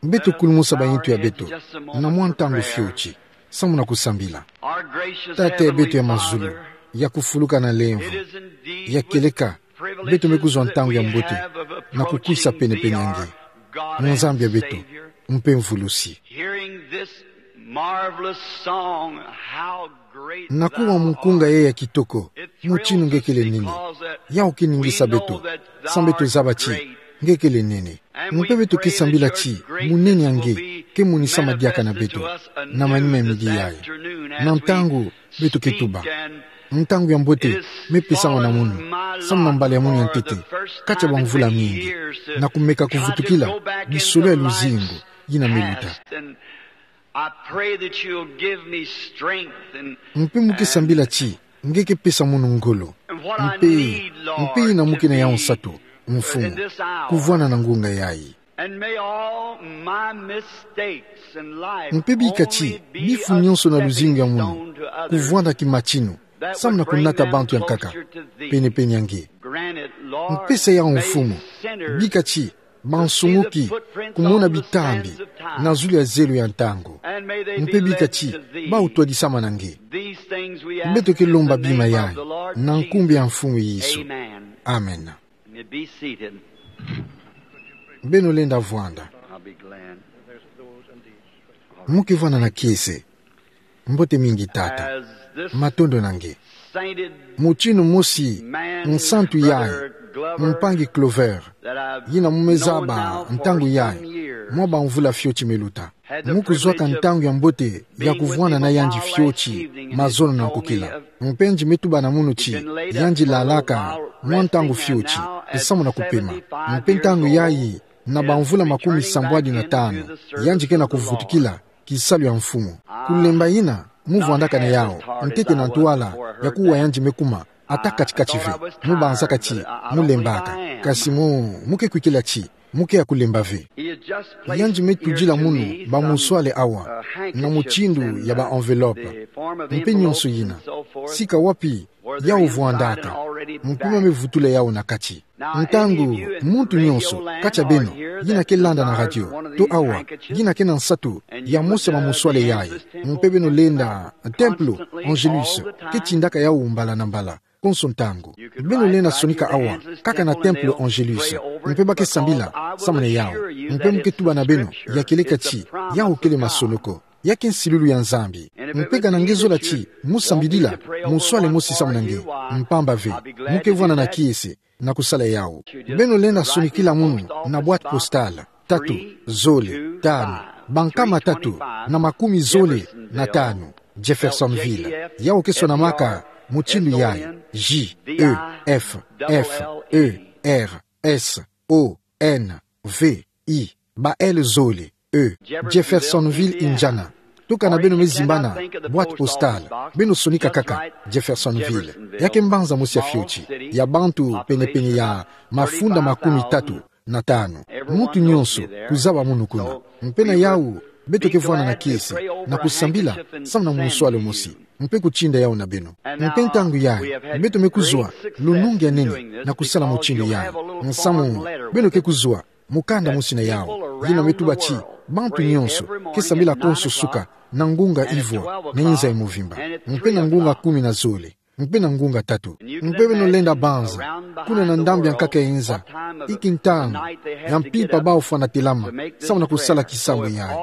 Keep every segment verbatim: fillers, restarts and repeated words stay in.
Beto kulumusa baintu ya beto na mwa ntangu fioti, samu na kusambila. Tata ya beto ya mazulu, ya kufuluka na lemvo, ya kieleka beto me kuzwa ntangu ya mbote na kukwisa penepene ya nge, Nzambi ya beto mpe Mvulusi. Na kuwa mukunga yayi ya kitoko, mutinu nge kele nene. Yawu kiningisa beto, samu beto zaba ti nge kele nene. Mpe beto ke sambila ti munene ya nge ke monisama diaka na beto na manima ya midi yayi. Na ntangu beto ke tuba, ntangu ya mbote me pesama na munu, samu na mbala ya munu ya ntete kati ya bamvula mingi, na kumeka kuvutukila bisolo ya luzingu yina me luta. Mpe mu ke sambila ti nge ke pesa munu ngolo. Mpe, mpe yina mu ke na yawu nsatu, Mfumu, kuvwanda na ngunga yayi. Mpe bika ti bifu nionso na luzingu ya munu kuvwanda kimatinu, samu na kunata bantu ya nkaka penepene ya nge. Mpesa yawu, Mfumu, bika ti bansumuki kumona bitambi na zulu ya zelo ya ntangu. Mpe bika ti bawu twadisama na nge. Beto ke lomba bima yayi na nkumbu ya Mfumu Yesu. Amen. Beno lenda vwanda. Mu ke vwanda na kiese. Mbote mingi, tata. Matondo na nge. Mutinu mosi nsantu yayi, mpangi Clover, yina mu me zaba ntangu yayi mwa bamvula fioti me luta, mu kuzwaka ntangu ya mbote ya kuvwanda na yandi fioti mazono na nkokila. Mpe nge me tuba na munu ti yandi lalaka mwa ntangu fioti, samu na kupema. Mpe ntangu yayi na bamvula makumi sambwadi na tanu, yandi ke na kuvutukila kisalu ya Mfumu. Kulemba yina mu vwandaka na yawu, ntete na ntwala ya kuwa yandi me kuma, ata kati-kati ve, mu banzaka ti mu lembaka. Kasi mu, mu ke kwikila ti mu ke ya kulemba ve. Yandi me tudila munu bamuswale awa na mutindu ya ba enveloppe. Mpe nionso yina, sika wapi yawu vwandaka, mpe ma me vutula yawu na kati. Ntangu muntu nionso kati ya beno yina ke landa na radio, to awa, yina ke na nsatu ya mosi ya bamuswale yayi, mpe beno lenda Templo Angelus, ke tindaka yawu mbala na mbala, konso ntangu, beno lenda sonika awa kaka na Templo Angelus, mpe ba ke sambila samu na yawu. Mpe mu ke tuba na beno ya kieleka ti yawu kele masonoko, ya ke nsilulu ya Nzambi. Mpe kana nge zola ti mu sambilila muswale mosi samu na nge, mpamba ve, mu ke vwanda na kiese na kusala yawu. Beno lenda sonikila munu na boîte postale tatu, zole, tanu, bankama tatu na makumi zole na tanu, Jeffersonville. Yawu ke swanamaka mutindu yayi: J E F F E R S O N V I, ba L zole, E, Jeffersonville, Indiana. To kana beno me zimbana boîte postale, beno sonika kaka Jeffersonville. Ya ke mbanza mosi ya fioti, ya bantu penepene ya mafunda makumi tatu na tanu. Muntu nionso kuzaba munu kuna. Mpe na yawu, beto ke vwanda na kiese na kusambila samu na muswale mosi, mpe kutinda yawu na beno. Mpe ntangu yayi, beto me kuzwa lunungu ya nene na kusala mutindu yayi, nsamu beno ke kuzwa mukanda mosi na yawu, yina me tuba ti bantu nionso ke sambila konso suka na ngunga ivwa na inza ya muvimba, mpe na ngunga kumi na zole, mpe na ngunga tatu. Mpe beno lenda banza kuna na ndambu ya nkaka ya inza, inki ntangu ya mpimpa bawu fwana telama samu na kusala kisambu yayi.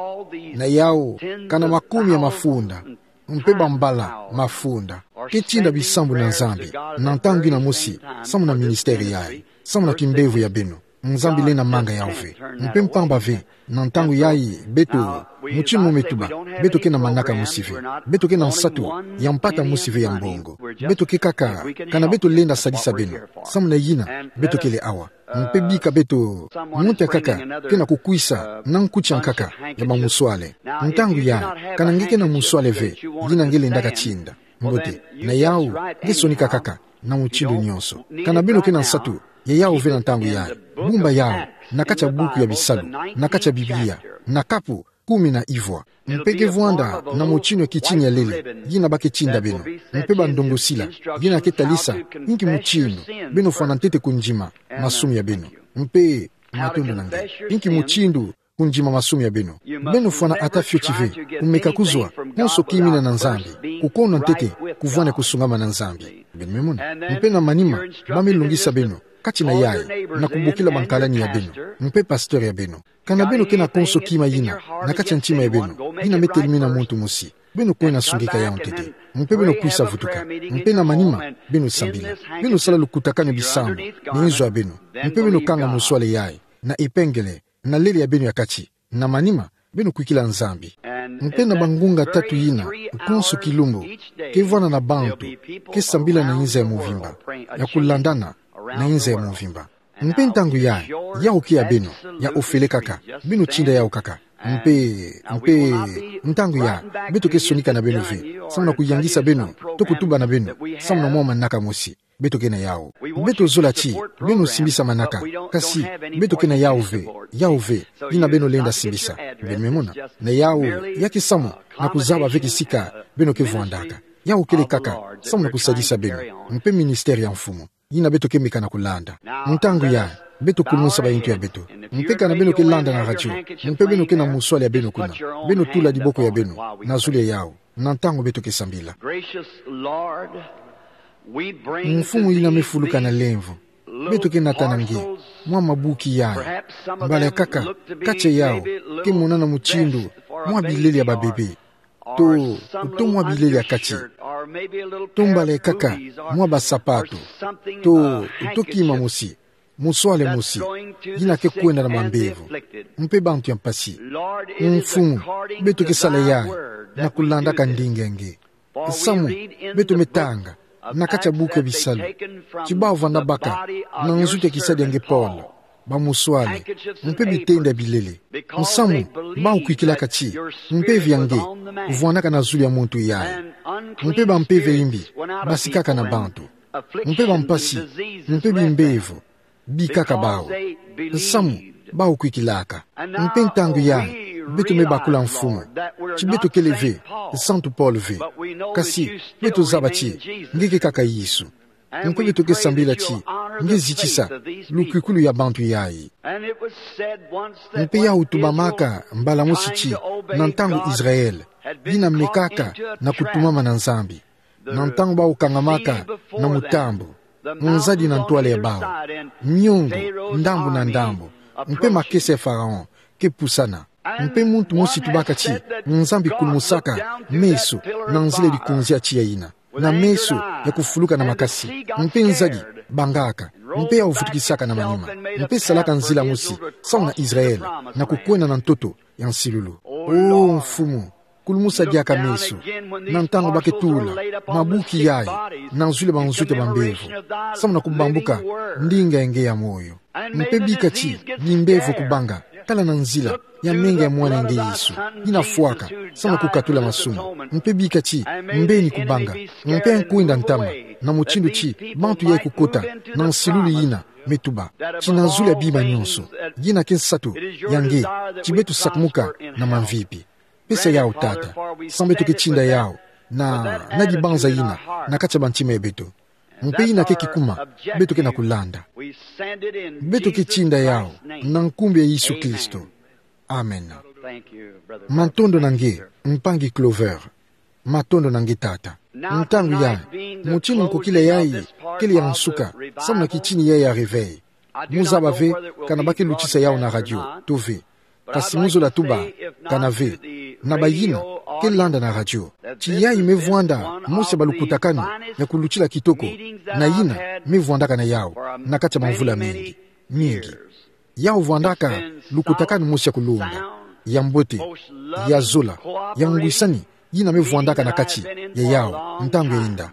Na yawu, kana makumi ya mafunda mpe bambala mafunda ke tinda bisambu na Nzambi na ntangu yina mosi samu na ministère yayi, samu na kimbevo ya beno. Nzambi lenda manga yawu ve. Mpe mpamba ve, na ntangu yayi beto, mutindu mu me tuba, beto ke na manaka mosi ve. Beto ke na nsatu ya mpata mosi ve ya mbongo. Beto ke kaka, kana beto lenda sadisa beno. Samu na yina beto kele awa. Mpe bika beto, muntu ya nkaka ke na kukwisa na nkuti ya nkaka ya bamuswale. Ntangu yayi, kana nge ke na muswale ve yina nge lendaka tinda, mbote, na yawu, nge sonika kaka na mutindu nionso. Kana beno ke na nsatu ya yawu ve na ntangu yayi, bumba yawu na kati ya buku ya bisalu, na kati ya Biblia, na kapu kumi na ivwa. Mpe ke vwanda na mutindu ya kitini ya lele yina ba ke tinda beno, mpe bandongosila yina ke talisa inki mutindu beno fwana ntete kundima masumu ya beno. Mpe matondo na nge. Inki mutindu kundima masumu ya beno. Beno fwana ata fioti ve, kumeka kuzwa konso ki mina na Nzambi, kukona ntete kuvwani kusungama na Nzambi. Beno me mona. Mpe na manima, ba me lungisa beno kati na yayi, na kubokila bankalani ya beno, mpe pasteur ya beno. Kana beno kena konso kima yina na kati ya ntima ya beno, yina me telimina muntu mosi, beno kwena sungika yawu ntete. Mpe beno kwisa vutuka. Mpe na manima, beno sambila. Beno sala lukutakanu bisambu na inzo ya beno. Mpe beno kanga muswale yayi na epingele na lele ya beno ya kati. Na manima, beno kwikila Nzambi. Mpe na bangunga tatu yina, konso kilumbu, ke vwanda na bantu ke sambila na inza ya mvimba, ya kulandana na inza ya mvimba. Mpe ntangu yayi, yawu ke ya beno, ya ofele kaka, beno tinda yawu kaka. Mpe, mpe, ntangu yayi, beto ke sonika na beno ve, samu na kuyangisa beno, to kutuba na beno, samu na mwa manaka mosi beto ke na yawu. Beto zola ti beno simbisa manaka, kasi beto ke na yawu ve, yawu ve yina beno lenda simbisa. Beno me mona, na yawu ya ke samu na kuzaba ve kisika beno ke vwandaka. Yawu kele kaka samu na kusadisa beno, mpe ministère ya Mfumu yina beto ke meka na kulanda. Ntangu yayi, beto kulumusa bayintu ya beto. Mpe kana beno ke landa na radio, mpe beno ke na muswale ya beno kuna, beno tula diboko ya beno na zulu ya yawu, na ntangu beto ke sambila. Gracious Lord, we bring Mfumu yina me fuluka na lemvo, beto ke nata na nge mwa mabuki yayi. Mbala ya kaka, kati ya yawu, ke monana mutindu mwa bilele ya babebe, to, to mwa bilele ya kati, to mbala ya kaka, mwa basapato, to, to kima mosi, muswale mosi yina ke kwenda na mambevo, mpe bantu ya mpasi. Mfumu, beto ke sala yayi na kulandaka ndinga ya nge. Samu beto me tanga na kati ya buku ya Bisalu, ti ba vwanda baka na nzutu ya kisalu ya nge Paul, bamuswale, mpe bitenda bilele. Samu bawu kwikilaka ti mpeve ya nge vwandaka na zulu ya muntu yayi, mpe bampeve ya imbi basikaka na bantu, mpe bampasi, mpe bimbevo bikaka bawu, samu bawu kwikilaka. Mpe ntangu yayi, beto me bakula Mfumu ti beto kele ve Santu Paul ve, kasi beto zaba ti nge ke kaka Yesu. Mpe beto ke sambila ti nge zitisa lukwikulu ya bantu yayi. Mpe yawu tubamaka mbala mosi ti, na ntangu Israël yina mekaka na kutumama na Nzambi, na ntangu bawu kangamaka na mutambu, nzadi na ntwala ya bawu, miongo ndambu na ndambu, mpe makesa ya Pharaon ke pusana. Mpe muntu mosi tubaka ti Nzambi kulumusaka meso na nzila ya likonzi ya tiya yina, na meso ya kufuluka na makasi, mpe nzadi bangaka, mpe yawu vutukisaka na manima, mpe salaka nzila mosi samu na Israël na kukwenda na ntoto ya nsilulu. O Mfumu, kulumusa diaka meso, na ntangu ba ke tula mabuki yayi na zulu ya banzutu ya bambevo, samu na kubambuka ndinga ya nge ya moyo. Mpe bika ti bimbevo kubanga, tala na nzila ya menga ya mwana ya nge Yesu, yina fwaka samu na kukatula masumu. Mpe bika ti mbeni kubanga, mpe nkwenda ntama, na mutindu ti bantu yayi kukota na nsilulu yina me tuba, ti na zulu ya bima nyonso, yina ke nsatu ya nge, ti beto sakumuka na mamvipi. Pesa yawu, Tata, samu beto ke tinda yawu na, na dibanza yina na kati ya bantima ya beto. Mpe yina ke kikuma beto ke na kulanda. Beto ke tinda yawu na nkumbu ya Yesu Kristo. Amen. Matondo na nge, mpangi Clover. Matondo na nge, Tata. Ntangu yayi, mutindu nkokila yayi kele ya nsuka samu na kitini yayi ya réveil. Mu zaba ve kana ba ke lutisa yawu na radio to ve. Kasi mu zola tuba kana ve na bayina ke landa na radio, ti yayi me vwanda mosi ya balukutakanu ya kulutila kitoko, na yina me vwandaka na yawu na kati ya bamvula mingi, mingi. Yawu vwandaka lukutakanu mosi ya kulonga, ya mbote, ya zola, ya ngwisani, yina me vwandaka na kati ya yawu ntangu yenda.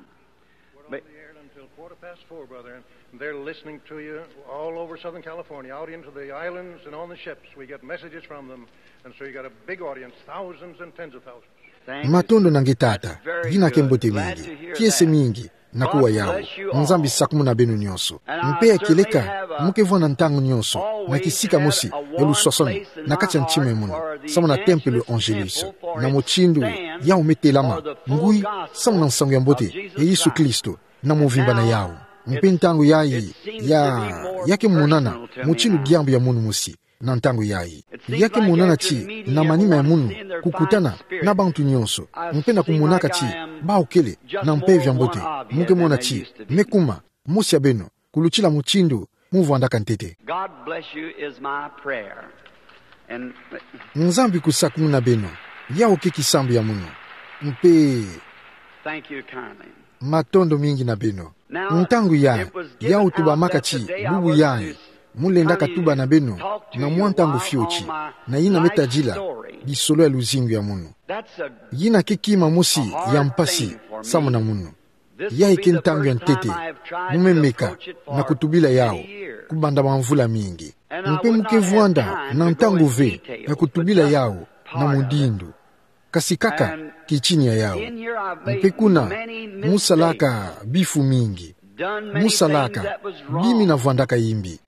They're listening to you all over Southern California, out into the islands and on the ships. We get messages from them. And so you got a big audience, thousands and tens of thousands. Matondo na nge, Tata. Yina ke mbote mingi. Kiese mingi na kuwa yawu. Nzambi sakumuna beno nyonso. Mpe ya kieleka, mu ke vwanda ntangu nyonso na kisika mosi ya luswaswanu na kati ya ntima ya munu, samu na Tempelo Angelus, na mutindu yawu me telama ngui samu na nsangu ya mbote ya Yesu Kristo na mvimba na yawu. Mpe ntangu yayi ya, ya ke monana mutindu diambu ya munu mosi. na ntangu yayi. Ya ke monana ti na manima ya munu kukutana na bantu nyonso, mpe na kumonaka ti bawu kele na mpeve ya mbote, mu ke mona ti me kuma mosi ya beno kulutila mutindu mu vwandaka ntete. God bless you is my prayer. And Nzambi kusakumuna beno, yawu ke kisambu ya munu. Mpe thank you kindly. Matondo mingi na beno. Ntangu yayi, yawu tubamaka ti bubu yayi mu lenda katuba na beno na mwa ntangu fioti, na yina me tadila bisolo ya luzingu ya munu. Yina ke kima mosi ya mpasi samu na munu. Yayi ke ntangu ya ntete mu me meka na kutubila yawu kubanda bamvula mingi. Mpe mu ke vwanda na ntangu ve ya kutubila yawu na mudindu, kasi kaka kitini ya yawu. Mpe kuna mu salaka bifu mingi, mu salaka bima na vwandaka yimbi.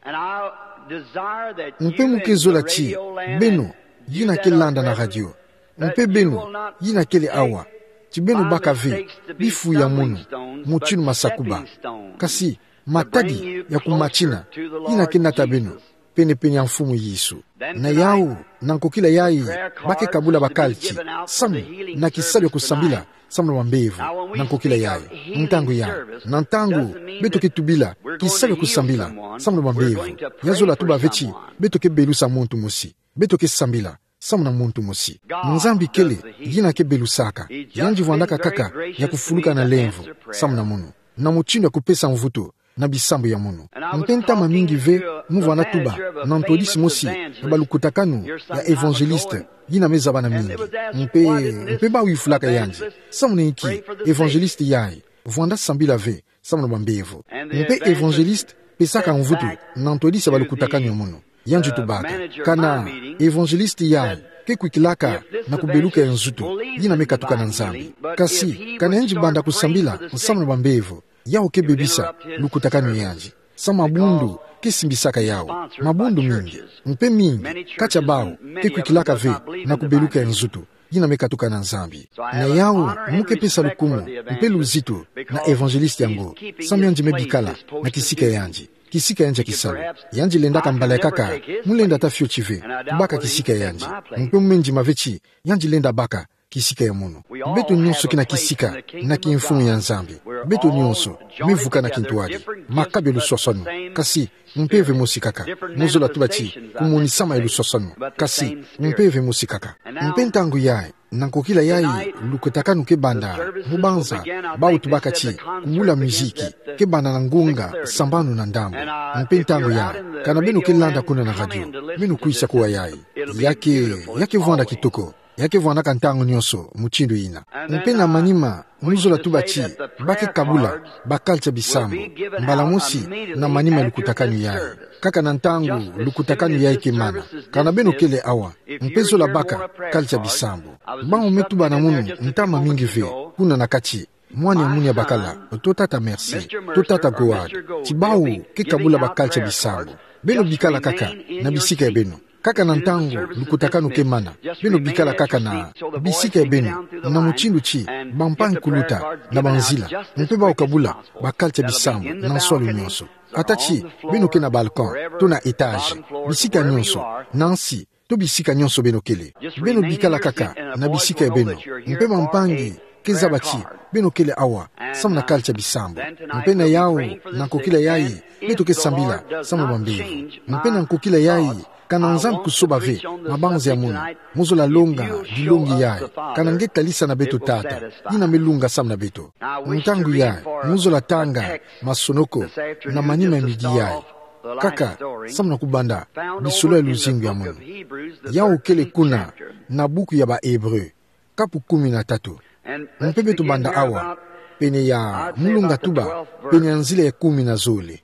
Mpe mu ke zola ti beno yina ke landa na radio, mpe beno yina kele awa, ti beno baka ve bifu ya munu mutindu masakuba, kasi matadi ya kumatina yina ke nata beno penepene ya Mfumu Yesu. Na yawu, na nkokila yayi, ba ke kabula bakalti samu na kisalu ya kusambila samu na bambevo. Na nkokila yayi, ntangu yayi, na ntangu beto ke tubila kisalu ya kusambila samu na bambevo, ya zola tuba ve ti beto ke belusa muntu mosi, beto ke sambila samu na muntu mosi. Nzambi kele yina ke belusaka. Yandi vwandaka kaka ya kufuluka na lemvo samu na munu, na mutindu ya kupesa mvutu na bisambu ya munu. Mpe ntama mingi ve mu vwanda tuba na ntwadisi mosi ya balukutakanu ya évangéliste yina me zabana mingi. Mpe, mpe bawu yufulaka yandi: Samu na inki évangéliste yayi vwanda sambila ve samu na bambevo? Mpe évangéliste pesaka mvutu na ntwadisi ya balukutakanu ya munu. Yandi tubaka: Kana évangéliste yayi ke kwikilaka na kubeluka ya nzutu, yina me katuka na Nzambi. Kasi kana yandi banda kusambila samu na bambevo, yawu ke bebisa lukutakanu ya yandi. Samu mabundu ke simbisaka yawu, mabundu mingi, mpe mingi kati ya bawu ke kwikilaka ve na kubeluka ya nzutu, yina me katuka na Nzambi. Na yawu, mu ke pesa lukumu mpe luzitu na évangéliste yango, samu yandi me bikala na kisika ya yandi, kisika ya yandi ya kisalu. Yandi lendaka mbala ya nkaka mu lenda ata fioti ve kubaka kisika ya yandi. Mpe mu me ndima ve ti yandi lenda baka kisika ya munu. Beto nyonso ke na kisika na kimfumu ya Nzambi. Beto nyonso me vuka na kintwadi, makabu ya luswaswanu, kasi mpeve mosi kaka. Mu zola tuba ti kumonisama ya luswaswanu, kasi mpeve mosi kaka. Mpe ntangu yayi, na nkokila yayi, lukutakanu ke banda mu banza bawu tubaka ti kubula miziki, ke banda na ngunga sambanu na ndambu. Mpe ntangu yayi, kana beno ke landa kuna na radio, beno kwisa kuwa yayi. Ya ke, ya ke vwanda kitoko. Ya ke vwandaka ntangu nyonso mutindu yina. Mpe na manima, mu zola tuba ti ba ke kabula bakalti ya bisambu mbala mosi na manima ya lukutakanu yayi, kaka na ntangu lukutakanu yayi ke mana. Kana beno kele awa, mpe zola baka kalti ya bisambu, bawu me tuba na munu ntama mingi ve kuna na kati, mwana ya munu ya bakala, to tata Mercy, to tata Goad, ti bawu ke kabula bakalti ya bisambu. Beno bikala kaka na bisika ya beno. Kaka na ntangu lukutakanu ke mana, beno bikala kaka na bisika ya beno, na mutindu ti bampangi kuluta na banzila, mpe bawu kabula bakalti ya bisambu na nswalu nyonso. Ata ti beno ke na balcon, to na étage, bisika nyonso, na nsi, to bisika nyonso beno kele. Beno bikala kaka na bisika ya beno, mpe bampangi ke zaba ti beno kele awa samu na kalti ya bisambu. Mpe na yawu, na nkokila yayi, beto ke sambila samu na bambevo. Mpe na nkokila yayi, kana Nzambi kusoba ve mabanza ya munu, mu zola longa dilongi yayi, kana nge talisa na beto Tata yina me lunga samu na beto. Ntangu yayi, mu zola tanga masonoko na manima ya midi yayi, kaka samu na kubanda bisolo ya luzingu ya munu. Yawu kele kuna na buku ya ba Hébreux, kapu kumi na tatu. Mpe beto banda awa pene ya, mu lunga tuba, pene ya nzila ya kumi na zole.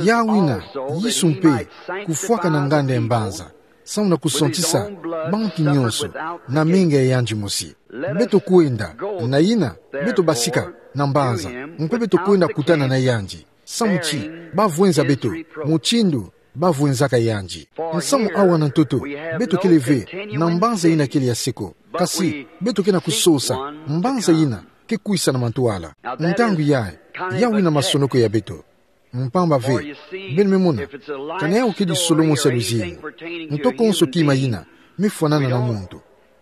Yawu yina, Yesu mpe kufwaka na nganda ya mbanza samu na kusantisa bantu nyonso na menga ya yandi mosi. Beto kwenda, na yina, beto basika na mbanza, mpe beto kwenda kutana na yandi, samu ti ba vwenza beto mutindu ba vwenzaka yandi. Nsamu awa na ntoto, beto kele ve na mbanza yina kele ya seko, kasi beto ke na kusosa mbanza yina ke kwisa na mantwala. Ntangu yayi, yawu yina masonoko ya beto. Mpamba ve, beno me mona, ka na yau kedi solo mosi ya luzingu, nto konso kima ina mefwanana na muntu,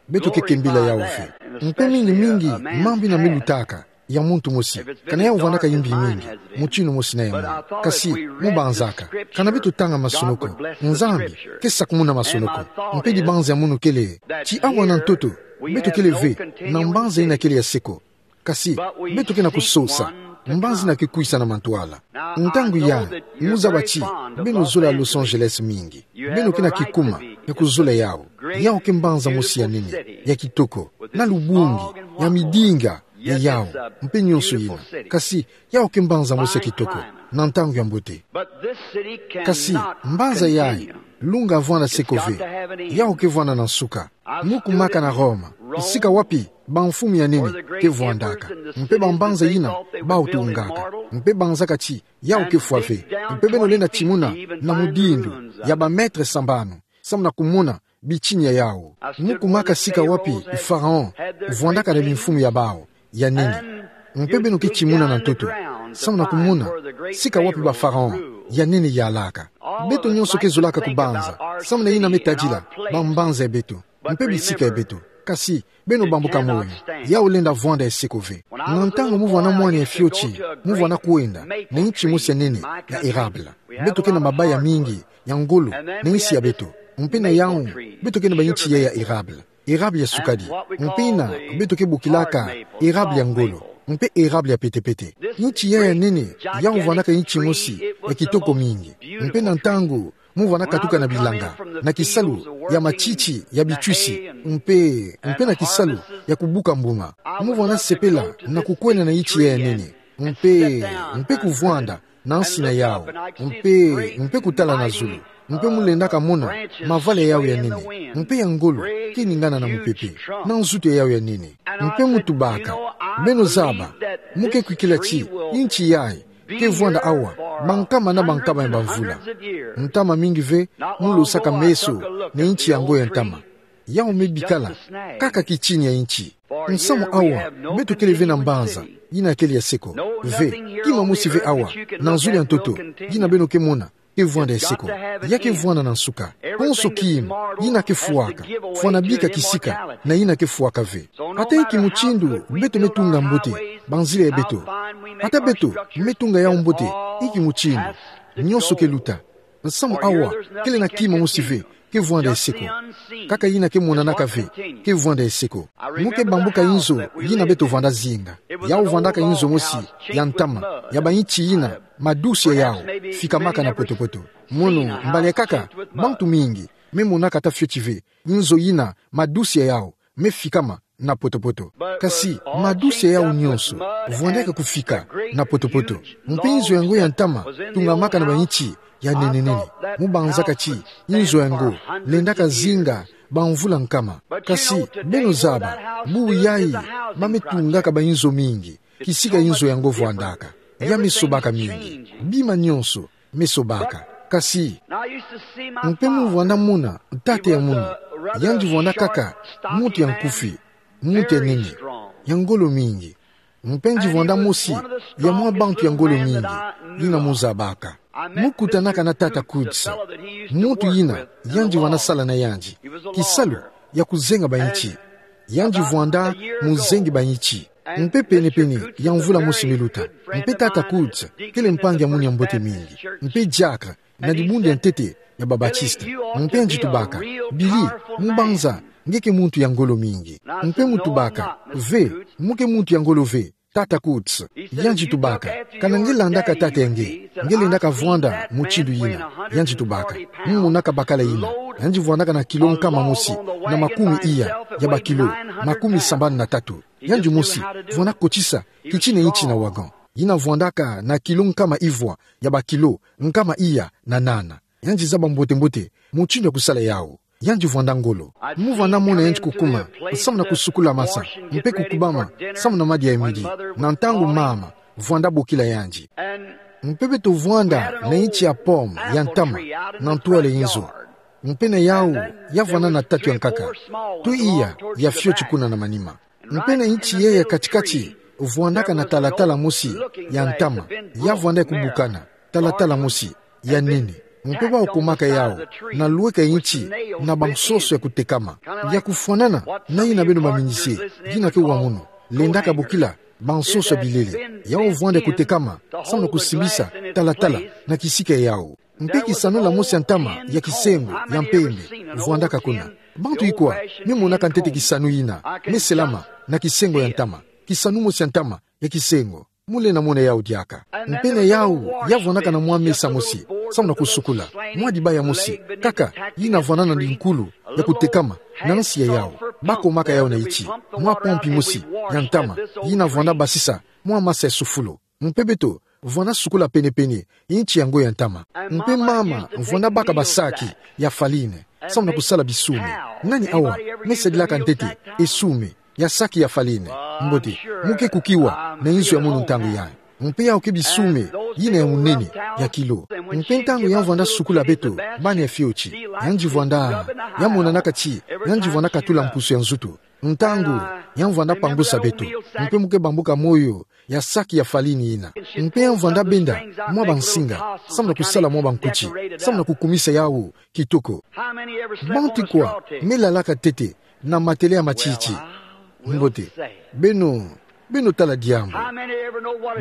beto keke mbila yau ve. Mpe mingi mingi mambu ina melutaka ya muntu mosi, ka na yau vandaka imbi mingi, mutinu mosi na ya munu. Kasi, mo banzaka, ka na beto tanga masonoko, Nzambi ke sakumuna masonoko. Mpe dibanza ya munu kele ti awa na ntoto, beto kele ve na mbanza ina kele ya seko. Kasi, beto ke na kusosa mbanza ina ke kwisa na mantwala. Ntangu ya, mo zaba ti beno zola Los Angeles mingi. Beno ke na kikuma ya kuzola yau. Yau ke mbanza mosi ya nene, ya kitoko, na lubungi, ya midinga, ya yau, mpe nionso ina. Kasi, yau ke mbanza mosi ya kitoko na ntangu ya mbote. Kasi, mbanza yayi, lunga vwanda seko ve. Yau ke vwanda na nsuka. Mo kumaka na Roma, sika wapi bamfumu ya nene ke vwandaka, mpe bambanza ina bau tungaka, mpe banzaka ti yau ke fwa ve. Mpe beno lenda timuna na mudindu ya ba mètre sambanu, samu na kumona bitini ya yau. Mo kumaka sika wapi Pharaon vwandaka na bimfumu ya bau ya nene. Mpe beno ke timuna na ntoto, samu na kumona sika wapi ba Pharaon ya nene yalaka. Beto nionso ke zolaka kubanza samu na ina metadila bambanza ya beto, mpe bisika ya beto. Kasi, beno bambuka moyo, yau lenda vwanda ya seko ve. Na ntangu mo vwanda mwana ya fioti, mo vwanda kwenda na inti mosi ya nene ya érable. Beto ke na mabaya mingi ya ngolo na insi ya beto. Mpe na yau, beto ke na bainti ya ya érable. Érable ya sukadi. Mpe ina beto ke bokilaka érable ya ngolo, mpe érable ya petepete. Inti ya ya nene, yau vwandaka inti mosi ya kitoko mingi. Mpe na ntangu mo vwanda katuka na bilanga, na kisalu ya matiti ya bitwisi, mpe, mpe na kisalu ya kubuka mbuma, mo vwanda sepela na kukwenda na inti ya ya nene, mpe, mpe kuvwanda na nsi na yau, mpe, mpe kutala na zulu, mpe mo lendaka mona mavala ya yau ya nene, mpe ya ngolo, keningana na mupepe, na nzutu ya yau ya nene. Mpe mo tubaka, beno zaba, mo ke kwikila ti inti yayi ke vwanda awa bankama na bankama ya bamvula. Ntama mingi ve mo losaka meso na inti yango ya ntama. Yau me bikala kaka kitini ya inti. Nsamu awa, beto kele ve na mbanza ina kele ya seko. Ve, kima mosi ve awa na zulu ya ntoto ina beno ke mona ke vwanda ya seko. Ya ke vwanda na nsuka. Konso kima ina ke fwaka, fwana bika kisika na ina ke fwaka ve. Ata inki mutindu beto me tunga mbote banzila ya beto, ata beto me tunga yau mbote inki mutindu, nionso ke luta. Nsamu awa, kele na kima mosi ve ke vwanda ya seko. Kaka ina ke monanaka ve ke vwanda ya seko. Mo ke bambuka inzo ina beto vwanda zinga. Yau vwandaka inzo mosi ya ntama, ya bainti ina madusi ya yau fikamaka na poto-poto. Mono, mbali ya nkaka, bantu mingi me monaka ata fioti ve inzo ina madusi ya yau me fikama na poto-poto. Kasi madusi ya yau nionso vwandaka kufika na poto-poto. Mpe inzo yango ya ntama tungamaka na bainti ya nene-nene. Mo banzaka ti inzo yango lendaka zinga bamvula nkama. Kasi beno zaba, bubu yayi ba me tungaka bainzo mingi kisika inzo yango vwandaka. Ya me sobaka mingi. Bima nionso me sobaka. Kasi mpe mo vwanda mona tata ya munu, yandi vwanda kaka muntu ya nkufi, muntu ya nene, ya ngolo mingi. Mpe yandi vwanda mosi ya mwa bantu ya ngolo mingi ina mo zabaka. Mo kutanaka na tata Coutts, muntu ina yandi vwanda sala na yandi kisalu ya kuzenga bainti. Yandi vwanda muzengi bainti. Mpe pene-pene ya mvula mosi me luta, mpe tata Coutts kele mpangi ya munu ya mbote mingi, mpe diacre na dibundu ya ntete ya ba Baptiste. Mpe yandi tubaka: Billy, mo banza nge ke muntu ya ngolo mingi. Mpe mo tubaka: Ve, mo ke muntu ya ngolo ve, tata Coutts. Yandi tubaka: Kana nge landaka tata ya nge, nge lendaka vwanda mutindu yina. Yandi tubaka: Mo monaka bakala yina. Yandi vwandaka na kilo nkama mosi na makumi iya ya bakilo makumi sambanu na tatu. Yandi mosi vwanda kotisa kitina inti na wagon, yina vwandaka na kilo nkama ivwa ya bakilo nkama iya na nana. Yandi zaba mbote-mbote mutindu ya kusala yau. Yandi vwanda ngolo. Mo vwanda mona yandi kukuma samu na kusukula masa, mpe kukubama samu na madia ya midi, na ntangu mama vwanda bokila yandi. Mpe beto vwanda na inti ya pomme ya ntama na ntwala inzo. Mpe na yau, ya vwanda na tatu ya nkaka, twe iya ya fioti kuna na manima. Mpe na inti ya ya kati-kati, vwandaka na talatala mosi ya ntama, ya vwanda ya kubukana. talatala mosi ya nene. Mpe bau kumaka yau na lweka nti na bansoso ya kutekama, ya kufwanana na yina beno baminize, yina ke wa mono, lendaka bokila bansoso ya bilele. Yau vwanda kutekama, samu na kusimbisa talatala na kisika yau. Mpe kisanula mosi ya ntama ya kisengo ya mpembe vwandaka kuna. Bantu ikwa me monaka ntete kisanu yina me selama na kisengo ya ntama? Kisanu mosi ya ntama ya kisengo. Mole na mona yau diaka. Mpe na yau ya vwandaka na mwa mesa mosi, samu na kusukula, mwa dibaya mosi kaka yina vwandana na dinkulu ya kutekama na nsi ya yau. Bakomaka yau na iti mwa pompi mosi ya ntama, yina vwanda basisa mwa masa ya sufulu. Mpe beto vwanda sukula penepene nti yango ya ntama. Mpe mama vwanda baka basaki ya farine, samu na kusala bisume. Nani awa me sadilaka ntete esume ya saki ya farine? Mbote, muke kukiwa na inzo ya mono ntangu yayi. Mpe yau ke bisume yina ya munene, ya kilo. Mpe ntangu ya vwanda sukula beto, bana ya fioti, yandi vwanda, ya monanaka ti yandi vwanda katula mpusu ya nzutu. Ntangu ya vwanda pangusa beto, mpe muke bambuka moyo ya saki ya farine yina. Mpe ya vwanda benda mwa bansinga, samu na kusala mwa bankuti, samu na kukumisa yau kitoko. Bantu ikwa me lalaka ntete na matela ya matiti? Mbote, beno, beno tala diambu.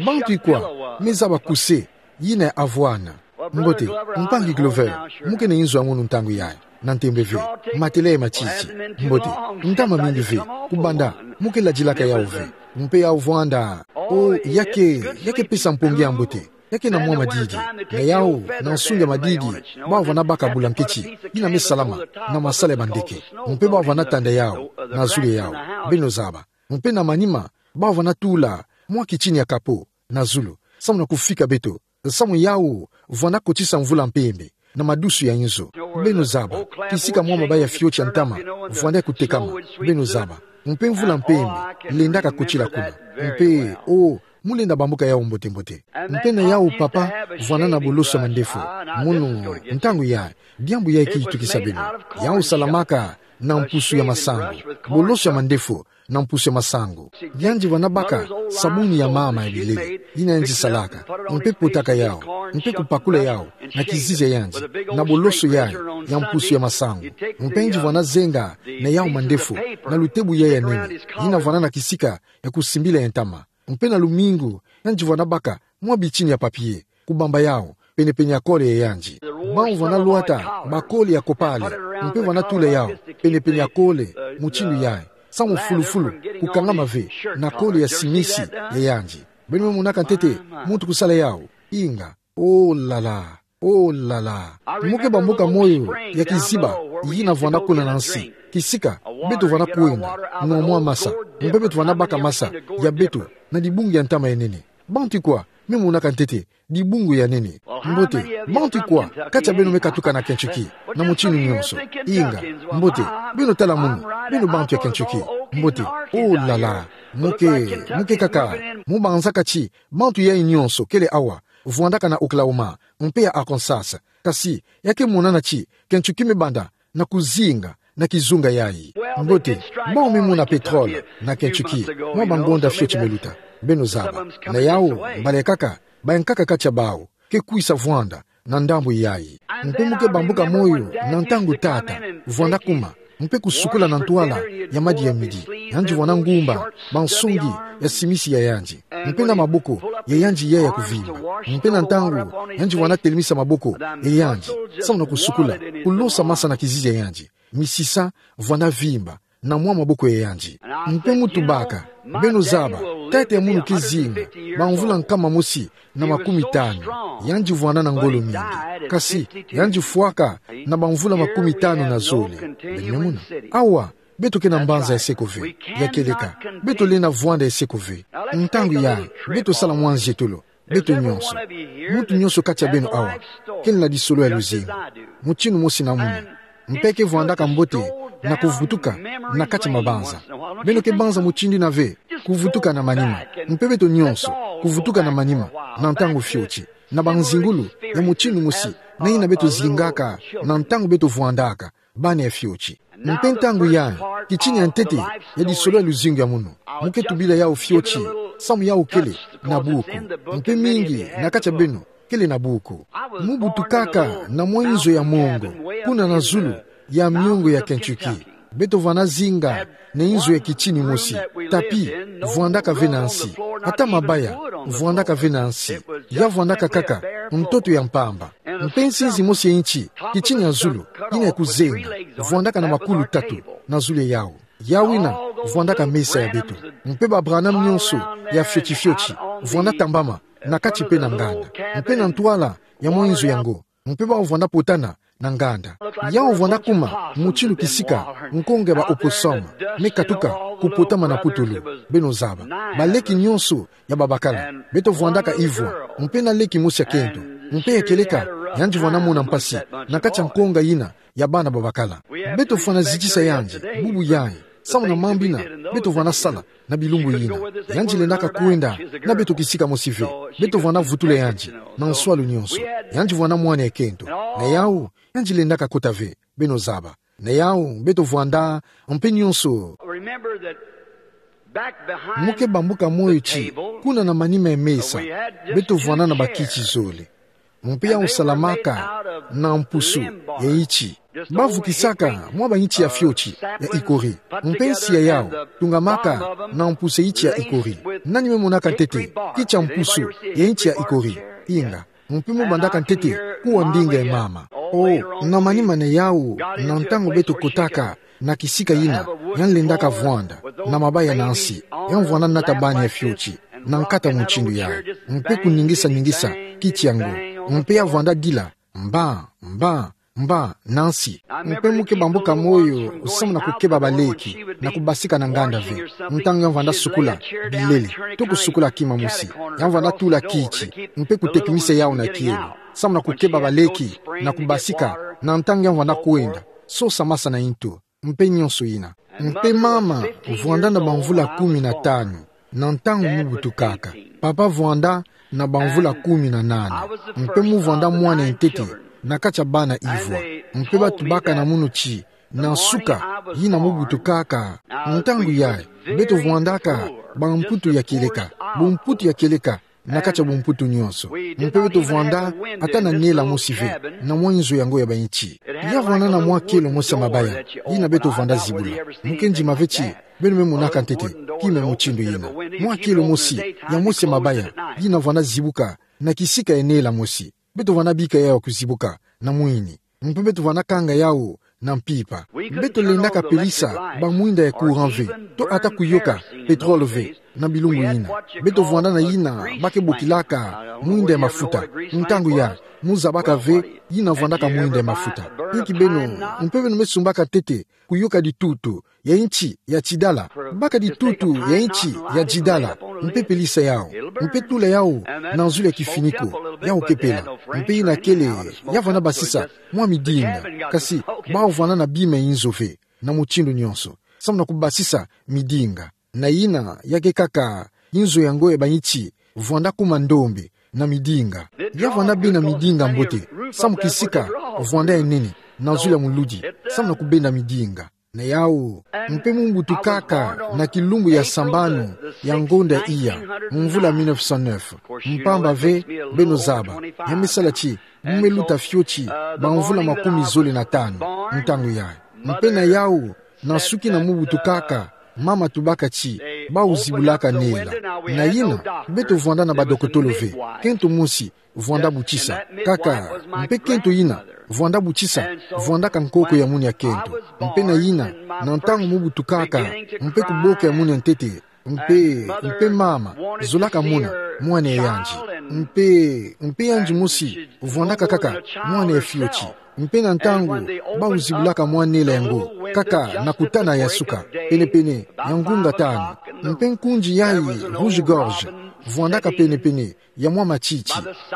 Bantu ikwa me zaba kuse yina ya armoire? Mbote, mpangi Glover, muke na inzo ya mono ntangu yayi, na ntembe ve, matela ya matiti. Mbote, ntama mingi ve, kubanda muke ladilaka yau ve. Mpe yau vwanda, o, ya ke, ya ke pesa mpongi ya mbote. Ya ke na mwa madidi, na yau, na nsungi ya madidi, bau vwanda baka bulanketi yina me salama na masala ya bandeke. Mpe bau vwanda tanda yau na zulu ya yau, beno zaba. Mpe na manima, bau vwanda tula mwa kitini ya kapo na zulu, samu na kufika beto, samu yau vwanda kotisa mvula mpembe na madusu ya inzo. Beno zaba, kisika mwa mabaya fioti ya ntama vwanda kutekama, beno zaba. Mpe mvula mpembe lendaka kotila kuna. Mpe, o, mulenda bambuka yau mbote-mbote. Mpe na yau papa vwanda na boloso ya mandefu. Mono, ntangu yayi, diambu yayi ke itukisa beno. Yau salamaka na mpusu ya masangu, boloso ya mandefu na mpusu ya masangu. Yandi vwanda baka sabuni ya mama ya bilele yina yandi salaka, mpe potaka yau, mpe kupakula yau na kizizi ya yandi na boloso yayi ya mpusu ya masangu. Mpe yandi vwanda zenga na yau mandefu na lutebu yayi ya nene, yina vwanda na kisika ya kusimbila ya ntama. Mpe na lumingu, yandi vwanda baka mwa bitini ya papier, kubamba yau penepene ya kole ya yandi. Bau vwanda lwata bakole ya kopale, mpe vwanda tula yau penepene ya kole mutindu yayi, samu fulufulu kukangama ve na kole ya simisi ya yandi. Beno me monaka ntete muntu kusala yau? Inga. Oh la la. Oh la la. Muke bambuka moyo ya kiziba yina vwanda kuna na nsi. Kisika beto vwanda kwenda nwa mwa masa, mpe beto vwanda baka masa ya beto na dibungu ya ntama ya nene. Bantu ikwa me monaka ntete dibungu ya nene? Mbote, bantu ikwa kati ya beno me katuka na Kentucky na mutindu nyonso? Inga. Mbote, beno tala mono, beno bantu ya Kentucky. Mbote, oh la la. Muke, muke kaka mu banzaka ti bantu yayi nyonso kele awa vwandaka na Oklahoma mpe ya Arkansas. Kasi ya ke monana ti Kentucky me banda na kuzinga na kizunga yayi. Mbote, bau me mona pétrole na Kentucky mwa bangonda fioti me luta. Beno zaba. Na yau, mbala ya nkaka, bayankaka kati ya bau ke kwisa vwanda na ndambu yayi. Mpe muke bambuka moyo na ntangu tata vwanda kuma, mpe kusukula na ntwala ya madi ya midi. Yandi vwanda ngumba bansungi ya simisi ya yandi, mpe na maboko ya yandi yayi ya kuvimba. Mpe na ntangu yandi vwanda telemisa maboko ya yandi, samu na kusukula, kulosa masa na kizizi ya yandi, misisa vwanda vimba na mwa maboko ya yandi. Mpe mu tubaka, beno zaba, tata ya mono ke zinga bamvula nkama mosi na makumi tanu. Yandi vwanda na ngolo mingi. Kasi yandi fwaka na bamvula makumi tanu na zole. Beno me mona? Awa, beto ke na mbanza ya seko ve ya kieleka. Beto lenda vwanda ya seko ve. Ntangu yayi, beto sala mwa nzietolo, beto nyonso. Muntu nyonso kati ya beno awa kele na disolo ya luzingu mutindu mosi na mono, mpe ke vwandaka mbote na kuvutuka na kati ya mabanza. Beno ke banza mutindu yina ve, kuvutuka na manima. Mpe beto nyonso kuvutuka na manima na ntangu fioti, na banzingulu ya mutindu mosi na yina beto zingaka na ntangu beto vwandaka bana ya fioti. Mpe ntangu yayi, kitini ya ntete ya disolo ya luzingu ya mono, muke tubila yau fioti, samu yau kele na buku. Mpe mingi na kati ya beno kele na buku. Mu butukaka na mwa inzo ya mongo, kuna na zulu ya miongo ya Kentucky. Beto vwanda zinga na inzo ya kitini mosi, tapi vwandaka ve na nsi. Ata mabaya vwandaka ve na nsi. Ya vwandaka kaka ntoto ya mpamba. Mpe nsinzi mosi ya inchi, kitini ya zulu, yina ya kuzenga, vwandaka na makulu tatu na zulu ya yawu. Yawu yina vwandaka mesa ya beto. Mpe ba Branham nyonso ya fioti fioti vwanda tambama, na kati mpe na nganda. Mpe na ntwala ya mwa inzo yango, mpe bawu vwanda potana na nganda. Yawu vwanda kuma mutindu kisika nkonga ya ba opossum me katuka kupotama na putulu. Beno zaba. Baleki nyonso ya babakala beto vwandaka ivwa, mpe na leki mosi ya kento, mpe ya kieleka, yandi vwanda mona mpasi na kati ya nkonga yina ya bana babakala. Beto fwana zitisa yandi bubu yayi, samu na mambu yina beto vwanda sala na bilumbu yina. Yandi lendaka kwenda na beto kisika mosi ve. Beto vwanda vutula yandi na nswalu nyonso. Yandi vwanda mwana ya kento. Na yawu, yandi lendaka kota ve, beno zaba. Na yawu, beto vwanda mpe nyonso. Remember that back behind Mu ke bambuka moyo ti, the table, kuna na manima ya mesa, we had just beto vwanda na two bakiti chairs. Zole. Mpe yawu salamaka na mpusu ya inchi. Bavukisaka mwa bainchi ya fioti ya ikori. Mpe nsi ya yawu tungamaka na mpusu ya inchi ya ikori. Nani me monaka ntete kitia mpusu ya inchi ya ikori? Inga. Mpe mu bandaka ntete kuwa ndinga ya mama. O, na manima na yawu, na ntangu beto kotaka na kisika yina, yandi lendaka vwanda na mabaya na nsi. Yandi vwanda nata bani ya fioti na nkata mutindu yayi, mpe kuningisa-ningisa kiti yango. Mpe ya vwanda dila mba, mba, mba na nsi. Mpe mu ke bambuka moyo samu na kukeba baleki na kubasika na nganda ve. Ntangu yandi vwanda sukula bilele, to kusukula kima mosi, yandi vwanda tula kiti mpe kutekimisa yawu na kielo samu na kukeba baleki na kubasika, na ntangu yandi vwanda kwenda sosa masa na ntu, mpe nyonso yina. Mpe mama vwanda na bamvula kumi na tanu na ntangu mu butukaka. Papa vwanda na bamvula kumi na nane. Mpe mu vwanda mwana ya ntete na kati ya bana ivwa. Mpe batubaka na munu ti, na nsuka yina mu butukaka, ntangu yayi beto vwandaka bamputu ya kieleka, bumputu ya kieleka na kati ya bumputu nyonso. Mpe beto vwanda ata na nela mosi ve na mwa inzo yango ya bainchi. Ya vwanda na mwa kielo mosi ya mabaya yina beto vwanda zibula. Mu ke ndima ve ti beno me monaka ntete kima mutindu yina. Mwa kielo mosi, ya mosi ya mabaya, yina vwanda zibuka na kisika ya nela mosi. Beto vwanda bika yawu kuzibuka na mwini. Mpe beto vwanda kanga yawu na mpimpa. Beto lendaka pelisa bamwinda ya courant ve, to ata kuyoka pétrole ve na bilumbu yina. Beto vwanda na yina ba ke bokilaka mwinda ya mafuta. Ntangu yayi mu zabaka ve yina vwandaka mwinda ya mafuta. Inki beno, mpe beno me sumbaka ntete kuyoka ditutu ya inchi ya tidala. Baka ditutu ya inchi ya tidala, mpe pelisa yawu, mpe tula yawu na nzulu ya kifiniko, yawu ke pela. Mpe yina kele, ya vwanda basisa mwa midinga. Kasi bawu vwanda na bima ya inzo ve na mutindu nyonso samu na kubasisa midinga. Na yina ya ke kaka inzo yango ya bainchi vwanda kuma ndombe na midinga. Ya vwanda bena midinga mbote samu kisika vwanda ya nene na nzulu ya muludi samu na kubenda midinga. Na yawu, mpe mu butukaka na kilumbu ya sambanu ya ngonda iya, mvula mille neuf cent neuf. Mpamba ve, beno zaba, ya me sala ti mu me luta fioti bamvula makumi zole na tanu ntangu yayi. Mpe na yawu, na suki na mu butukaka, mama tubaka ti bawu zibulaka nela. Na yina, beto vwanda na badokotolo ve, kento mosi vwanda butisa. Kaka, mpe kento yina vwanda butisa vwandaka nkoko ya munu ya kento. Mpe na yina, na ntangu mu butukaka, mpe kuboka ya munu ya ntete, mpe, mpe mama zolaka mona mwana ya yandi. Mpe, mpe yandi mosi vwandaka kaka mwana ya fioti. Mpe na ntangu bawu zibulaka mwa nela yango, kaka na kutana ya suka, pene-pene ya ngunga tanu. Mpe nkundi yayi rouge-gorge vwandaka pene-pene ya mwa matiti,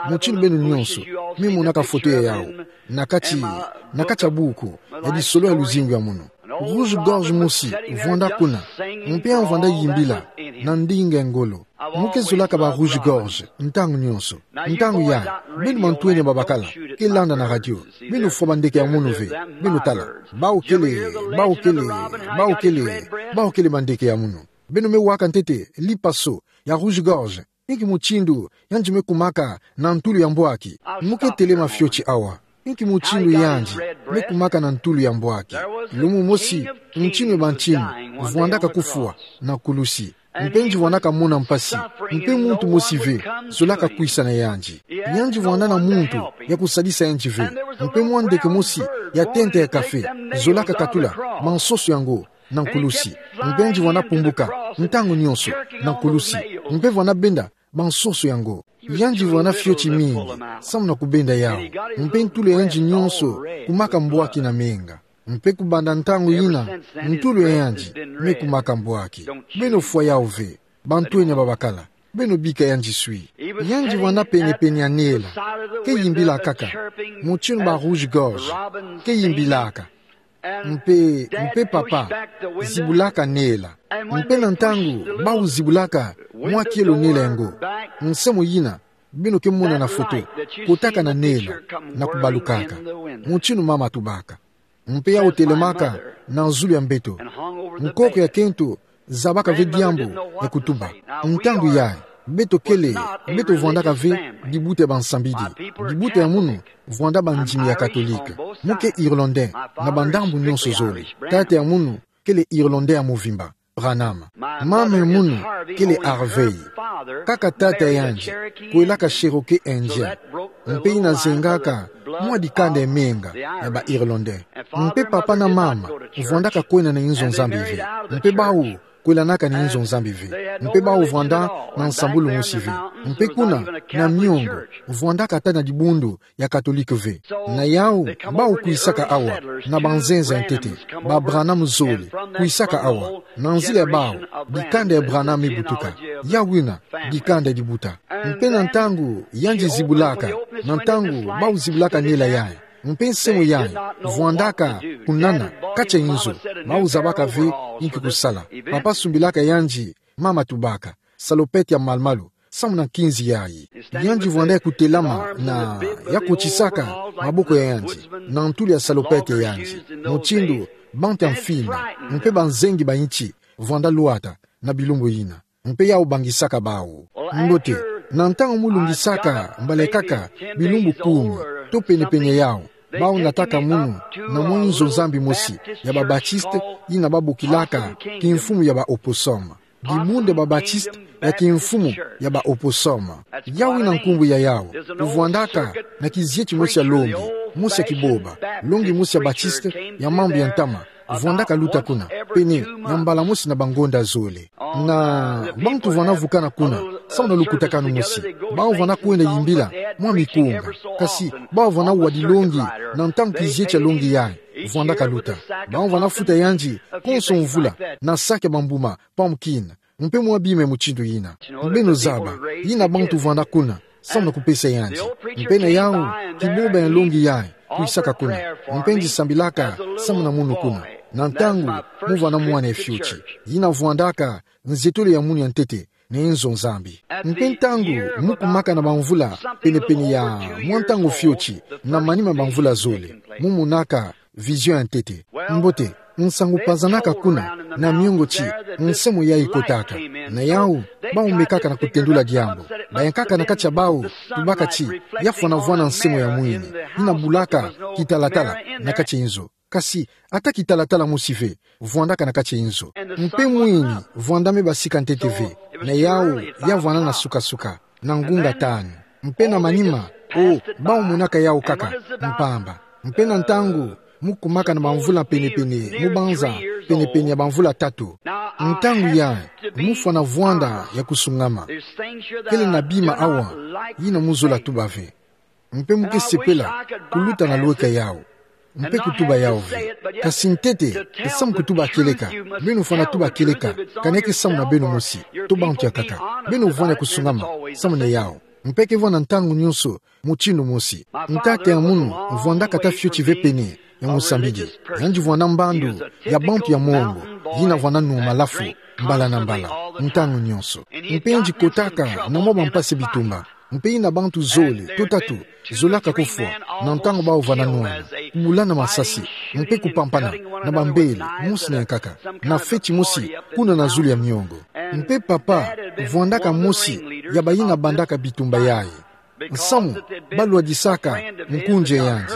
mutindu beno nyonso me monaka foto ya yawu na kati, na kati ya buku ya disolo ya luzingu ya munu. Rouge-gorge mosi vwanda kuna, mpe yandi vwanda yimbila na ndinga ya ngolo. Mu ke zolaka ba rouge-gorge ntangu nyonso. Ntangu yayi, beno mantweni ya babakala ke landa na radio, beno fwa bandeke ya munu ve, beno tala. Bawu kele, bawu kele, bawu kele, bawu kele bandeke ya munu. Beno me waka ntete lipaso ya rouge-gorge Inki mutindu yandi me kumaka na ntulu ya mbwaki? Mu ke telema fioti awa. Inki mutindu yandi me kumaka na ntulu ya mbwaki? Lumbu mosi, ntinu ya bantinu vwandaka kufwa na kulusi. Mpe yandi vwandaka mona mpasi. Mpe muntu mosi ve zolaka kwisa na yandi. Yandi vwanda na muntu ya kusadisa yandi ve. Mpe mwa ndeke mosi ya tente ya kafe zolaka katula mansoso yango na nkulusi. Mpe yandi vwanda pumbuka ntangu nyonso na nkulusi. Mpe vwanda benda mansoso yango. Yandi vwanda fioti mingi samu na kubenda yawu. Mpe ntulu ya yandi nyonso kumaka mbwaki na menga. Mpe kubanda ntangu yina, ntulu ya yandi me kumaka mbwaki. Beno fwa yawu ve, bantwenya babakala. Beno bika yandi swi. Yandi vwanda penepene ya nela, ke yimbilakaka. Mutinu ba rouge-gorge ke yimbilaka. Mpe, mpe papa zibulaka nela. Mpe na ntangu bawu zibulaka mwa kielo nela yango, nsamu yina beno ke mona na foto, kotaka na nela na kubalukaka. Mutinu mama tubaka. Mpe yawu telemaka na zulu ya mbeto. Nkoko ya kento zabaka ve diambu ya kutuba. Ntangu yayi, beto kele, beto vwandaka ve dibuta ya bansambidi. Dibuta ya munu vwanda bandimi ya Katolike. Mu ke Irlandais na bandambu nyonso zole. Tata ya munu kele Irlandais ya muvimba, Branham. Mama ya munu kele Harvey. Kaka tata ya yandi kwelaka Cherokee Indien. Mpe yina zengaka mwa dikanda ya menga ya ba Irlandais. Mpe papa na mama vwandaka kwenda na inzo Nzambi ve. Mpe bawu kwelanaka na inzo Nzambi ve. Mpe bawu vwanda na nsambulu mosi ve. Mpe kuna na miongo, vwandaka ata na dibundu ya Katolike ve. Na yawu, bawu kwisaka awa na banzenza ya ntete. Ba Branham zole kwisaka awa. Na nzila ya bawu, dikanda ya Branham me butuka. Yawu yina dikanda ya dibuta. Mpe na ntangu yandi zibulaka, na ntangu bawu zibulaka nela yayi, mpe nsamu yayi vwandaka kunana kati ya inzo, bawu zabaka ve inki kusala. Papa sumbilaka yandi, mama tubaka, salopette ya malu-malu samu na nkinzi yayi. Yandi vwanda ya kutelama na ya kotisaka maboko ya yandi na ntulu ya salopette ya yandi, mutindu bantu ya mfina mpe banzengi ba insi vwanda lwata na bilumbu yina. Mpe yawu bangisaka bawu. Mbote, na ntangu mu lungisaka mbala ya nkaka bilumbu kumi to penepene ya yawu, bawu nataka munu na mwa inzo Nzambi mosi ya ba Baptiste, yina babokilaka kimfumu ya ba opossum. Dibundu ya ba Baptiste ya kimfumu ya ba opossum. Yawu yina nkumbu ya yawu. Kuvwandaka na kizieti mosi ya longi, mosi ya kiboba, longi mosi ya Baptiste ya mambu ya ntama vwandaka luta kuna, pene ya mbala mosi na bangonda zole. Na bantu vwanda vukana kuna samu na lukutakanu mosi. Bawu vwanda kwenda yimbila mwa mikunga. Kasi bawu vwanda wa dilongi na ntangu kizieti ya longi yayi vwandaka luta. Bawu vwanda futa yandi konso mvula na saki ya bambuma, pumpkin, mpe mwa bima ya mutindu yina. Beno zaba, yina bantu vwanda kuna samu na kupesa yandi. Mpe na yawu, kiboba ya longi yayi kwisaka kuna. Mpe yandi sambilaka samu na munu kuna na ntangu mu vwanda mwana ya fioti. Yina vwandaka nzietolo ya munu ya ntete na inzo Nzambi. Mpe ntangu mu kumaka na bamvula penepene ya mwa ntangu fioti na manima ya bamvula zole, mu monaka vision ya ntete. Mbote, nsangu pazanaka kuna na miongo ti nsamu yayi kotaka. Na yawu, bawu mekaka na kutendula diambu. Bayankaka na kati ya bawu, tubaka ti ya fwana vwanda nsamu ya mwini, yina bulaka kitalatala na kati ya inzo. Kasi ata kitalatala mosi ve vwandaka na kati ya inzo. Mpe mwini vwanda me basika ntete ve. Na yawu, ya vwanda na sukasuka na ngunga tanu. Mpe na manima, o, bawu monaka yawu kaka mpamba. Mpe na ntangu mu kumaka na bamvula penepene, mu banza penepene ya bamvula tatu. Ntangu yayi, mu fwana vwanda ya kusungama. Kele na bima awa yina mu zola tuba ve. Mpe mu ke sepela kuluta na lweka yawu mpe kutuba yawu ve. Kasi ntete, ke samu kutuba kieleka. Beno fwana tuba kieleka, kani ke samu na beno mosi, to bantu ya nkaka. Beno vwanda kusungama samu na yawu. Mpe ke vwanda ntangu nyonso mutindu mosi. Ntata ya munu vwandaka ata fioti ve pene ya musambidi. Yandi vwanda mbandu ya bantu ya mongo, yina vwanda nwa malafu mbala na mbala, ntangu nyonso. Mpe yandi kotaka na mwa bampasi bitumba. Mpe yina bantu zole to tatu zolaka kufwa na ntangu bawu vwanda nwana, kubulana masasi, mpe kupampana na bambele mosi na ya nkaka, na feti mosi kuna na zulu ya miongo. Mpe papa vwandaka mosi ya bayina bandaka bitumba yayi. Nsamu, balwadisaka nkunzi yandi.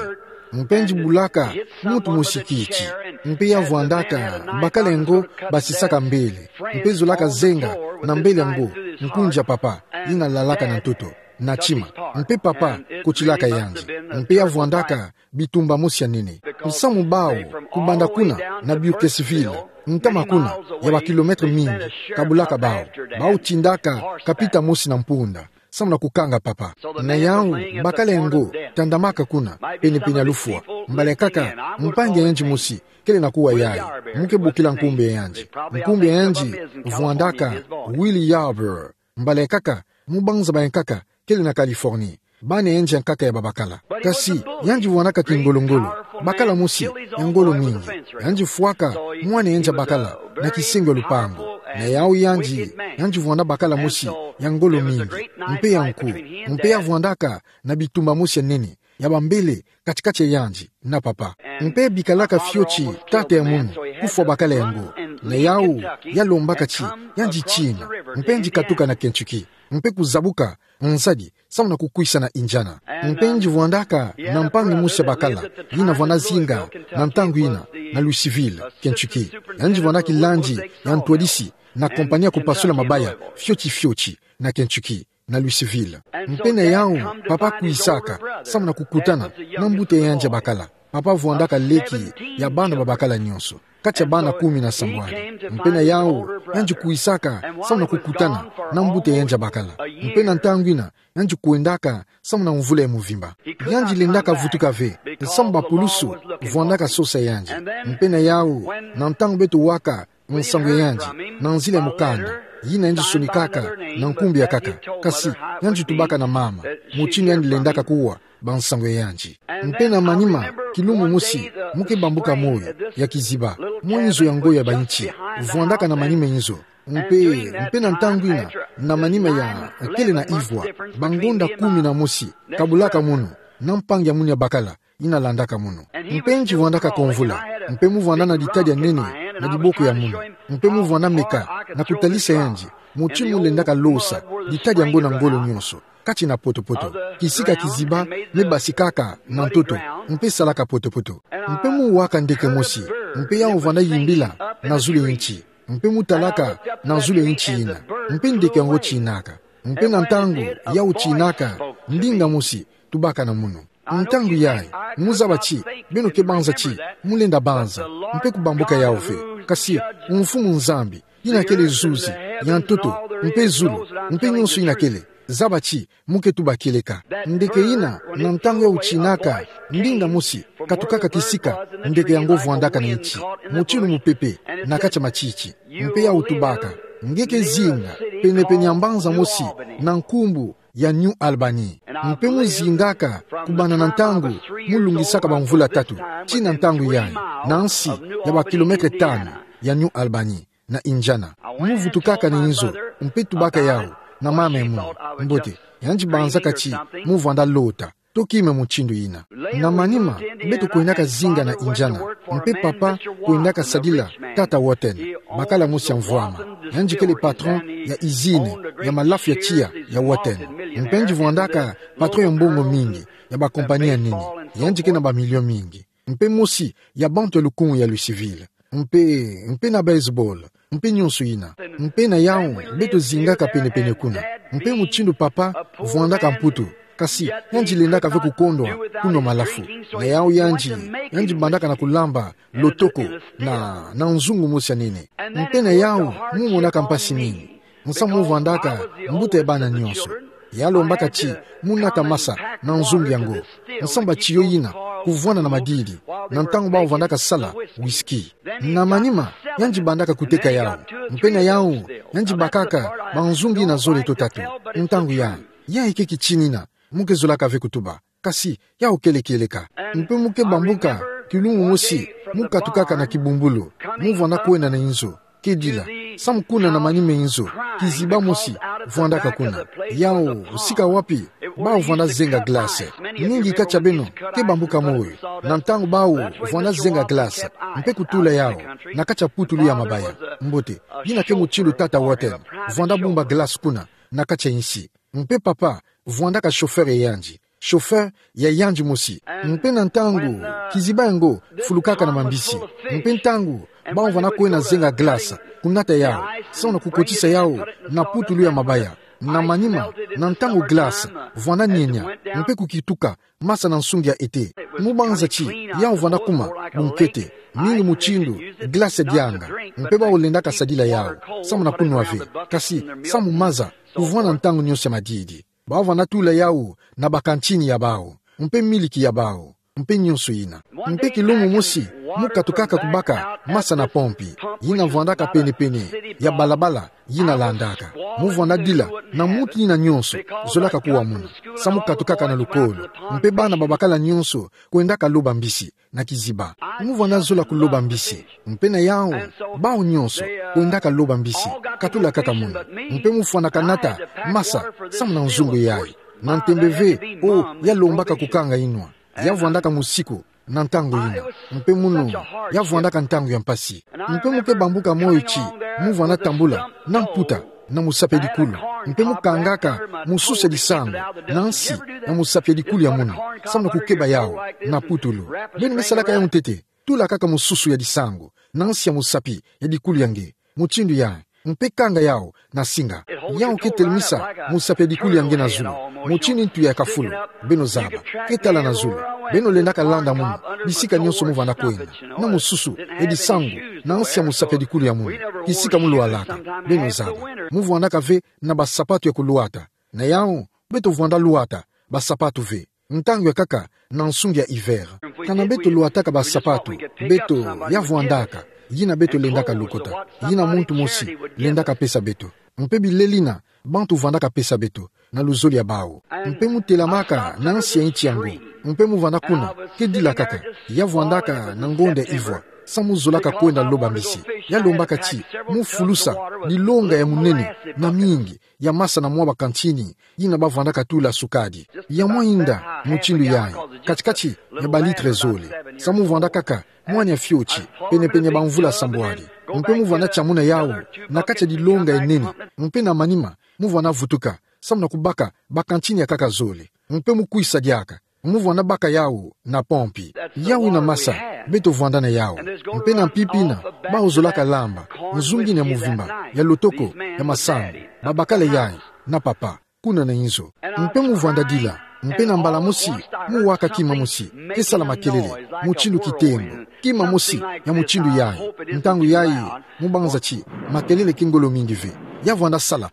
Mpe yandi bulaka muntu mosi kiti. Mpe ya vwandaka bakala ngo basisaka mbele. Mpe zolaka zenga na mbele ngo, nkunzi ya papa, yina lalaka na ntoto, na tima. Mpe papa kotilaka yandi. Mpe ya vwandaka bitumba mosi ya nene. Nsamu bawu, kubanda kuna na Burkesville, ntama kuna, ya ba kilomètre mingi, kabulaka bawu. Bawu tindaka kapita mosi na mpunda, samu na kukanga papa. Na yawu, bakala ngo tandamaka kuna, pene-pene ya lufwa. Mbala kaka, mpangi yandi mosi kele na kuwa yayi, mu ke bokila nkumbu ya yandi. Nkumbu ya yandi vwandaka Willie Yarbrough. Mbala kaka, mubanza baya nkaka kele na Californie. Bana yandi ya nkaka ya babakala. Kasi, yandi vwandaka kingolo-ngolo, bakala mosi ya ngolo mingi. Yandi fwaka mwana yandi ya bakala na kisengo ya lupangu. Na yawu yandi, yandi vwanda bakala mosi ya ngolo mingi, mpe ya nku. Mpe ya vwandaka na bitumba mosi ya nene, ya bambele kati-kati ya yandi na papa. Mpe bikalaka fioti tata ya munu kufwa bakala yango. Na yawu, ya lombaka ti yandi tina, mpe yandi katuka na Kentucky, mpe kuzabuka nzadi, samu na kukwisa na Indiana. Mpe yandi vwandaka na mpangi mosi ya bakala, yina vwanda zinga na ntangu yina na Louisville, Kentucky. Yandi vwanda kilandi ya ntwadisi na compagnie ya kupasula mabaya fioti-fioti na Kentucky, na Louisville. Mpe na yawu, papa kwisaka samu na kukutana na mbuta yandi ya bakala. Papa vwandaka leki ya bana babakala nyonso, kati ya bana kumi na sambwadi. Mpe na yawu, yandi kwisaka samu na kukutana na mbuta yandi ya bakala. Mpe na ntangu yina, yandi kwendaka samu na mvula ya mvimba. Yandi lendaka vutuka ve, samu bapulusu vwandaka sosa yandi. Mpe na yawu, na ntangu beto waka nsangu ya yandi na nzila ya mukanda, yina yandi sonikaka na nkumbu ya nkaka, kasi yandi tubaka na mama mutindu yandi lendaka kuwa bansangu ya yandi. Mpe na manima, kilumbu mosi, mu ke bambuka moyo ya kiziba, mwa inzo ya ngo ya bainti, vwandaka na manima inzo. Mpe, mpe na ntangu yina, na manima ya kele na ivwa, bangonda kumi na mosi, kabulaka munu, na mpangi ya munu ya bakala, yina landaka munu. Mpe yandi vwandaka kamvula, mpe mu vwanda na ditadi ya nene na diboko ya munu, mpe mu vwanda meka na kutalisa yandi mutindu mu lendaka losa ditadi yango na ngolo nyonso, kati na poto-poto. Kisika kiziba me basikaka na ntoto, mpe salaka poto-poto. Mpe mu waka ndeke mosi, mpe yawu vwanda yimbila na zulu ya nti, mpe mu talaka na zulu ya nti yina, mpe ndeke yango tinaka. Mpe na ntangu yawu tinaka, ndinga mosi tubaka na munu. Ntangu yayi, mu zaba ti beno ke banza ti mu lenda banza, mpe kubambuka yawu ve. Kasi, Mfumu Nzambi, yina kele zuzi ya ntoto, mpe zulu, mpe nyonso yina kele, zaba ti mu ke tuba kieleka. Ndeke yina, na ntangu yawu tinaka, ndinga mosi katukaka kisika ndeke yango vwandaka na nti, mutindu mupepe na kati ya matiti. Mpe yawu tubaka: Nge ke zinga pene-pene ya mbanza mosi na nkumbu ya New Albany. Mpe mu zingaka kubanda na ntangu mu lungisaka bamvula tatu, tii na ntangu yayi, na nsi ya ba kilomètre tanu ya New Albany, na Indiana. Mu vutukaka na inzo, mpe tubaka yawu na mama ya munu. Mbote, yandi banzaka ti mu vwanda lota to kima mutindu yina. Na manima, beto kwendaka zinga na Indiana, mpe papa kwendaka sadila tata Wharton, bakala mosi ya mvwama. Yandi kele patron ya izine ya malafu ya tiya ya Wharton. Mpe yandi vwandaka patron ya mbongo mingi ya bakompani ya nene. Yandi ke na bamilio mingi. Mpe mosi ya bantu ya lukumu ya Louisville. Mpe, mpe na baseball, mpe nyonso yina. Mpe na yawu, beto zingaka pene-pene kuna. Mpe mutindu papa vwandaka Mputu, kasi yandi lendaka ve kukondwa kunwa malafu. Na yawu yandi, yandi bandaka na kulamba lotoko na, na nzungu mosi ya nene. Mpe na yawu, mu monaka mpasi mingi, nsamu mu vwandaka mbuta ya bana nyonso. Ya lombaka ti mu nata masa na nzungu yango, nsamu batiyo yina kuvwanda na madidi, na ntangu bawu vandaka sala whisky. Na manima, yandi bandaka kuteka yawu. Mpe na yawu, yandi bakaka banzungu yina zole to tatu. Ntangu yayi, yayi ke kitinina, mu ke zolaka ve kutuba. Kasi yawu kele kieleka. Mpe mu ke bambuka, kilumbu mosi, mu katukaka na Kibumbulu, mu vwanda kwenda na inzo, kedila, samu kuna na manima inzo, kiziba mosi vwandaka kuna. Yawu sika wapi bawu vwanda zenga glace. Mingi kati ya beno ke bambuka moyo na ntangu bawu vwanda zenga glace, mpe kutula yawu na kati ya putulu ya mabaya. Mbote, yina ke mutindu tata Wharton vwanda bumba glace kuna, na kati ya insi. Mpe papa vwandaka chauffeur ya yandi, chauffeur ya yandi mosi. Mpe na ntangu kiziba yango fulukaka na mambisi, mpe ntangu bawu vwanda kwenda zenga glace, kunata yawu, samu na kukotisa yawu na putulu ya mabaya, na manima, na ntangu glace vwanda nienia, mpe kukituka masa na nsungi ya ete. Mu banza ti yawu vwanda kuma bunkete, mingi mutindu glace dianga, mpe bawu lendaka sadila yawu samu na kunwa ve, kasi samu maza kuvwanda ntangu nionso ya madidi. Bawu vwanda tula yawu na bakantini ya bawu, mpe miliki ya bawu, mpe nionso yina. Mpe kilumbu mosi, mu katukaka kubaka masa na pompi yina vwandaka pene-pene ya balabala yina landaka. Mu vwanda dila na muntu yina nionso zolaka kuwa muna, samu katukaka na lukolo. Mpe bana babakala nionso kwendaka loba mbisi na kiziba. Mu vwanda zola kuloba mbisi, mpe na yawu, bawu nionso kwendaka loba mbisi, katula kaka muna. Mpe mu fwanaka nata masa samu na nzungu yayi. Na ntembe ve, o, ya lombaka kukanga inwa. Ya vwandaka musiku na ntangu yina. Mpe munu, ya vwandaka ntangu ya mpasi. Mpe mu ke bambuka moyo ti mu vwanda tambula na mputa na musapi ya dikulu, mpe mu kangaka mususu ya disangu na nsi ya musapi ya dikulu ya munu, samu na kukeba yawu na putulu. Beno me salaka yawu ntete, tula kaka mususu ya disangu na nsi ya musapi ya dikulu ya nge, mutindu yayi, mpe kanga yawu na singa. Yawu ke telemisa musapi ya dikulu ya nge na zulu, mutindu ntu ya kafulu. Beno zaba, ke tala na zulu. Beno lendaka landa munu bisika nionso mu vwanda kwenda, na mususu ya disangu na nsi ya musapi ya dikulu ya munu, kisika mu lwalaka. Beno zaba, mu vwandaka ve na basapatu ya kulwata. Na yawu, beto vwanda lwata basapatu ve ntangu ya nkaka na nsungi ya hiver. Kana beto lwataka basapatu, beto, ya vwandaka yina beto lendaka lokota, yina muntu mosi lendaka pesa beto. Mpe bilelina bantu vwandaka pesa beto na luzolo ya bawu. Mpe mu telamaka na nsi ya inti yango, mpe mu vwanda kuna, ke dila kaka, ya vwandaka na ngonda ivwa, samu zolaka kwenda loba mbisi. Ya lombaka ti mu fulusa nilonga ya munene na mingi ya masa na mwa bakantini yina ba vwandaka tula sukadi. Ya mwa inda mutindu yayi, kati-kati ya balitre zole, samu vwanda kaka mwana ya fioti, pene-pene ya bamvula sambwadi. Mpe mu vwanda tia muna yawu na kati ya dilonga ya nene, mpe na manima, mu vwanda vutuka samu na kubaka bakantini ya nkaka zole. Mpe mu kwisa diaka, mu vwanda baka yawu na pompi. Yawu yina masa beto vwanda na yawu. Mpe na mpimpa yina, bawu zolaka lamba nzungu yina ya muvimba, ya lotoko, ya masangu, babakala yayi na papa, kuna na inzo. Mpe mu vwanda dila, mpe na mbala mosi, mu waka kima mosi ke sala makelele, mutindu kitembo, kima mosi ya mutindu yayi. Ntangu yayi, mu banza ti makelele ke ngolo mingi ve. Ya vwanda sala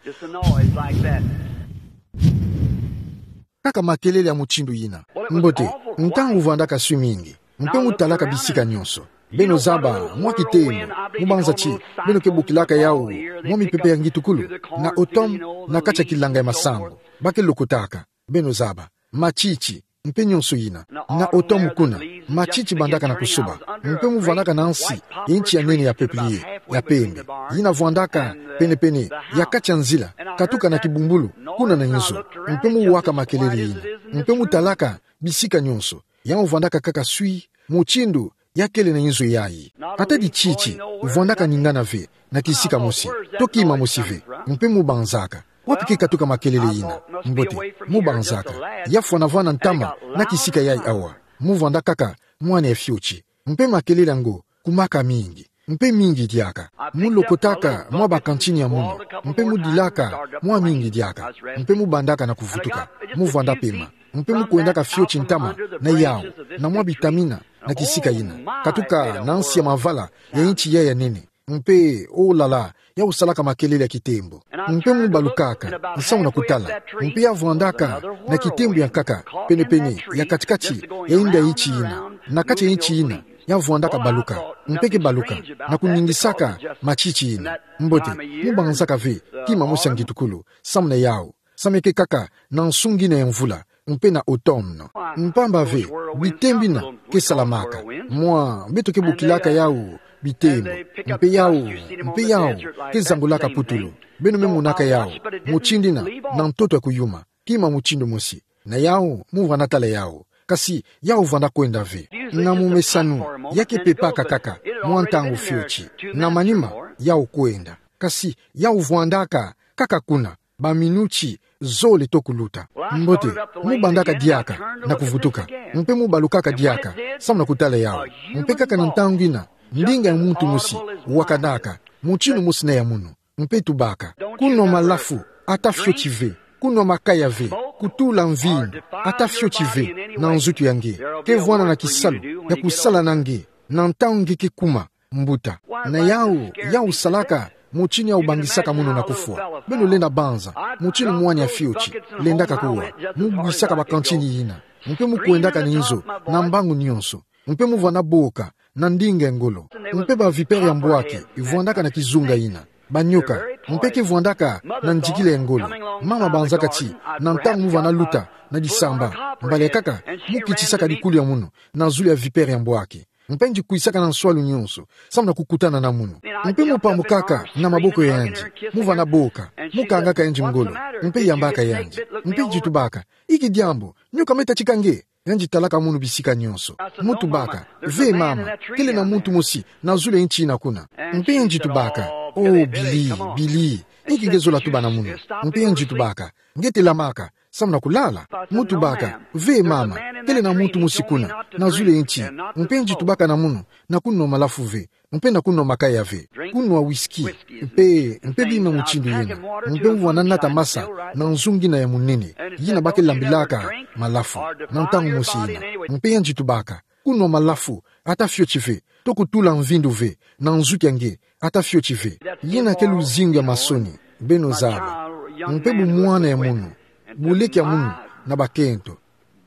kaka makelele ya mutindu yina. Mbote, ntangu vwandaka swi mingi, mpe mu talaka bisika nionso. Beno zaba mwa kitembo, mu banza ti beno ke bokilaka yawu mwa mipepe ya ngitukulu, na automne, na kati ya kilanga ya masangu, ba ke lokotaka, beno zaba, matiti, mpe nionso yina. Na automne kuna, matiti bandaka na kusoba, mpe mu vwandaka na nsi ya inti ya nene ya peuplier ya pembe, yina vwandaka pene-pene ya kati ya nzila katuka na kibumbulu, kuna na inzo. Mpe mu waka makelele yina, mpe mu talaka bisika nionso, yawu vwandaka kaka swi, mutindu ya kele na inzo yayi. Ata dititi vwandaka ningana ve na kisika mosi, to kima mosi ve. Mpe mu banzaka, wapi ke katuka makelele yina? Mbote, mu banzaka, ya fwanavana ntama na kisika yayi awa. Mu vwanda kaka mwana ya fioti. Mpe makelele yango kumaka mingi, mpe mingi diaka. Mu lokotaka mwa bakantini ya munu, mpe mu dilaka mwa mingi diaka, mpe mu bandaka na kuvutuka. Mu vwanda pema, mpe mu kwendaka fioti ntama na yawu, na mwa bitamina, na kisika yina, katuka na nsi ya mavala ya inti yayi ya nene. Mpe, oh là là, yawu salaka makelele ya kitembo. Mpe mu balukaka nsamu na kutala, mpe ya vwandaka na kitembo ya nkaka, pene-pene ya kati-kati ya inda ya inti yina, na kati ya inti yina, ya vwandaka baluka, mpe ke baluka, na kuningisaka matiti yina. Mbote, mu banzaka ve kima mosi ya ngitukulu samu na yawu, sameke kaka na nsungi yina ya mvula, mpe na automne. Mpamba ve, bitembo bina ke salamaka, mwa beto ke bokilaka yawu bitembo, mpe yawu, mpe yawu ke zangulaka putulu. Beno me monaka yawu mutindu yina na ntoto ya kuyuma, kima mutindu mosi. Na yawu, mu vwanda tala yawu, kasi yawu vwanda kwenda ve. Na momesano, ya ke pepaka kaka mwa ntangu fioti, na manima yawu kwenda. Kasi yawu vwandaka kaka kuna, Ba minuti zole toko luta. Mbote, mu bandaka diaka na kuvutuka. Mpe mu balukaka diaka, samu na kutala yawu. Mpe kaka na ntangu ina, ndinga ya muntu mosi wakanaka, mutindu mosi na ya munu. Mpe tubaka: Kunwa malafu, ata fioti ve. Kunwa makaya ve. Kutula mvindu, ata fioti ve, na nzutu ya nge. Kevwana na kisalu ya kusala na nge, na ntangu nge ke kuma mbuta. Na yawu, yawu salaka mutindu yawu bangisaka munu na kufwa. Beno lenda banza mutindu mwani ya fioti lendaka kuwa. Mu bwisaka ba kantini yina, mpe mu kwendaka na inzo na mbangu nionso. Mpe mu vwana boka na ndinga ya ngolo. Mpe ba vipère ya mbwaki vwandaka na kizunga yina, ba nyoka. Mpe ke vwandaka na ndikila ya ngolo. Mama banzaka ti, na ntangu mu vwana luta na disamba, mbala ya nkaka, mu kitisaka likulu ya munu na zulu ya vipère ya mbwaki. Mpe yandi kwisaka na nswalu nionso, samu na kukutana na munu. Mpe mu pamukaka na maboko ya yandi, mu vwana boka, mu kangaka yandi ngolo, mpe yambaka yandi. Mpe yandi tubaka: Inki diambu, nyoka me tatika nge? Yandi talaka munu bisika nionso. Mu tubaka: Ve mama, kele na muntu mosi na zulu ya nti ina kuna. Mpe yandi tubaka: O Billy, Billy, inki nge zola tuba na munu? Mpe yandi tubaka: Nge telamaka samu na kulala? Mu tubaka: Ve mama, kele na muntu mosi kuna na zulu ya nti. Mpe yandi tubaka na munu na kunwa malafu ve, mpe na kunwa makaya ve. Kunwa whisky, mpe, mpe bima mutindu yina. Mpe mu vwana nata masa na nzungu ina ya munene, yina ba ke lambilaka malafu, na ntangu mosi yina. Mpe yandi tubaka: Kunwa malafu, ata fioti ve, to kutula mvindu ve, na nzutu ya nge, ata fioti ve. Yina ke luzingu ya masoni, beno zaba. Mpe bumwana ya munu, buleke ya munu na bakento,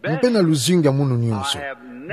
mpe na luzingu ya munu nionso,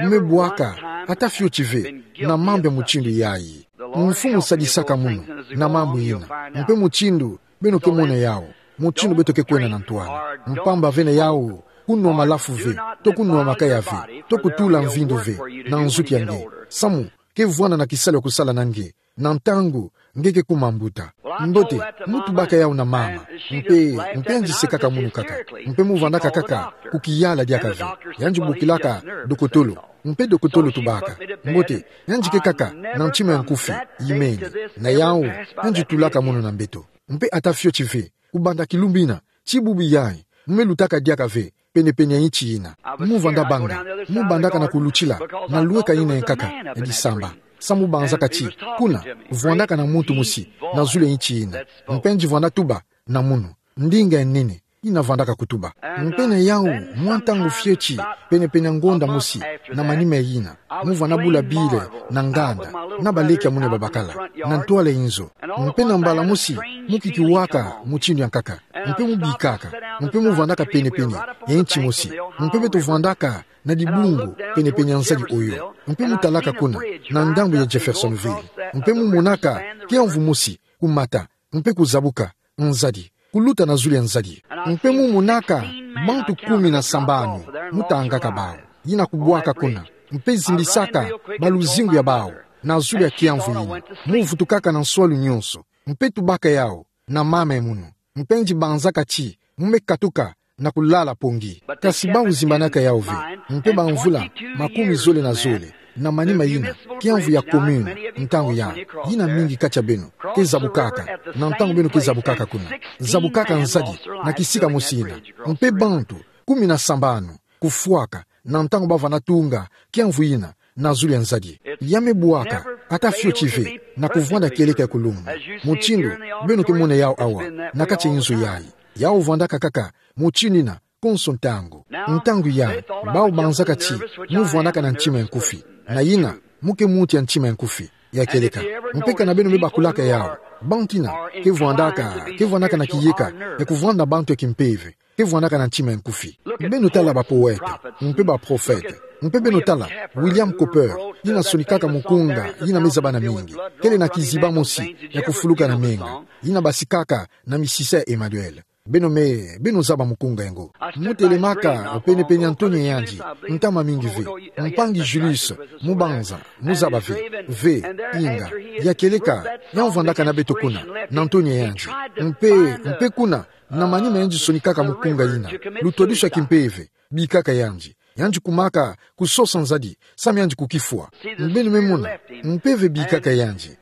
mu me bwaka ata fioti ve na mambu ya mutindu yayi. Mfumu sadisaka munu na mambu yina. Mpe mutindu beno ke mona yawu, mutindu beto ke kwenda na ntwala. Mpamba ve na yawu, kunwa malafu ve, to kunwa makaya ve, to kutula mvindu ve, na nzutu ya nge, samu ke vwana na kisalu ya kusala na nge, na ntangu nge ke kuma mbuta. Mbote, mu tubaka yawu na mama, mpe, mpe yandi sekaka munu kaka. Mpe mu vwandaka kaka kukiyala diaka ve. Yandi bokilaka dokotolo, mpe dokotolo tubaka. Mbote, yandi ke kaka na ntima ya nkufi, imeni. Na yawu, yandi tulaka munu na mbeto. Mpe ata fioti ve, kubanda kilumbu ina, ti bubu yayi, mu me lutaka diaka ve penepene ya nti ina. Mu vwanda banga, mu bandaka na kulutila na lweka ina ya nkaka ya disamba. Samu mu banzaka ti, kuna, vwandaka na muntu mosi na zulu ya nti ina. Mpe yandi vwanda tuba na munu, ndinga ya nene, ina vwandaka kutuba. Mpe na yawu, mwa ntangu fioti, penepene ya ngonda mosi, na manima yina, mu vwanda bula bile na nganda, na baleke ya munu ya babakala, na ntwala ya inzo. Mpe na mbala mosi, mu kikiwaka mutindu ya nkaka, mpe mu bikaka, mpe mu vwandaka penepene ya nti mosi, mpe beto vwandaka na dibungu penepene ya nzadi oyo, mpe mu talaka kuna, na ndambu ya Jeffersonville, mpe mu monaka kiamvu mosi kumata, mpe kuzabuka nzadi, kuluta na zulu ya nzadi. Mpe mu monaka bantu kumi na sambanu, mu tangaka bawu, yina kubwaka kuna, mpe zimbisaka baluzingu ya bawu na zulu ya kiamvu yina. Mu vutukaka na nswalu nionso, mpe tubaka yawu na mama ya munu. Mpe yandi banzaka ti, mu me katuka na kulala pongi. Kasi bawu zimbanaka yawu ve, mpe ba mvula makumi zole na zole, na manima yina, kiamvu ya commune, ntangu ya, yina mingi kati ya beno ke zabukaka, na ntangu beno ke zabukaka kuna, zabukaka nzadi na kisika mosi yina, mpe bantu kumi na sambanu kufwaka, na ntangu ba vwanda tunga kiamvu yina na zulu ya nzadi. Ya me bwaka ata fioti ve na kuvwanda kieleka ya kulumbu, mutindu beno ke mona yawu awa, na kati ya inzo yayi. Yawu vwandaka kaka mutindu yina konso ntangu. Ntangu ya, bawu banzaka ti, mu vwandaka na ntima ya nkufi. Na yina, mu ke muntu ya ntima ya nkufi, ya kieleka. Mpe kana beno me bakulaka yawu, bantu yina ke vwandaka, ke vwandaka na kiyeka ya kuvwanda bantu ya kimpeve, ke vwandaka na ntima ya nkufi. Beno tala ba poète, mpe ba prophète. Mpe beno tala William Cowper, yina sonikaka mukunga yina me zaba na mingi, kele na kiziba mosi ya kufuluka na menga, yina basikaka na misisa ya Emmanuel. Beno me, beno zaba mukunga yango. Mu telemaka penepene ya ntonia yandi, ntama mingi ve. Mpangi Julius, mu banza, mu zaba ve, ve, inga, ya kieleka, ya vwandaka na beto kuna, na ntonia yandi. Mpe, mpe kuna, na manima yandi sonikaka mukunga yina, lutwadusu ya kimpeve, bikaka yandi. Yandi kumaka kusosa nzadi, samu yandi kukifwa. Beno me mona, mpeve bikaka yandi.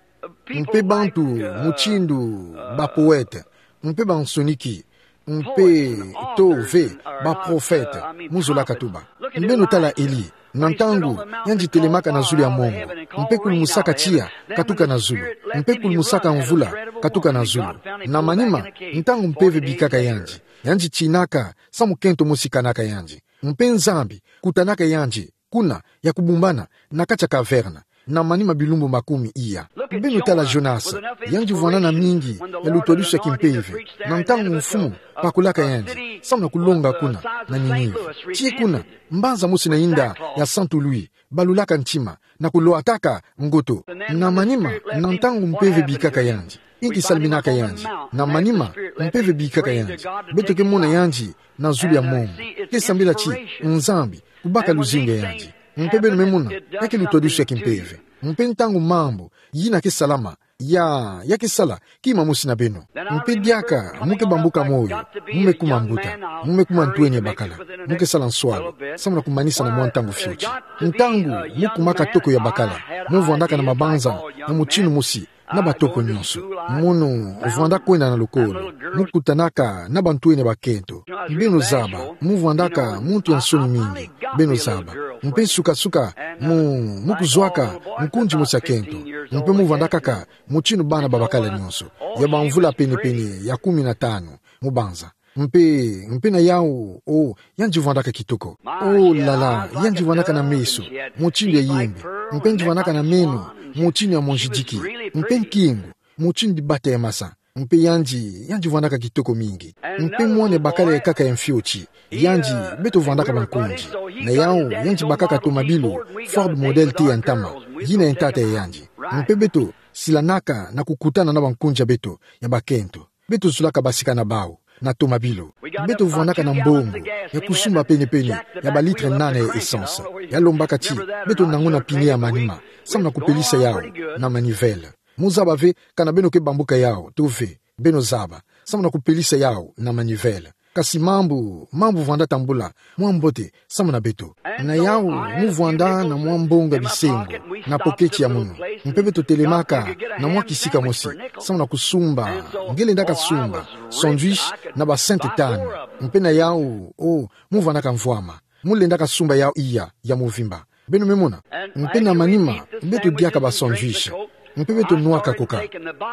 Mpe bantu mutindu ba poète, mpe ba nsoniki, mpe to ve baprofete, mu zolaka tuba. Beno tala Eli, na ntangu yandi telemaka na zulu ya mongo, mpe kulumusaka tiya katuka na zulu, mpe kulumusaka mvula katuka na zulu. Na manima, ntangu mpeve bikaka yandi, yandi tinaka samu kento mosi kanaka yandi. Mpe Nzambi kutanaka yandi kuna ya kubumbana na kati ya kaverne, na manima bilumbu makumi iya. Beno tala Jonas, yandi vwanda na mingi ya lutwadusu ya kimpeve, na ntangu mfumu pakolaka yandi samu na kulonga kuna na Ninive. Tii kuna, mbanza mosi na yinda ya Santu Louis balulaka ntima na kulwataka ngoto. Na manima, na ntangu mpeve bikaka yandi, inki salaminaka yandi? Na manima, mpeve bikaka yandi. Beto ke mona yandi na zulu ya mongo. Ke sambila ti Nzambi kubaka luzingu ya yandi. Mpe beno me mona, ya ke lutwadusu ya kimpeve. Mpe ntangu mambu yina ke salama, ya, ya ke sala kima mosi na beno. Mpe diaka mu ke bambuka moyo, mu me kuma mbuta, mu me kuma ntweni ya bakala, mu ke sala nswalu samu na kumanisa na mwa ntangu fioti. Ntangu mu kumaka toko ya bakala, mu vwandaka na mabanza ya mutinu mosi na batoko nyonso. Mono vwanda kwenda na lokolo, mu kutanaka na bantweni ya bakento. Beno zaba, mu vwandaka muntu ya nsoni mingi. Beno zaba, mpe sukasuka mu, mu kuzwaka nkunzi mosi ya kento. Mpe mu vwandaka kaka mutinu bana ba bakala nyonso, ya bamvula penepene ya kumi na tanu, mu banza. Mpe, mpe na yawu, o, yandi vwandaka kitoko. O lala, yandi vwandaka na meso mutinu ya yembe. Mpe yandi vwandaka na meno mutinu ya monzidiki. Mpe nkingu mutinu dibata ya masa. Mpe yandi, yandi vwandaka kitoko mingi. Mpe mwana ya bakala ya nkaka ya mfioti, yandi beto vwandaka bankunzi. Na yawu, yandi bakaka tomabilu Ford Model T ya ntama, yina ya ntata ya yandi. Mpe beto silanaka na kukutana na bankunzi ya beto ya bakento. Beto zolaka basika na bawu na tomabilu. Beto vwandaka na mbongo ya kusumba penepene ya balitre nana ya essence. Ya lombaka ti beto nanguna pine ya manima samu na kupelisa yawu na manivelle. Mu zaba ve kana beno ke bambuka yawu to ve. Beno zaba, samu na kupelisa yawu na manivelle. Kasi mambu, mambu vwanda tambula mwa mbote samu na beto. Na yawu, mu vwanda na mwa mbongo ya bisengo na poketi ya munu. Mpe beto telemaka na mwa kisika mosi samu na kusumba, nge lendaka sumba sandwich na ba cent tanu. Mpe na yawu, o, mu vwandaka mvwama. Mu lendaka sumba yawu iya ya mvimba. Beno me mona? Mpe na manima, beto diaka ba sandwich. Mpe beto nwaka coca.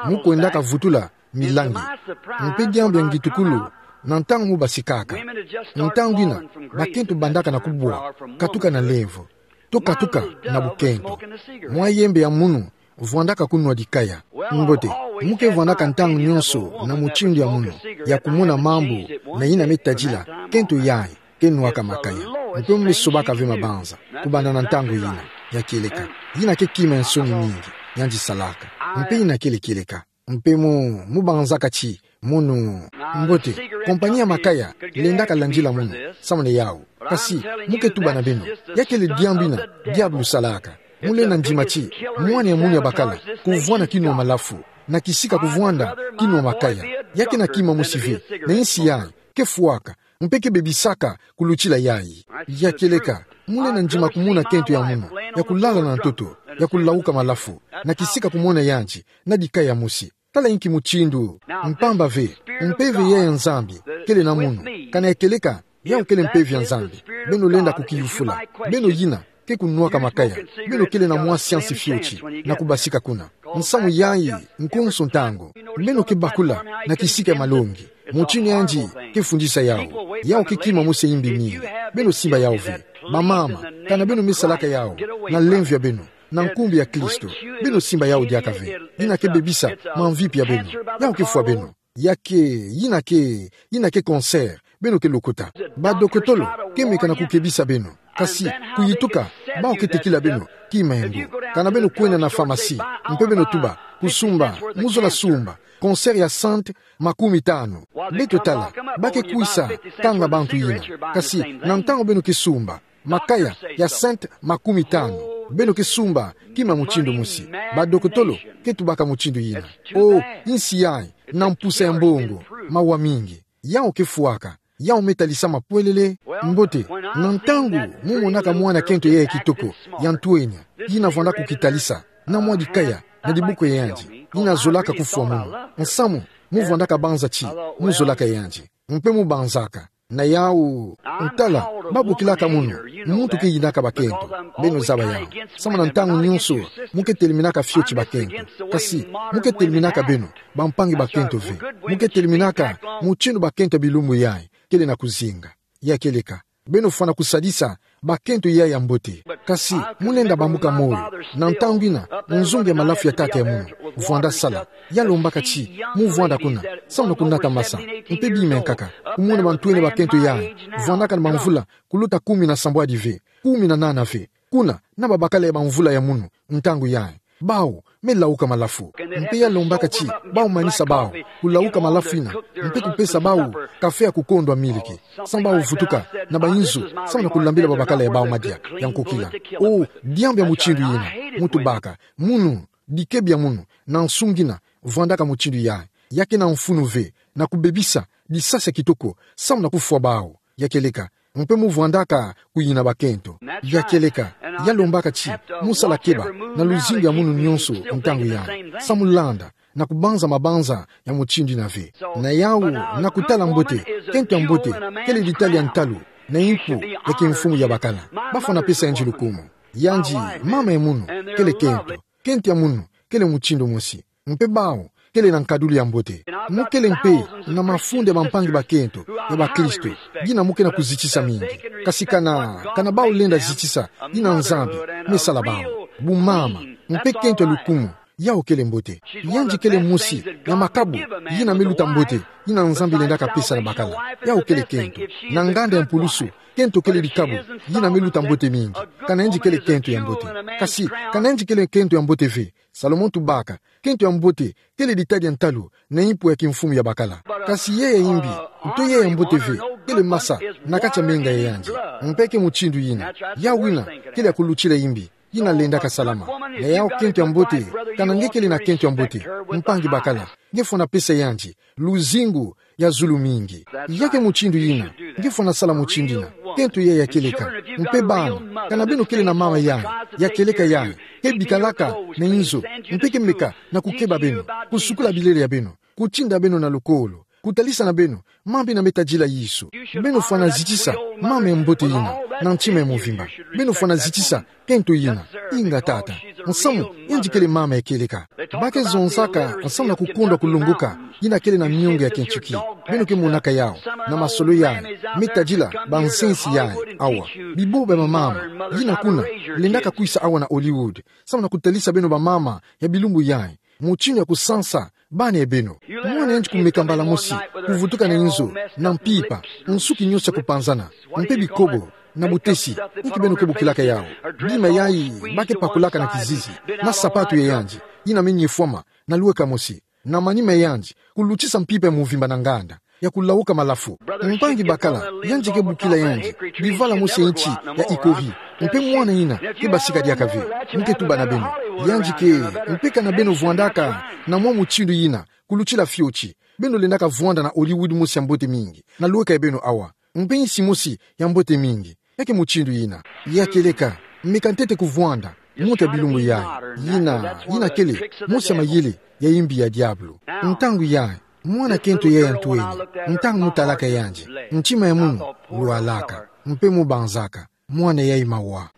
Mu kwendaka vutula milangi. Mpe diambu ya ngitukulu, na ntangu mu basikaka, ntangu yina bakento bandaka na kubwa katuka na lemvo, to katuka na bukento. Mwa yembe ya munu vwandaka kunwa dikaya. Mbote, mu ke vwandaka ntangu nyonso na mutindu ya munu ya kumona mambu, na yina me tadila kento yayi ke nwaka makaya. Mpe mu me sobaka ve mabanza kubanda na ntangu yina. Ya kieleka, yina ke kima ya nsoni mingi yandi salaka. Mpe yina kele kieleka. Mpe mu, mu banzaka ti munu, mbote, kompani ya makaya lendaka landila munu samu na yawu. Kasi mu ke tuba na beno, ya kele diambu yina diabulu salaka. Mu lenda ndima ti mwana ya munu ya bakala kuvwanda kinwa malafu na kisika kuvwanda kinwa makaya. Ya kena kima mosi ve na insi yayi ke fwaka, mpe ke bebisaka kulutila yayi. Ya kieleka, mu lenda ndima kumona kento ya munu ya kulala na ntoto, ya kulawuka malafu na kisika kumona yandi na dikaya mosi. Tala inki mutindu. Mpamba ve, mpeve yayi ya Nzambi kele na munu. Kana ya kieleka, yawu kele mpeve ya Nzambi, beno lenda kukiyufula. Beno yina ke kunwaka makaya, beno kele na mwa siansi fioti na kubasika kuna. Nsamu yayi nkonso ntangu. Beno ke bakula na kisika ya malongi. Mutindu yandi ke fundisa yawu. Yawu ke kima mosi ya imbi mingi. Beno simba yawu ve. Bamama, kana beno me salaka yawu na lemvo ya beno, na nkumbu ya Kristo, beno simba yawu diaka ve. Yina ke bebisa mamvipi ya beno. Yawu ke fwa beno. Ya ke, yina ke, yina ke cancer beno ke lokota. Badokotolo ke meka na kukebisa beno. Kasi kuyituka, bawu ke tekila beno kima ya mbo. Kana beno kwenda na pharmacie, mpe beno tuba, kusumba, mu zola sumba cancer ya cent makumi tanu. Beto tala, ba ke kwisa kanga bantu yina. Kasi na ntangu beno ke sumba makaya ya cent makumi tanu, beno ke sumba kima mutindu mosi. Badokotolo ke tubaka mutindu yina. O, insi yayi na mpusa ya mbongo mawa mingi. Yawu ke fwaka. Yawu me tadisa mapwelele. Mbote, na ntangu mu monaka mwana kento yayi ya kitoko, ya ntwenya, yina vwanda kukitadisa na mwa dikaya na dibuku ya yandi, yina zolaka kufwa munu. Nsamu mu vwandaka banza ti mu zolaka yandi. Mpe mubanzaka. Na yau, ntala, ba bokilaka munu, muntu ke yinaka bakento. Beno zaba yau. Samu na ntangu nyonso, mu ke teleminaka fioti bakento. Kasi, mu ke teleminaka beno, bampangi bakento ve. Mu ke teleminaka, mutindu bakento ya bilumbu yayi, kele na kuzinga. Ya kieleka. Beno fwana kusadisa, bakento yayi ya mbote. Kasi, mu lenda bambuka moyo, na ntangu ina, nzungu ya malafu ya tata ya munu, vwanda sala, ya lombaka ti, mu vwanda kuna, samu na kunata masa, mpe bima nkaka, kumona bantwenia bakento yayi, vwandaka na bamvula, kuluta kumi na sambwadi ve, kumi na nana ve, kuna, na babakala ya bamvula ya munu, ntangu yayi. Bau, me lauka malafu. Mpe ya lombaka ti, bau manisa bau, kulauka malafu ina, mpe kupesa bau, kafe ya kukondwa miliki. Samu bau vutuka, na bayinzo, samu na kulambila babakala ya bau madia, ya nkokila. O, diambu ya mutindu yina, mu tubaka, munu, dikebi ya munu, na nsungi ina, vwandaka mutindu yayi. Ya kena mfunu ve, na kubebisa, disasi ya kitoko, samu na kufwa bau. Ya kieleka, mpe mu vwandaka kuyina bakento. Ya kieleka, ya lombaka ti, mu sala keba, na luzingu ya munu nyonso, ntangu yayi. Samu landa, na kubanza mabanza ya mutindu ina ve. Na yau, na kutala mbote, kento ya mbote, kele ditali ya ntalu, na impu, ya kimfumu ya bakala. Ba fwana pesa yandi lukumu. Yandi, mama ya munu, kele kento. Kento ya munu, kele mutindu mosi. Mpe bau, kele na nkadulu ya mbote. Mu kele mpe, na mafunda ya bampangi bakento, ya bakristo, yina mu ke na kuzitisa mingi. Kasi kana, kana bau lenda zitisa, yina Nzambi, me sala bau. Bumama, mpe kento ya lukumu, yau kele mbote. Yandi kele mosi, ya makabu, yina me luta mbote, yina Nzambi lendaka pesa na bakala. Yau kele kento. Na nganda ya mpulusu, kento kele dikabu, yina me luta mbote mingi. Kana yandi kele kento ya mbote. Kasi, kana yandi kele kento ya mbote ve. Salomon tubaka, kento ya mbote, kele ditali ya ntalu, na impu ya kimfumu ya bakala. Kasi yeye ya imbi, nto yeye ya mbote ve, kele masa, na kati ya menga ya yandi. Mpe ke mutindu yina, yau ina, kele ya kulutila imbi, yina lendaka salama. Na yau kento ya mbote, kana nge kele na kento ya mbote, mpangi bakala, nge fwana pesa yandi, luzingu, ya zulu mingi. Ya ke mutindu yina, nge fwana sala mutindu yina, kento yayi ya kieleka, mpe bana, kana beno kele na mama yayi, ya kieleka yayi, ke bikalaka, na inzo, mpe ke meka, na kukeba beno, kusukula bilele ya beno, kutinda beno na lukolo, kutalisa na beno, mambu ina me tadila Yesu. Beno fwana zitisa, mama ya mbote yina, na ntima ya mvimba. Beno fwana zitisa, kento yina, inga tata. Nsamu, yandi kele mama ya kieleka. Ba ke zonzaka, nsamu na kukondwa kulongoka, yina kele na miongo ya kintuki. Beno ke monaka yau, na masolo yayi, me tadila, banzenzi yayi, awa. Biboba ya bamama, yina kuna, lendaka kwisa awa na Hollywood. Samu na kutalisa beno bamama, ya bilumbu yayi. Mutindu ya kusansa, bana ya beno. Mwana yandi kumeka mbala mosi, kuvutuka na inzo, na mpimpa, nsuki nyonso ya kupanzana, mpe bikobo, na butesi, inki beno ke bokilaka yau. Bima yayi, ba ke pakulaka na kizizi, na sapatu ya yandi, yina me nyefwama, na lweka mosi, na manima ya yandi, kulutisa mpimpa ya mvimba na nganda, ya kulauka malafu. Mpangi bakala, yandi ke bokila yandi, bivala mosi ya inti, ya ikovi, mpe mwana yina, ke basika diaka ve, nge ke tuba na beno. Yandi ke, mpe kana beno vwandaka, na mwa mutindu yina, kulutila fioti. Beno lendaka vwanda na Hollywood mosi ya mbote mingi, na lweka ya beno awa. Mpe insi mosi ya mbote mingi. Ya ke mutindu yina. Ya kieleka, meka ntete kuvwanda, muntu ya bilumbu yayi. Yina, yina kele, mosi ya mayele, ya imbi ya diabulu. Ntangu yayi, mwana kento yayi ya ntweni, ntangu mu talaka yandi, ntima ya munu, lwalaka, mpe mu banzaka. Mwana yayi mawa.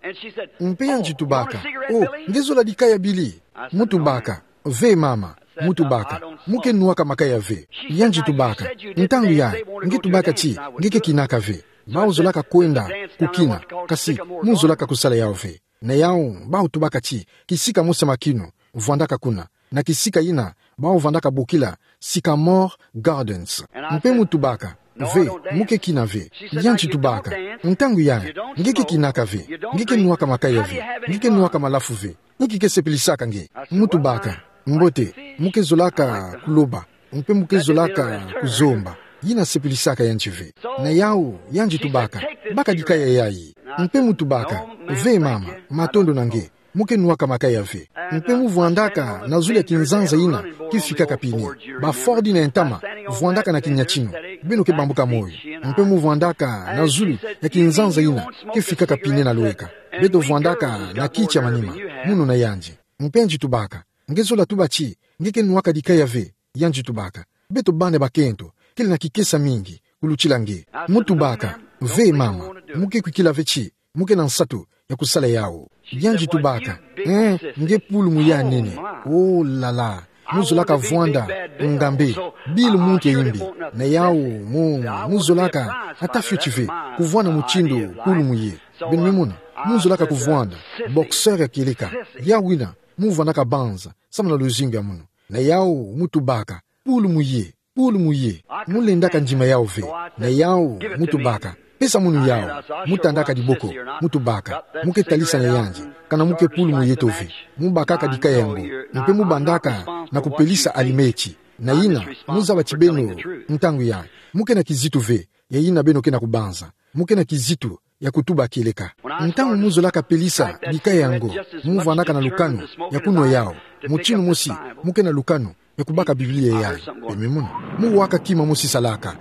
Mpe yandi tubaka, "O, nge zola dikaya Billy?" Mu tubaka, "Ve mama." Mu tubaka, "Mu ke nwaka makaya ve." Yandi tubaka, "Ntangu yayi, nge tubaka ti, nge ke kinaka ve. Bau zolaka kwenda, kukina, kasi, mu zolaka kusala yau ve." Na yau, bau tubaka ti, kisika mosi ya makinu, vwandaka kuna. Na kisika yina, bau vandaka bokila, Sycamore Gardens. Mpe mu tubaka, "Ve, mu ke kina ve." Yandi tubaka, "Ntangu yayi, nge ke kinaka ve, nge ke nwaka makaya ve, nge ke nwaka malafu ve, inki ke sepilisaka nge?" Mu tubaka, "Mbote, mu ke zolaka kuloba, mpe mu ke zolaka kuzomba, yina sepilisaka yandi ve." Na yau, yandi tubaka, "Baka dikaya yayi." Mpe mu tubaka, "Ve mama, matondo na nge. Mu ke nwaka makaya ve." Mpe mu vwandaka na zulu ya kinzanza yina ke fikaka pine. Ba Ford yina ya ntama vwandaka na kinyatino. Beno ke bambuka moyo. Mpe mu vwandaka na zulu ya kinzanza yina ke fikaka pine na lweka. Beto vwandaka na kiti ya manima, munu na yandi. Mpe yandi tubaka, "Nge zola tuba ti, nge ke nwaka dikaya ve." Yandi tubaka, "Beto bana bakento, kele na kikesa mingi, kulutila nge. Mu tubaka: Ve mama, mu ke kwikila ve ti mu ke na nsatu ya kusala yawu. Yandi tubaka: Ee, nge pulumu ya nene. Oh là là. Mu zolaka vwanda ngambe, Bill muntu ya imbi. Na yawu mu, mu zolaka ata fioti ve kuvwanda mutindu pulumu ye. Beno me mona, mu zolaka kuvwanda boxeur ya kieleka. Yawu yina mu vwandaka banza samu na luzingu ya munu. Na yawu mu tubaka: Pulumu ye, pulumu ye. Mu lendaka ndima yawu ve. Na yawu mu tubaka: Pesa munu yawu. Mu tandaka diboko, mu tubaka: Mu ke talisa na yandi kana mu ke pulumu yeto ve. Mu bakaka dikaya yango, mpe mu bandaka na kupelisa alimeti. Na yina, mu zaba ti beno, ntangu yayi, mu ke na kizitu ve ya yina beno ke na kubanza. Mu ke na kizitu ya kutuba kieleka. Ntangu mu zolaka pelisa dikaya yango, mu vwandaka na lukanu ya kunwa yawu. Mutindu mosi mu ke na lukanu ya kubaka Biblia yayi. Beno me mona, mu waka kima mu sisalaka.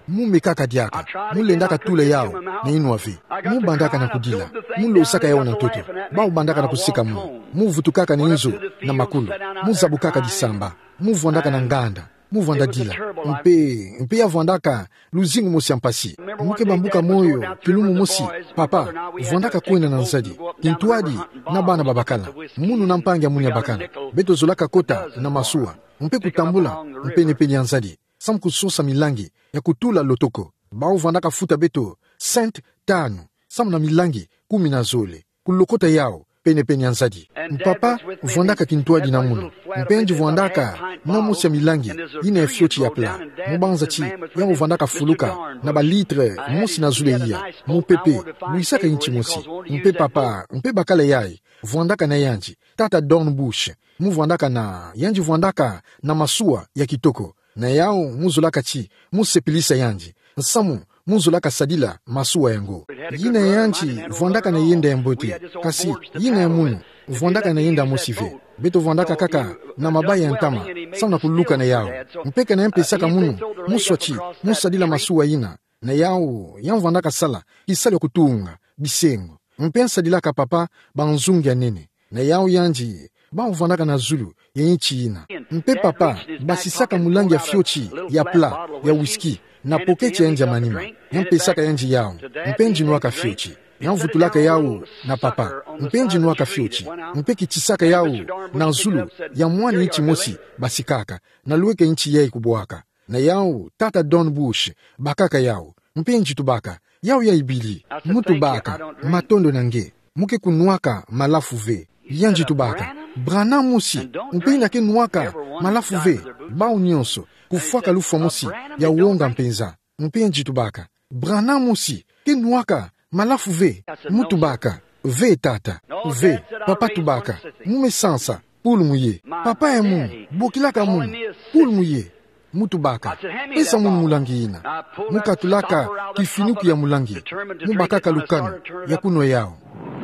Mu mekaka diaka. Mu lendaka tula yawu na inwa ve. Mu bandaka na kudila. Mu losaka yawu na ntoto. Bawu bandaka na kuseka munu. Mu vutukaka na inzo na makulu. Mu zabukaka disamba. Mu vwandaka na nganda. Mu vwanda dila. Mpe, mpe ya vwandaka luzingu mosi ya mpasi. Mu ke bambuka moyo kilumbu mosi: Papa, vwandaka kwenda na nzadi, kintwadi na bana babakala, munu na mpangi ya munu ya bakala, beto zolaka kota na masuwa mpe kutambula mpene-pene ya nzadi samu kusosa milangi ya kutula lotoko. Bawu vwandaka futa beto cent tanu samu na milangi kumi na zole kulokota yawu pene-pene ya nzadi. Papa vwandaka kintwadi na munu, mpe yandi vwandaka na mosi ya milangi yina ya fioti ya plat. Mu banza ti yawu vwandaka fuluka na balitre mosi na zulu ya iya. Mupepe lwisaka inti mosi. Mpe papa mpe bakala yayi vwandaka na yandi, tata Dornbush. Mu vwandaka na, yandi vwandaka na masuwa ya kitoko. Na yawu mu zolaka ti mu sepelisa yandi samu mu zolaka sadila masuwa yango. Yina ya yandi vwandaka na yenda ya mbote, kasi yina ya munu vwandaka na yenda mosi ve. Beto vwandaka kaka na mabaya ya ntama samu na kuluka na yawu. Mpe kana ya mpesaka munu muswa ti mu sadila masuwa yina, na yawu ya vwandaka sala kisalu ya kutunga bisengo. Mpe ya sadilaka papa banzungu ya nene. Na yawu yandi, bawu vwandaka na zulu ya inti yina. Mpe papa basisaka mulangi ya fioti ya plat ya whisky na poketi ya yandi ya manima. Ya mpesaka yandi yawu, mpe yandi nwaka fioti. Ya vutulaka yawu na papa, mpe yandi nwaka fioti. Mpe kitisaka yawu na zulu ya mwana inti mosi basikaka, na lweka inti yayi kubwaka. Na yawu tata Dornbush bakaka yawu, mpe yandi tubaka: Yawu yayi bili? Mu tubaka: Matondo na nge, mu ke kunwaka malafu ve. Yandi tubaka: Branham mosi, mpe yina ke nwaka malafu ve. Bawu nyonso kufwaka lufwa mosi ya wonga mpenza. Mpe yandi tubaka: Branham mosi ke nwaka malafu ve? Mu tubaka: Ve tata, ve. Papa tubaka: Mu me sansa, pulumu ye. Papa ya munu, bokilaka munu, pulumu ye. Mu tubaka: Pesa munu mulangi yina. Mu katulaka kifinuku ya mulangi, mu bakaka lukanu ya kunwa yawu,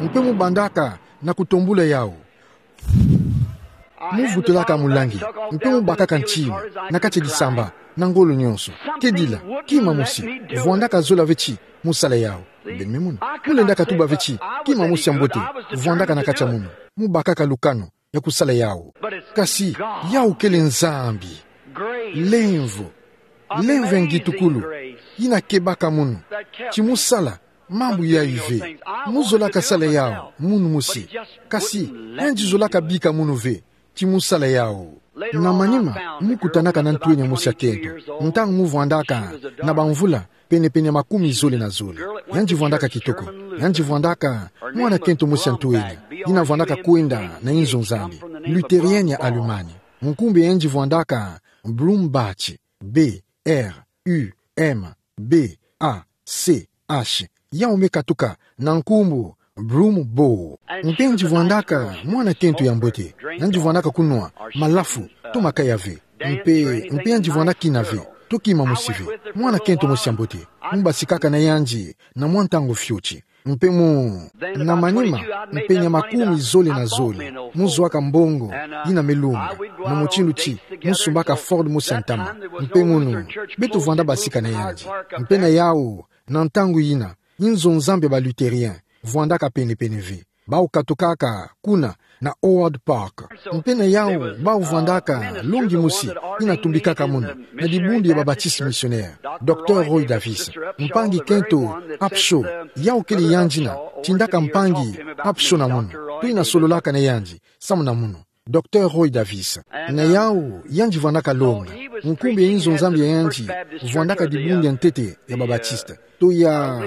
mpe mu bandaka na kutombula yawu. Mu vutulaka mulangi, mpe mu bakaka ntima na kati ya disamba na ngolo nyonso. Kedila, kima mosi vwandaka zola ve ti mu sala yawu. Beno me mona, mu lendaka tuba ve ti kima mosi ya mbote vwandaka na kati ya munu. Mu bakaka lukanu ya kusala yawu. Kasi yawu kele Nzambi. Lemvo, lemvo ya ngitukulu yina kebaka munu ti mu sala mambu yayi ve. Mu zolaka sala yawu munu mosi, kasi yandi zolaka bika munu ve ti mu sala yawu. Na manima, mu kutanaka na ntwenya mosi ya kento ntangu mu vwandaka na bamvula penepene ya makumi zole na zole. Yandi vwandaka kitoko. Yandi vwandaka mwana kento mosi ya ntwenya yina vwandaka kwenda na inzo Nzambi, luthérienne ya Allemagne. Nkumbu ya yandi vwandaka Brumbach, B R U M B A C H. Yawu me katuka na nkumbu Brumm Bow. Mpe yandi vwandaka mwana kento ya mbote. Yandi vwandaka kunwa malafu to makaya ve. Mpe, mpe yandi vwandaka kina ve to kima mosi ve. Mwana kento mosi ya mbote. Mu basikaka na yandi na mwa ntangu fioti. Mpe mu, na manima, mpenya makumi zole na zole, mu zwaka mbongo yina me lunga, na mutindu ti mu sumbaka Ford mosi ya ntama. Mpe munu, beto vwanda basika na yandi. Mpe na yawu, na ntangu yina, inzo Nzambi ya ba Luthériens vwandaka penepene ve. Bau katokaka kuna na Howard Park. Mpe na yau bau vwandaka longi mosi ina tumbikaka mono na dibundu ya ba Baptiste missionnaire, Docteur Roy Davis. Mpangi kento Upshaw, yau kele yandi ina tindaka mpangi Upshaw na mono, to ina sololaka na yandi samu na mono, Docteur Roy Davis. Na yau yandi vwandaka longa. Nkumbu ya inzo Nzambi ya yandi vwandaka dibundu ya ntete ya ba Baptiste. To ya,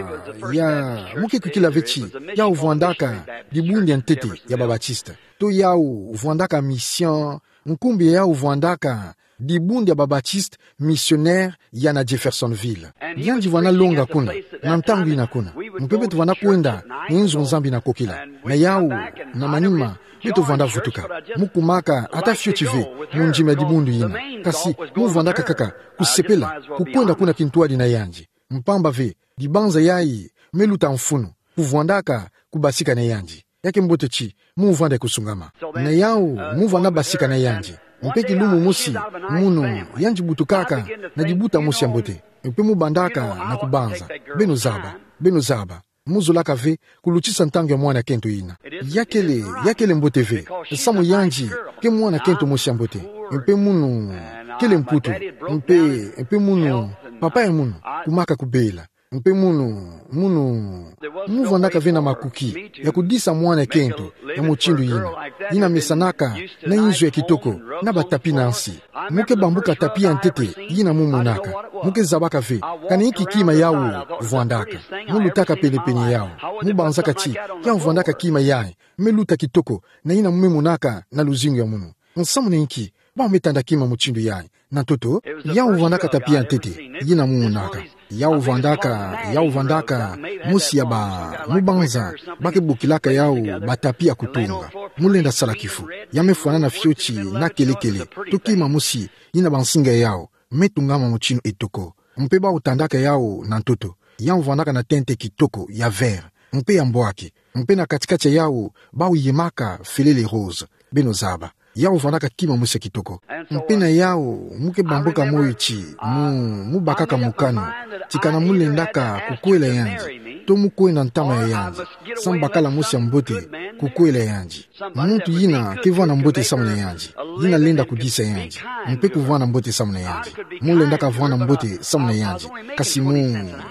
ya, muke kwikila ve ti yau vwandaka dibundu ya ntete ya ba Baptiste. To yau vwandaka mission, nkumbu ya yau vwandaka dibundu ya ba Baptiste missionnaire ya na Jeffersonville. Yandi vwanda longa kuna, na ntangu ina kuna. Mpe beto vwanda kwenda na inzo Nzambi na kokila. Na yau, na manima, beto vwanda vutuka. Mu kumaka ata fioti ve mu ndima ya dibundu ina. Kasi mu vwandaka kaka kusepela kukwenda kuna kintwadi na yandi. Mpamba ve, dibanza yayi me luta mfunu, kuvwandaka kubasika na yandi. Ya ke mbote ti mu vwanda kusungama. Na yau mu vwanda basika na yandi. Mpe kilumbu mosi, munu yandi butukaka na dibuta mosi ya mbote. Mpe mu bandaka na kubanza. Beno zaba, beno zaba. Mu zolaka ve kulutisa ntangu ya mwana kento ina. Ya kele, ya kele mbote ve. Samu yandi ke mwana kento mosi ya mbote. Mpe munu kele mputu. Mpe, mpe munu papa ya munu kumaka kubela. Mpe munu, munu, mu vwandaka ve na makuki ya kudisa mwana kento ya mutindu ina. Ina mesanaka na inzo ya kitoko na ba tapis na nsi. Mu ke bambuka tapis ya ntete ina mu monaka. Mu ke zabaka ve kana inki kima yau vwandaka. Mu lutaka penepene yau. Mu banzaka ti yau vwandaka kima yayi me luta kitoko na ina mu me monaka na luzingu ya munu. Nsamu na inki bau me tanda kima mutindu yayi? Na ntoto, yau vwandaka tapis ya ntete ina mu monaka. Yau vwandaka, yau vwandaka mosi ya ba, mu banza ba ke bokilaka yau ba tapis ya kutunga. Mu lenda sala kifu. Ya me fwanana fioti na kelekele. To kima mosi ina ba nsinga ya yau me tungama mutindu etoko. Mpe bau tandaka yau na ntoto. Yau vwandaka na tente kitoko ya vert mpe ya mbwaki. Mpe na katikati ya yau bau yemaka felele rose. Beno zaba. Yau vwandaka kima mosi ya kitoko. Mpe na yau mu ke bambuka moyo ti mu, mu bakaka mokano ti kana mu lendaka kukwela yandi, to mu kwenda ntama ya yandi, samu bakala mosi ya mbote kukwela yandi. Muntu yina ke vwanda mbote samu na yandi, yina lenda kudisa yandi, mpe kuvwanda mbote samu na yandi. Mu lendaka vwanda mbote samu na yandi, kasi mu,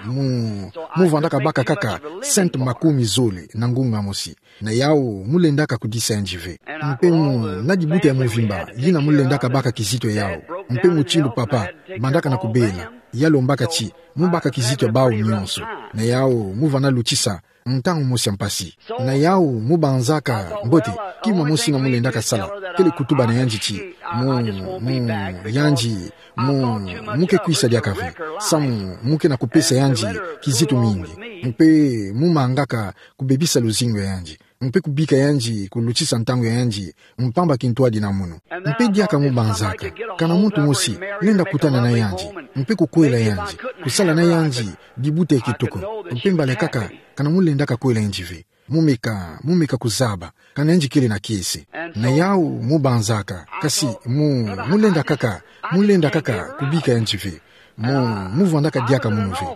mu, mu vwandaka baka kaka cent makumi zole na ngunga mosi. Na yau mu lendaka kudisa yandi ve. Mpe mu, na dibuta ya mvimba yina mu lendaka baka kizito ya yau. Mpe mutindu papa bandaka na kubela, ya lombaka ti mu baka kizito ya bau nyonso. Na yau mu vwanda lutisa ntangu mosi ya mpasi. Na yau mu banzaka mbote kima mosi ina mu lendaka sala, kele kutuba na yandi ti mu, mu, yandi, mu, mu ke kwisa diaka ve, samu mu ke na kupesa yandi kizito mingi. Mpe mu mangaka kubebisa luzingu ya yandi, mpe kubika yandi kulutisa ntangu ya yandi, mpamba kintwadi na munu. Mpe diaka mu banzaka kana muntu mosi lenda kutana na yandi, mpe kukwela yandi, kusala na yandi dibuta ya kitoko. Mpe mbala kaka kana mu lendaka kwela yandi ve, mu meka, mu meka kuzaba kana yandi kele na kiese. Na yau mu banzaka, kasi mu, mu lenda kaka, mu lenda kaka kubika yandi ve. Mu, mu vwandaka diaka munu ve.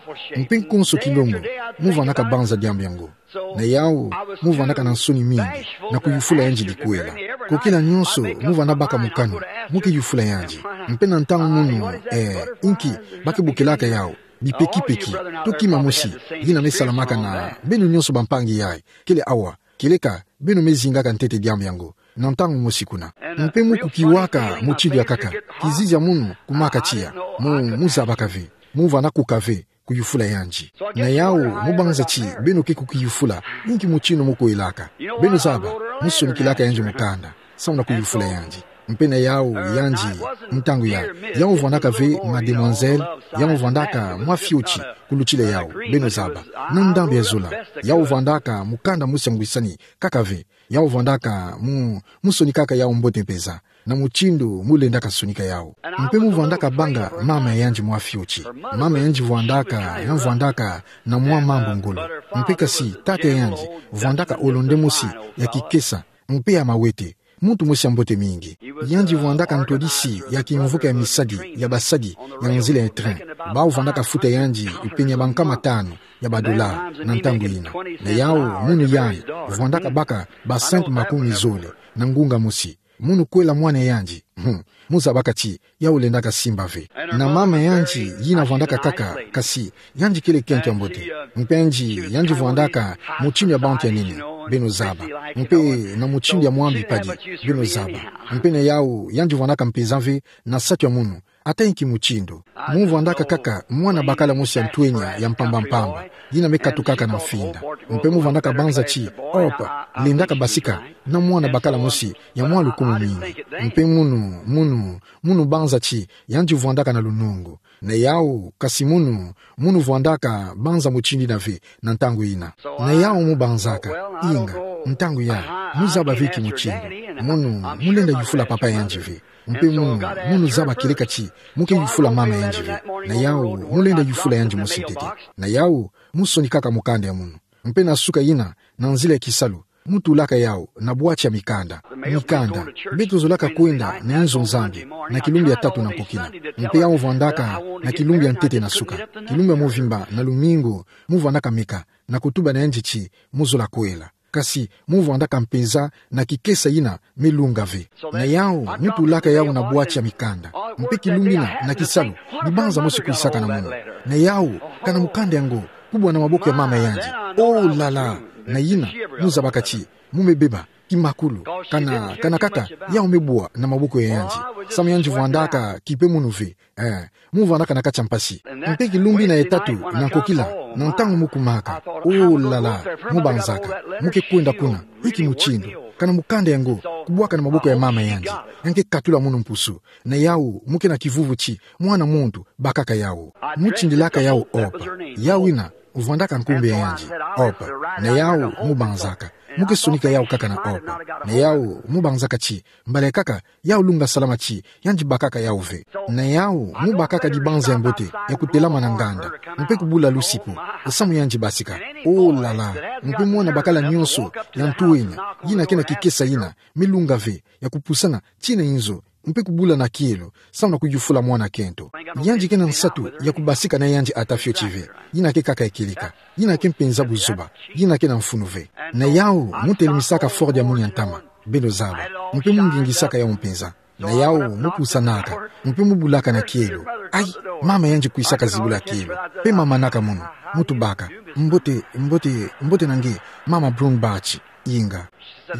Mpe nkonso kilombo mu vwandaka banza diambu yango. Na yau mu vwandaka na nsoni mingi na kuyufula yandi dikwela. Kukila nyonso mu vwanda baka mokano mu ke yufula yandi. Mpe na ntangu munu, eh, inki ba ke bokilaka yau? Bipekipeki, to kima mosi yina me salamaka na beno nyonso bampangi yayi, kele awa, keleka beno me zingaka ntete diambu yango na ntangu mosi kuna. Mpe mu kukiwaka mutindu ya kaka, kizizi ya munu kumaka tiya. Mu, mu zabaka ve, mu vwanda kuka ve kuyufula yandi. Na yau mu banza ti beno ke kukiyufula, inki mutindu mu kwelaka? Beno zaba, mu sonikilaka yandi mukanda samu na kuyufula yandi. Mpe na yau yandi, ntangu ya, yau vwandaka ve mademoiselle, yau vwandaka mwa fioti kulutila yau. Beno zaba, na ndambu ya zola, yau vwandaka mukanda mosi ya ngwisani kaka ve. Yau vwandaka mu, mu sonikaka yau mbote mpeza na mutindu mu lendaka sonika yau. Mpe mu vwandaka banga mama ya yandi mwa fioti. Mama ya yandi vwandaka, ya vwandaka na mwa mambu ngolo. Mpe kasi tata ya yandi vwandaka olonde mosi ya kikesa mpe ya mawete. Muntu mosi ya mbote mingi. Yandi vwandaka ntwadisi ya kimvuka ya misadi ya basadi ya nzila ya train. Bau vwandaka futa yandi penia bankama tanu ya badola na ntangu yina. Na yau, munu yandi vwandaka baka ba cent makumi zole na ngunga mosi. Munu kwela mwana yandi. Hmm. Mu zabaka ti yau lendaka simba ve. Na mama yandi yina vwandaka kaka, kasi yandi kele kento ya mbote. Mpe yandi, yandi vwandaka mutindu ya bantu ya nene, beno zaba. Mpe na mutindu ya mwambi padi, beno zaba. Mpe na yau, yandi vwandaka mpenza ve na nsatu ya munu, ata inki mutindu. Mu vwandaka kaka mwana bakala mosi ya ntwenya ya mpamba-mpamba, yina me katukaka na mfinda. Mpe mu vwandaka banza ti, Hope lendaka basika na mwana bakala mosi ya mwa lukumu mingi. Mpe munu, munu, munu banza ti yandi vwandaka na lunungu. Na yau, kasi munu, munu vwandaka banza mutindu yina ve na ntangu yina. Na yau mu banzaka, inga, ntangu ya, mu zaba ve inki mutindu. Munu, mu lenda yufula papa yandi ve. Mpe munu, munu zaba kieleka ti mu ke yufula mama yandi ve. Na yau, mu lenda yufula yandi mosi ntete. Na yau, mu sonikaka mukanda ya munu. Mpe na suka yina, na nzila ya kisalu, mu tulaka yau na bwati ya mikanda. Mikanda. Beto zolaka kwenda na inzo Nzambi na kilumbu ya tatu na nkokila. Mpe yau vwandaka na kilumbu ya ntete na suka. Kilumbu ya movimba na lumingu, mu vwandaka meka na kutuba na yandi ti mu zola kwela. Kasi mu vwandaka mpenza na kikesa yina me lunga ve. Na yau, mu tulaka yau na bwati ya mikanda. Mpe kilumbu yina na kisalu, ni banza mosi kwisaka na munu. Na yau, kana mukanda yango kubwa na maboko ya mama yandi. Oh là là! Na yina, mu zabaka ti mu me beba kimakulu, kana, kana kaka yau me bwa na maboko ya yandi. Samu yandi vwandaka kipe munu ve. Eh, mu vwandaka na kati ya mpasi. Mpe kilumbu yina ya tatu na nkokila, na ntangu mu kumaka, oh là là, mu banzaka, mu ke kwenda kuna, inki mutindu, kana mukanda yango kubwaka na maboko ya mama yandi, ya nge katula munu mpusu. Na yau, mu ke na kivuvu ti mwana muntu bakaka yau. Mu tindilaka yau Hope. Yau yina vwandaka nkumbu ya yandi, Hope. Na yau, mu banzaka, mu ke sonika yau kaka na Hope. Na yau, mu banzaka ti mbala kaka yau lunga salama ti yandi bakaka yau ve. Na yau, mu bakaka dibanza ya mbote ya kutelama na nganda, mpe kubula lusipu, samu yandi basika. Oh là là! Mpe mwana bakala nyonso ya ntwenya, yina ke na kikesa yina me lunga ve, ya kupusana tii na inzo, mpe kubula na kielo, samu na kuyufula mwana kento. Yandi ke na nsatu ya kubasika na yandi ata fioti ve. Yina ke kaka ya kieleka. Yina ke mpenza buzoba. Yina ke na mfunu ve. Na yau, mu telimisaka Ford ya munu ya ntama, beno zaba. Mpe mu mbingisaka yau mpenza. Na yau, mu pusanaka, mpe mu bulaka na kielo. Ai, mama yandi kwisaka zibula kielo. Mpe mama naka munu, mu tubaka: Mbote, mbote, mbote na nge, mama Brunbach. Inga.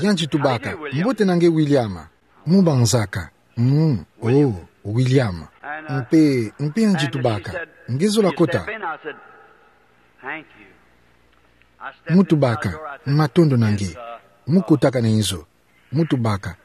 Yandi tubaka: Mbote na nge, William. Mu banzaka: Mm, oh, William. Mpe, mpe yandi tubaka: Nge zola kota? Mu tubaka: Matondo na nge. Mu kotaka na inzo. Mu tubaka: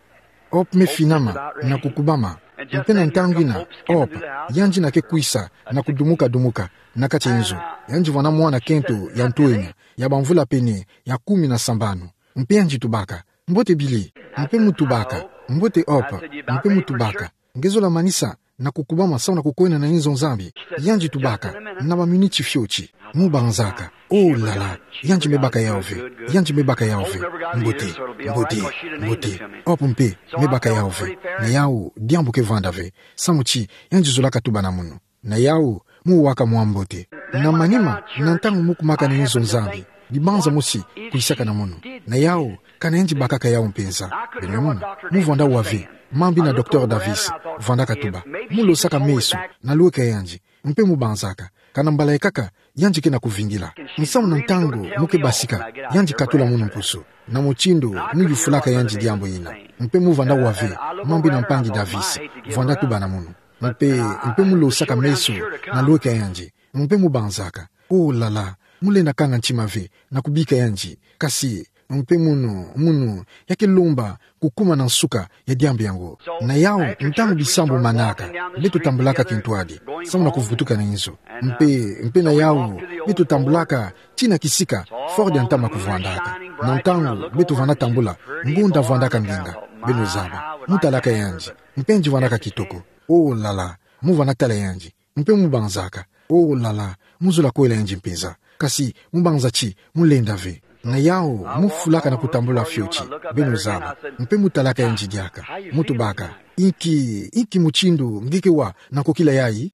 Hope me finama na kukubama. Mpe na ntangu yina, Hope, yandi na ke kwisa na kudumuka-dumuka na kati ya inzo. Yandi vwanda mwana kento ya ntwenya, ya bamvula pene ya kumi na sambanu. Mpe yandi tubaka: Mbote Billy. Mpe mu tubaka: Mbote Hope. Mpe mu tubaka: Nge zola manisa na kukubama samu na kukwenda na inzo Nzambi? Yandi tubaka: Na baminiti fioti. Mu banzaka: Oh là là! Yandi me baka yau ve. Yandi me baka yau ve. Mbote, mbote, mbote. Hope mpe me baka yau ve. Na yau, diambu ke vanda ve, samu ti yandi zolaka tuba na munu. Na yau, mu waka mwa mbote. Na manima, na ntangu mu kumaka na inzo Nzambi, dibanza mosi kwisaka na munu. Na yau, kana yandi bakaka yau mpenza. Beno mona, mu vwanda wa ve mambu yina Docteur Davis vandaka tuba. Mu losaka meso na lweka yandi, mpe mu banzaka: Kana mbala ikaka yandi ke na kuvingila? Samu na ntangu mu ke basika, yandi katula munu mpusu. Na mutindu mu yufulaka yandi diambu yina. Mpe mu vwanda wa ve mambu yina mpangi Davis vwanda tuba na munu. Mpe, mpe mu losaka meso na lweka yandi, mpe mu banzaka: Oh là là, mu lenda kanga ntima ve na kubika yandi. Kasi, mpe munu, munu, ya ke lomba kukuma na nsuka ya diambu yango. Na yau, ntangu bisambu manaka, beto tambulaka kintwadi samu na kuvutuka na inzo. Mpe, mpe na yau, beto tambulaka tii na kisika Ford ya ntama kuvwandaka. Na ntangu beto vwanda tambula, ngonda vwandaka mbinga. Beno zaba, mu talaka yandi, mpe yandi vwandaka kitoko. Oh là là, mu vwanda tala yandi, mpe mu banzaka: Oh là là, mu zola kwela yandi mpenza. Kasi mu banza ti mu lenda ve. Na yau, mu fulaka na kutambula fioti, beno zaba. Mpe mu talaka yandi diaka. Mu tubaka: Inki, inki mutindu nge ke wa na nkokila yayi?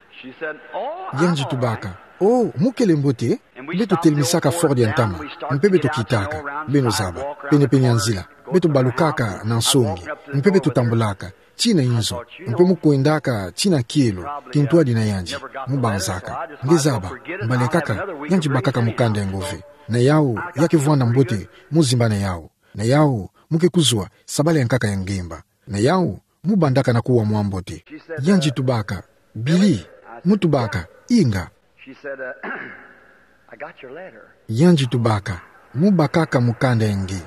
Yandi tubaka: Oh, mu kele mbote? Beto telemisaka Ford ya ntama, mpe beto kitaka, beno zaba, penepene ya nzila. Beto balukaka na nsongi, mpe beto tambulaka tii na inzo, mpe mu kwendaka tii na kielo, kintwadi na yandi. Mu banzaka. Nge zaba, mbala ekaka, yandi bakaka mukanda ya ngo ve. Na yau, ya ke vwanda mbote, mu zimba na yau. Na yau, mu ke kuzwa, sabala ya nkaka ya ngemba. Na yau, mu bandaka na kuwa mwa mbote. Yandi tubaka: Billy. Mu tubaka: Inga. Yandi tubaka: Mu bakaka mukanda ya nge.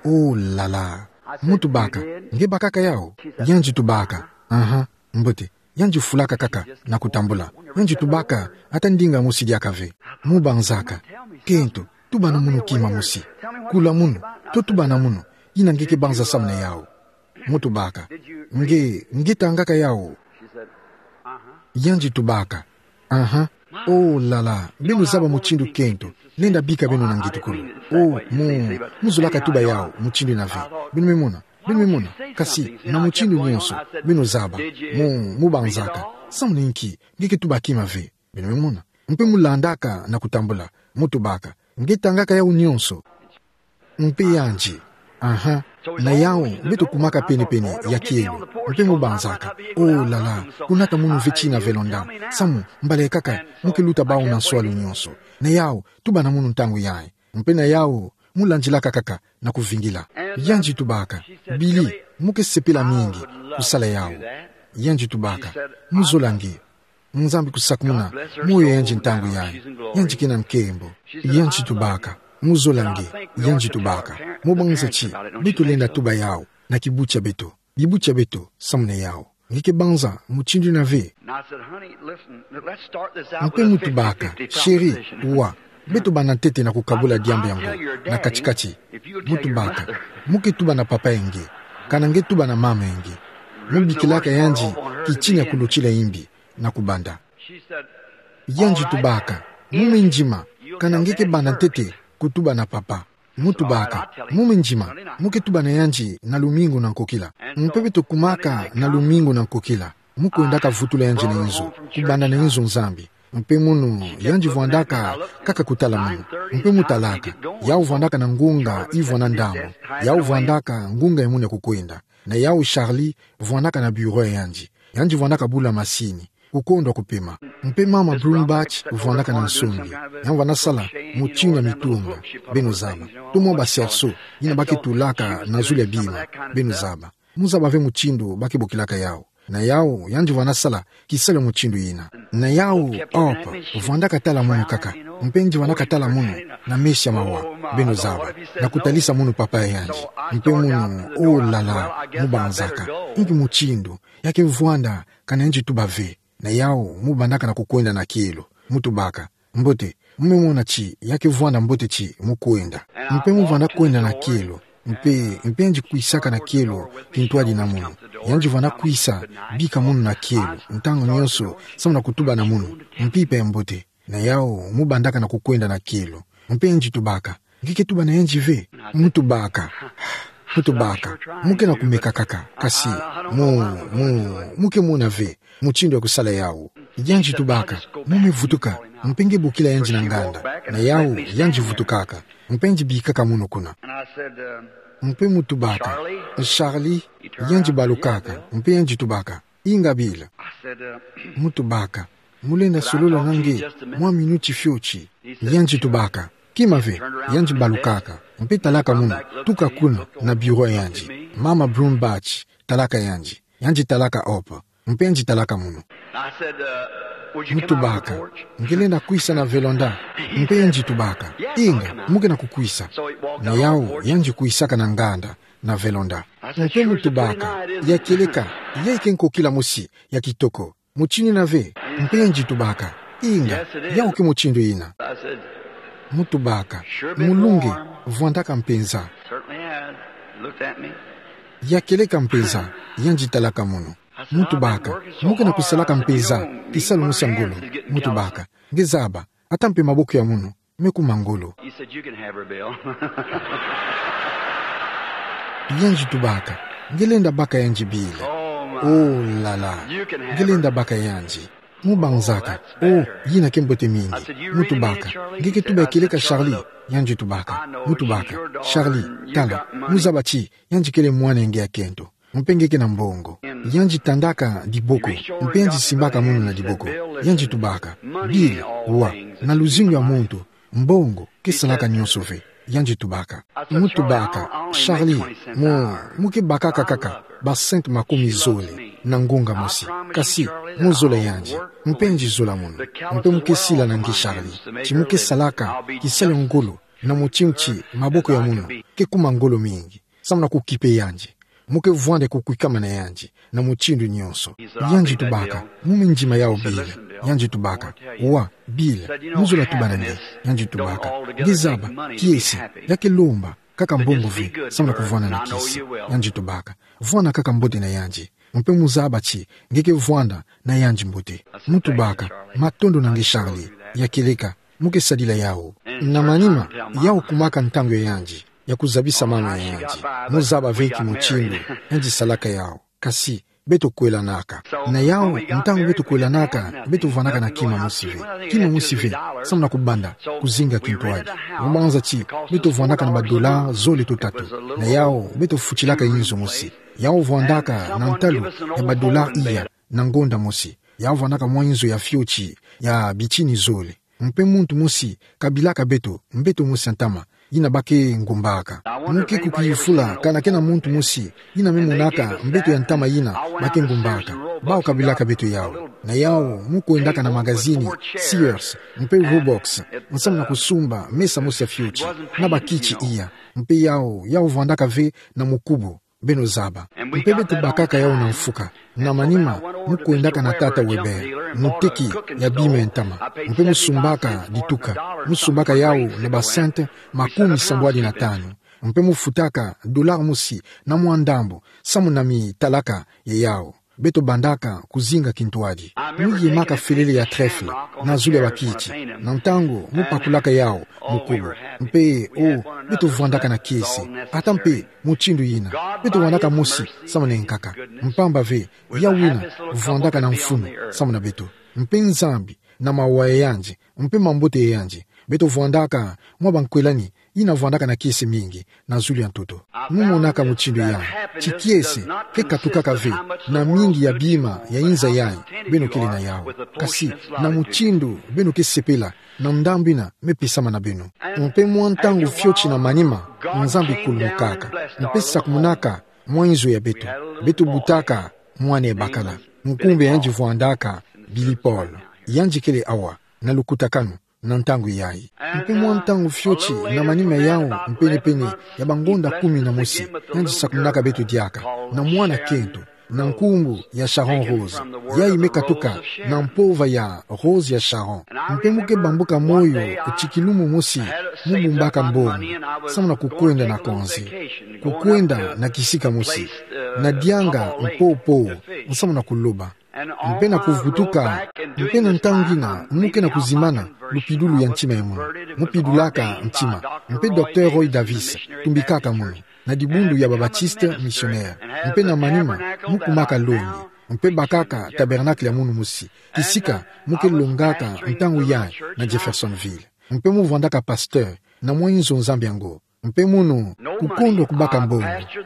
Oh là là. Mu tubaka: Nge bakaka yau? Yandi tubaka: Aha, mbote. Yandi fulaka kaka na kutambula. Yandi tubaka ata ndinga mosi diaka ve. Mu banzaka: Kento, tuba na munu kima mosi. Kula munu, to tuba na munu, ina nge ke banza samu na yau. Mu tubaka: Nge, nge tangaka yau? Yandi tubaka: Aha. Oh là là, beno zaba mutindu kento lenda bika beno na ngetukulu. Oh, mu, mu zolaka tuba yau mutindu ina ve. Beno me mona, beno me mona. Kasi na mutindu nyonso, beno zaba. Mu, mu banzaka: Samu na inki nge ke tuba kima ve? Beno me mona. Mpe mu landaka na kutambula. Mu tubaka: Nge tangaka yau nyonso? Mpe yandi: Aha. Na yau, beto kumaka penepene ya kielo. Mpe mu banzaka: Oh là là, kunata munu ve tii na velonda. Samu, mbala ekaka, mu ke luta bau na nswalu nyonso. Na yau, tuba na munu ntangu yayi. Mpe na yau, mu landilaka kaka na kuvingila. Yandi tubaka: Billy, mu ke sepela mingi kusala yau. Yandi tubaka: Mu zola nge. Nzambi kusakumuna moyo ya yandi ntangu yayi. Yandi ke na nkembo. Yandi tubaka: Mu zola nge. Yandi tubaka: Mu banza ti beto lenda tuba yau na kibu tia beto, bibu tia beto, samu na yau. Nge ke banza mutindu ina ve? Mpe mu tubaka: Chérie, wa, beto banda ntete na kukabula diambu yango na kati-kati. Mu tubaka: Mu ke tuba na papa ya nge, kana nge tuba na mama ya nge. Mu bikilaka yandi kitini ya kulutila imbi na kubanda. Yandi tubaka: Mu me ndima, kana nge ke banda ntete kutuba na papa. Mu tubaka: Mu me ndima, mu ke tuba na yandi na lumingu na nkokila. Mpe beto kumaka na lumingu na nkokila. Mu kwendaka vutula yandi na inzo, kubanda na inzo Nzambi. Mpe munu, yandi vwandaka kaka kutala munu. Mpe mu talaka. Yau vwandaka na ngunga ivwana ndambu. Yau vwandaka ngunga ya munu ya kukwenda. Na yau Charlie vwandaka na bureau ya yandi. Yandi vwandaka bula masini, kukondwa kupema. Mpe mama Brumbaugh vwandaka na nsongi. Yandi vwanda sala mutindu ya mitunga, beno zaba. To mwa ba cerceau, yina ba ke tulaka na zulu ya bima, beno zaba. Mu zaba ve mutindu ba ke bokilaka yau. Na yau, yandi vwanda sala kisalu ya mutindu yina. Na yau, Hope vwandaka tala munu kaka. Mpe yandi vwandaka tala munu na meso ya mawa, beno zaba, na kutalisa munu papa ya yandi. Mpe munu, oh là là, mu banzaka: Inki mutindu ya ke vwanda, kana yandi tuba ve? Na yau, mu bandaka na kukwenda na kielo. Mu tubaka: Mbote, mu me mona ti ya ke vwanda mbote ti mu kwenda. Mpe mu vwanda kwenda na kielo. Mpe, mpe yandi kwisaka na kielo kintwadi na munu. Yandi vwanda kwisa bika munu na kielo ntangu nyonso, samu na kutuba na munu mpimpa ya mbote. Na yau, mu bandaka na kukwenda na kielo. Mpe yandi tubaka: Nge ke tuba na yandi ve? Mu tubaka: Mu tubaka: Mu ke na kumeka kaka, kasi mu, mu, mu ke mona ve mutindu ya kusala yau. Yandi tubaka: Mu me vutuka, mpe nge bokila yandi na nganda. Na yau, yandi vutukaka, mpe yandi bikaka munu kuna. Mpe mu tubaka: Charlie. Yandi balukaka, mpe yandi tubaka: Inga Bill. Mu tubaka: Mu lenda solola na nge mwa minuti fioti? Yandi tubaka: Kima ve. Yandi balukaka, mpe talaka munu, tuka kuna na bureau ya yandi. Mama Brumbaugh talaka yandi. Yandi talaka Hope, mpe yandi talaka munu. Mu tubaka: Nge lenda kwisa na vélanda? Mpe yandi tubaka: Inga, mu ke na kukwisa. Na yau, yandi kwisaka na nganda na vélanda. Mpe mu tubaka: Ya kieleka, ya ike nkokila mosi ya kitoko. Mutindu yina ve? Mpe yandi tubaka: Inga, yau ke mutindu yina. Mu tubaka: Mulunge, vwandaka mpenza. Ya kieleka mpenza. Yandi talaka munu. Mu tubaka: Mu ke na kusalaka mpenza kisalu mosi ya ngolo. Mu tubaka: Nge zaba, ata mpe maboko ya munu Me kuma ngolo. He said, "You can have her, Bill." Yandi tubaka: "Ngelenda baka yandi, Bill." Oh, la la. "Ngelenda baka yandi." Mu banzaka: "Oh, yina ke mbote mingi." Mu tubaka: "Nge ke tuba ya kieleka, Charlie?" Yandi tubaka. Mu tubaka: "Charlie, tala, mu zaba ti yandi kele mwana ya nge ya kento. Mpe nge ke na mbongo." Yandi tandaka diboko, mpe yandi simbaka munu na diboko. Yandi tubaka: "Bill, wa, na luzingu ya muntu, mbongo ke salaka nyonso ve." Yandi tubaka. Mu tubaka: "Charlie, mu, mu ke bakaka kaka ba cent makumi zole na ngonga mosi. Kasi mu zola yandi, mpe yandi zola munu. Mpe mu ke sila na nge, Charlie, ti mu ke salaka kisalu ya ngolo na mutindu ti maboko ya munu ke kuma ngolo mingi, samu na kukipe yandi. Mu ke vwanda kukwikama na yandi na mutindu nyonso." Yandi tubaka: "Mu me ndima yawu, Bill." Yandi tubaka: "Wa, Bill, mu zola tuba na nge." Yandi tubaka: "Nge zaba, kiese ya ke lomba kaka mbongo ve samu na kuvwanda na kiese." Yandi tubaka: "Vwanda kaka mbote na yandi, mpe mu zaba ti nge ke vwanda na yandi mbote." Mu tubaka: "Matondo na nge, Charlie, ya kieleka, mu ke sadila yawu." Na manima, yawu kumaka ntangu ya yandi ya kuzabisa mama ya yandi. Mu zaba ve ki mutindu yandi salaka yawu. Kasi beto kwelanaka. Na yawu, ntangu beto kwelanaka, beto vwandaka na kima mosi ve. Kima mosi ve samu na kubanda kuzinga kintwadi. Mu banza ti beto vwandaka na ba dollars zole to tatu. Na yawu beto futilaka inzo mosi. Yawu vwandaka na ntalu ya ba dollars iya na ngonda mosi. Yawu vwandaka mwa inzo ya fioti ya bitini zole. Mpe muntu mosi kabilaka beto, mbeto mosi ya ntama, yina ba ke ngumbaka. Mu ke kukifula kana kena muntu mosi yina me monaka mbeto ya ntama yina ba ke ngumbaka. Bawu kabilaka beto yawu. Na yawu mu kwendaka na magazini Sears mpe Roebuck samu na kusumba mesa mosi ya fioti na ba kiti iya. Mpe yawu, yawu vwandaka ve na mukubo, beno zaba. Mpe beto bakaka yawu na mfuka. Na manima, mu kwendaka na tata Weber, muteki ya bima ya ntama, mpe mu sumbaka dituka. Mu sumbaka yawu na ba cent makumi sambwadi na tanu. Mpe mu futaka dollar mosi na mwa ndambu samu na mitalaka ya yawu. Beto bandaka kuzinga kintwadi. Mu yemaka felele ya trèfle na zulu ya ba kiti. Na ntangu mu pakulaka yawu mukubo. Mpe, oh, beto vwandaka na kiese. Ata mpe mutindu yina, beto vwandaka mosi samu na nkaka. Mpamba ve, yawu yina vwandaka na mfunu samu na beto. Mpe Nzambi, na mawa ya yandi, mpe mambote ya yandi, beto vwandaka mwa bankwelani yina vwandaka na kiese mingi na zulu ya ntoto. Mu monaka mutindu yandi, ti kiese ke katukaka ve na mingi ya bima ya inza yayi beno kele na yawu, kasi na mutindu beno ke sepela na ndambu yina me pesama na beno. Mpe mwa ntangu fioti na manima, Nzambi kulumukaka, mpe sakumunaka mwa inzo ya beto. Beto butaka mwana ya bakala. Nkumbu ya yandi vwandaka Billy Paul. Yandi kele awa na lukutakanu na ntangu yayi. Mpe mwa ntangu fioti na manima yawu, mpene-pene ya bangonda kumi na mosi, yandi sakumunaka beto diaka na mwana kento, na nkumbu ya Sharon Rose. Yayi me katuka na mpova ya Rose ya Sharon. Mpe mu ke bambuka moyo ti kilumu mosi mu bumbaka mbongo samu na kukwenda na konze, kukwenda na kisika mosi, na dianga mpopo samu na kuloba, mpe na kuvutuka. Mpe na ntangu yina mu ke na kuzimana lupidulu ya ntima ya munu. Mu pidulaka ntima. Mpe Docteur Roy Davis tumbikaka munu na dibundu ya ba Baptiste missionnaire. Mpe na manima mu kumaka longi, mpe bakaka tabernacle ya munu mosi, kisika mu ke longaka ntangu yayi na Jeffersonville. Mpe mu vwandaka pasteur na mwa inzo Nzambi yango. Mpe munu, kukondwa kubaka mbongo.